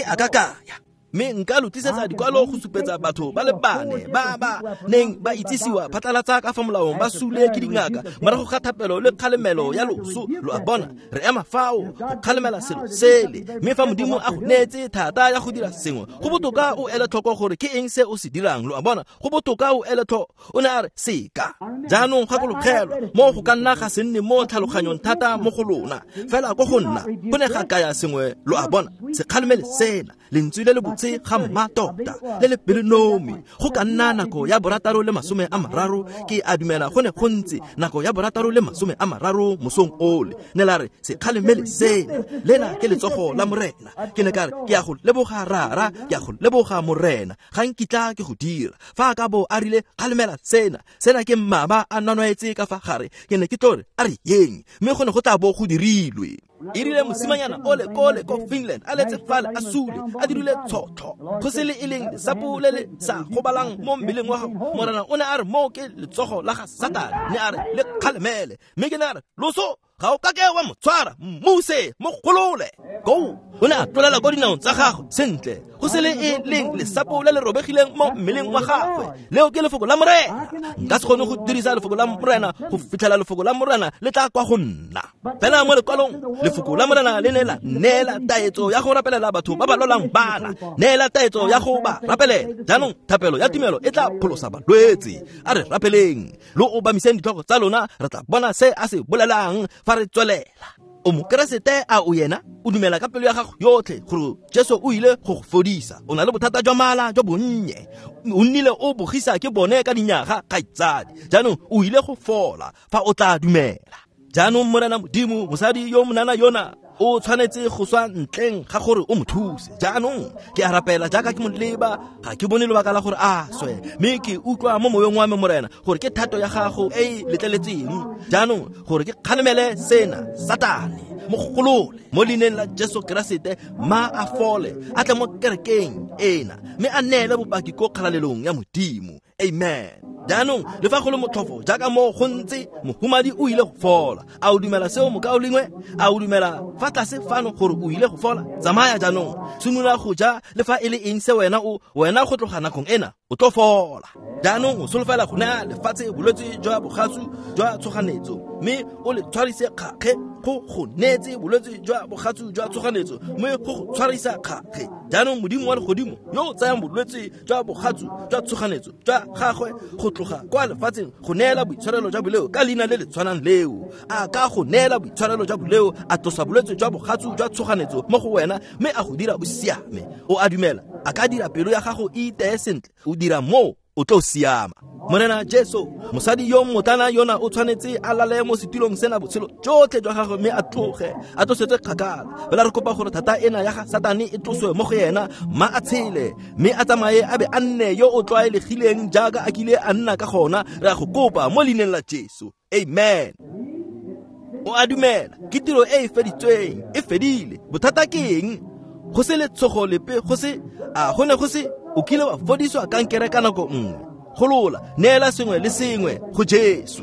a ka kaya. Mme nka lo tlisetsa dikwalo go supetsa batho ba le bane ba ba neng ba itsisiwa phatlalatsa ka fa molaong ba sule ke dingaka morago ga thapelo le kgalemelo ya loso. Lo a bona, re ema fao go kgalemela selo sele. Mme fa Modimo a go neetse thata ya go dira sengwe, go botoka o ele tlhoko gore ke eng se o se dirang. Lo a bona, go botoka o ele tlhoko. O ne a re seka. Jaanong gakologelwa, mo go ka nna ga se nne mo tlhaloganyong thata mo go lona, fela ko go nna go ne ga kaya sengwe. Lo a bona, se kgalemele sena, lentswe le le botse ga mmatota le le pelonomi. Go ka nna nako ya 6:30, ke a dumela go ne go ntse nako ya 6:30 mosong ole. Ne la re se kgalemele sena, lena ke letsogo la Morena. Ke ne ka re, ke a go leboga rara, ke a go leboga Morena, ga nkitla ke go dira. Fa a ka bo a rile kgalemela sena, sena ke mmaba a nonwaetse ka fa gare, ke ne ke tlo re a re yeng, mme go ne go tla bo go dirilwe. E rile mosimanyana ole kole ko Finland a letse fale a sule, a dirile tshotlo, go se le e leng lesapo le le sa gobalang mo mmeleng wa gago. Morena o ne a re moo ke letsogo la ga Satane, ne a re le kgalemele. Mme ke ne a re, loso ga o kake wa mo tshwara, mmuse, mo golole. Go, o ne a tlolela ko dinaong tsa gagwe sentle, go se le e leng lesapo le le robegileng mo mmeleng wa gagwe. Leo ke lefoko la Morena. Nka se kgone go dirisa lefoko la Morena go fitlhela lefoko la Morena le tla kwa go nna. Fela mo lekwalong, lefoko la Morena le ne la neela taetso ya go rapelela batho ba ba lwalang bana, neela taetso ya go ba rapelela. Jaanong thapelo ya tumelo e tla pholosa balwetse. A re rapeleng, lo obamiseng ditlhogo tsa lona, re tla bona se a se bolelang fa re tswelela. O mokeresete a o yena? O dumela ka pelo ya gago yotlhe gore Jesu o ile go go fodisa? O na le bothata jwa mala jwa bonnye, o nnile o bogisa ke bone ka dinyaga, kgaitsadi. Jaanong o ile go fola fa o tla dumela. Jaanong Morena Modimo, mosadi yo monana yona O tshwanetse go swa ntleng ga gore o mo thuse. Jaanong ke a rapela jaaka ke mo leba, ga ke bone lebaka la gore a swe, mme ke utlwa mo moyeng wa me, Morena, gore ke thato ya gago e e letleletseng jaanong gore ke kgalemele sena Satane. Mo golole mo leineng la Jesu Keresete, ma a fole, a tle mo kerekeng ena, mme a neele bopaki ko kgalalelong ya Modimo. Amen. Jaanong le fa go le motlhofo jaaka mo go ntse, mohumadi o ile go fola. A o dumela seo, mokaulengwe? A o dumela fa tlase fano gore o ile go fola? Tsamaya jaanong, simolola go ja le fa e le eng se wena o wena go tloga nakong ena o tlo fola. Jaanong o solofela go naya lefatshe bolwetse jwa bogatsu jwa tshoganetso, mme o le tshwarise kgakge. Go go neetse bolwetse jwa bogatsu jwa tshoganetso, mme go go tshwarisa kgakge. Jaanong Modimo wa legodimo yo o tsayang bolwetse jwa bogatsu jwa tshoganetso jwa gagwe go tloga kwa lefatsheng go neela boitshwarelo jwa boleo ka leina le le tshwanang leo, a ka go neela boitshwarelo jwa boleo, a tlosa bolwetse jwa bogatsu jwa tshoganetso mo go wena, mme a go dira o siame. O a dumela a ka dira pelo ya gago e iteye sentle? O dira moo, o tlo siama. Morena Jesu, mosadi yo mmotlana yona o tshwanetse a lale mo setulong sena botshelo jotlhe jwa gagwe, mme a tloge a tlosetswe kgakala. Fela re kopa gore thata ena ya ga Satane e tloswe mo go yena, mma a tshele, mme a tsamaye a be a nne yo o tlwaelegileng jaaka a kile a nna ka gona. Re a go kopa mo leineng la Jesu. Amen. O a dumela ke tiro e e feditsweng, e fedile. Bothata ke eng? Go se letshogo lepe, go se a go ne go se. O kile wa fodiswa kankere ka nako nngwe. Golola, neela sengwe le sengwe go Jesu.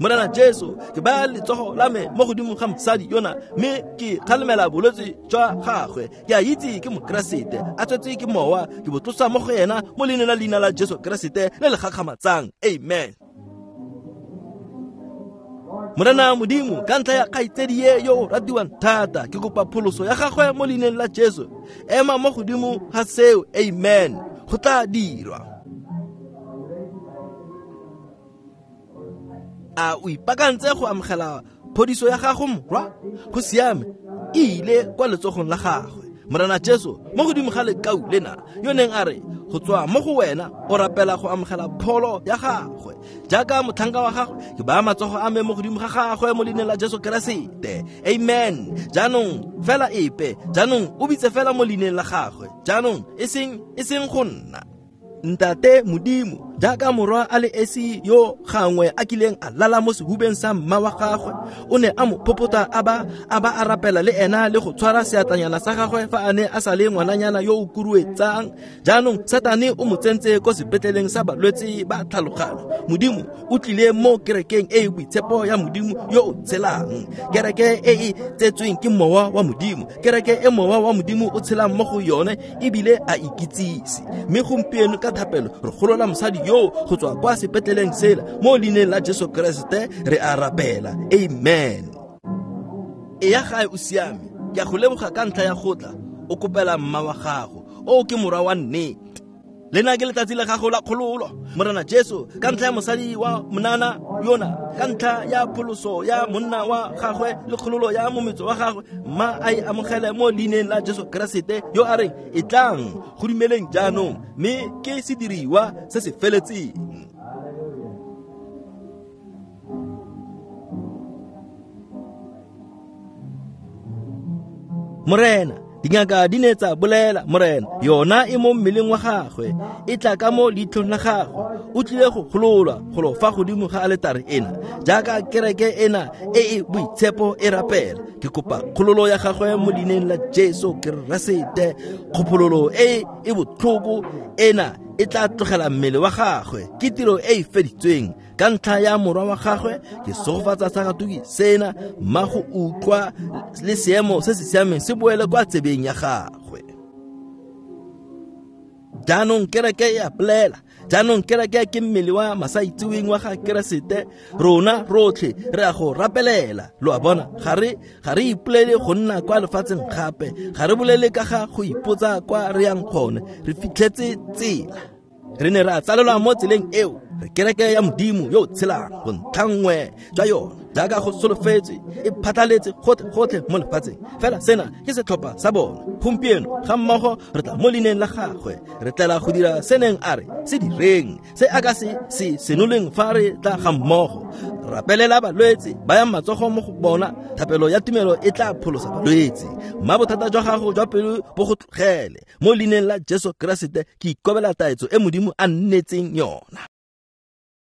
Morena Jesu, ke baya letsogo la me mo godimo ga mosadi yona, mme ke kgalemela bolwetse jwa gagwe. Ke a itse ke Mokeresete, a tswetswe ke Mowa. Ke bo tlosa mo go ena mo leineng la leina la Jesu Keresete le le gakgamatsang. Amen. Morena Modimo, ka ntlha ya kgaitsedi ye yo o ratiwang thata, ke kopa pholoso ya gagwe mo leineng la Jesu. Ema mo godimo ga seo. Amen. Go tla dirwa. A o ipakantse go amogela phodiso ya gago, morwa? Go siame, e ile kwa letsogong la gagwe. Morena Jesu, mo godimo ga lekau lena yo neng a re go tswa mo go wena, o rapela go amogela pholo ya gagwe jaaka motlhanka wa gagwe. Ke baya matsogo a me mo godimo ga gagwe mo leineng la Jesu Keresete. Amen. Jaanong fela epe, jaanong o bitse fela mo leineng la gagwe. Jaanong e seng go nna. Ntate Modimo, jaaka morwa a le esi yo gangwe a kileng a lala mo sehubeng sa mma wa gagwe, o ne a mo phopota a ba a rapela le ena le go tshwara seatlanyana sa gagwe fa a ne a sa le ngwananyana yo o kuruetsang. Jaanong Satane o mo tsentse ko sepetleleng sa balwetse ba tlhaloganyo. Modimo o tlile mo kerekeng e e boitshepo ya Modimo yo o tshelang, kereke e e tsetsweng ke Mowa wa Modimo, kereke e Mowa wa Modimo o tshelang mo go yone ebile a ikitsise. Mme gompieno ka thapelo re golola mosadi yo go tswa kwa sepetleleng sela mo leineng la Jesu Keresete re a rapela. Amen. E ya gae o siame. Ke a go leboga ka ntlha ya go tla o kopela mma wa gago. O ke morwa wa nnete. Lena ke letsatsi la gago la kgololo. Morena Jesu, ka ntlha ya mosadi wa monana yona, ka ntlha ya pholoso ya monna wa gagwe le kgololo ya mometso wa gagwe, mma a e amogele mo leineng la Jesu Keresete yo a reng e tlang go dumeleng jaanong, mme ke sediriwa se se feletseng. Morena, dingaka di ne tsa bolela, Morena, yona e mo mmeleng wa gagwe, e tla ka mo leitlhong la gagwe. O tlile go gololwa golo fa godimo ga aletare ena, jaaka kereke ena e e boitshepo e rapela. Ke kopa kgololo ya gagwe mo leineng la Jesu Keresete. Kgopololo e e botlhoko ena e tla tlogela mmele wa gagwe. Ke tiro e e feditsweng ka ntlha ya morwa wa gagwe. Ke sogofatsa sagatuki sena, mma go utlwa le seemo se se siameng se boele kwa tsebeng ya gagwe. Jaanong kereke e a bolela. Jaanong kereke ke mmele wa masaitseweng wa ga Keresete. Rona rotlhe re a go rapelela. Lo a bona, ga re ipolele go nna kwa lefatsheng gape, ga re bolele ka ga go ipotsa kwa re yang gone. Re fitlhetse tsela. Re ne ra tsalelwa mo tseleng eo. Re kereke ya Modimo yo o tshelang, bontlhanngwe jwa yona jaaka go solofetswe e phatlaletse gotlhe mo lefatsheng. Fela sena ke setlhopha sa bona. Gompieno ga mmogo re tla mo leineng la gagwe, re tlela go dira se neng a re se direng, se a ka se se senoleng fa re tla ga mmogo. Rapelela balwetse, bayang matsogo mo go bona, thapelo ya tumelo e tla pholosa balwetse. Mma bothata jwa gago jwa pelo bo go tlogele. Mo leineng la Jesu Keresete ke ikobela taetso e Modimo a nnetseng yona.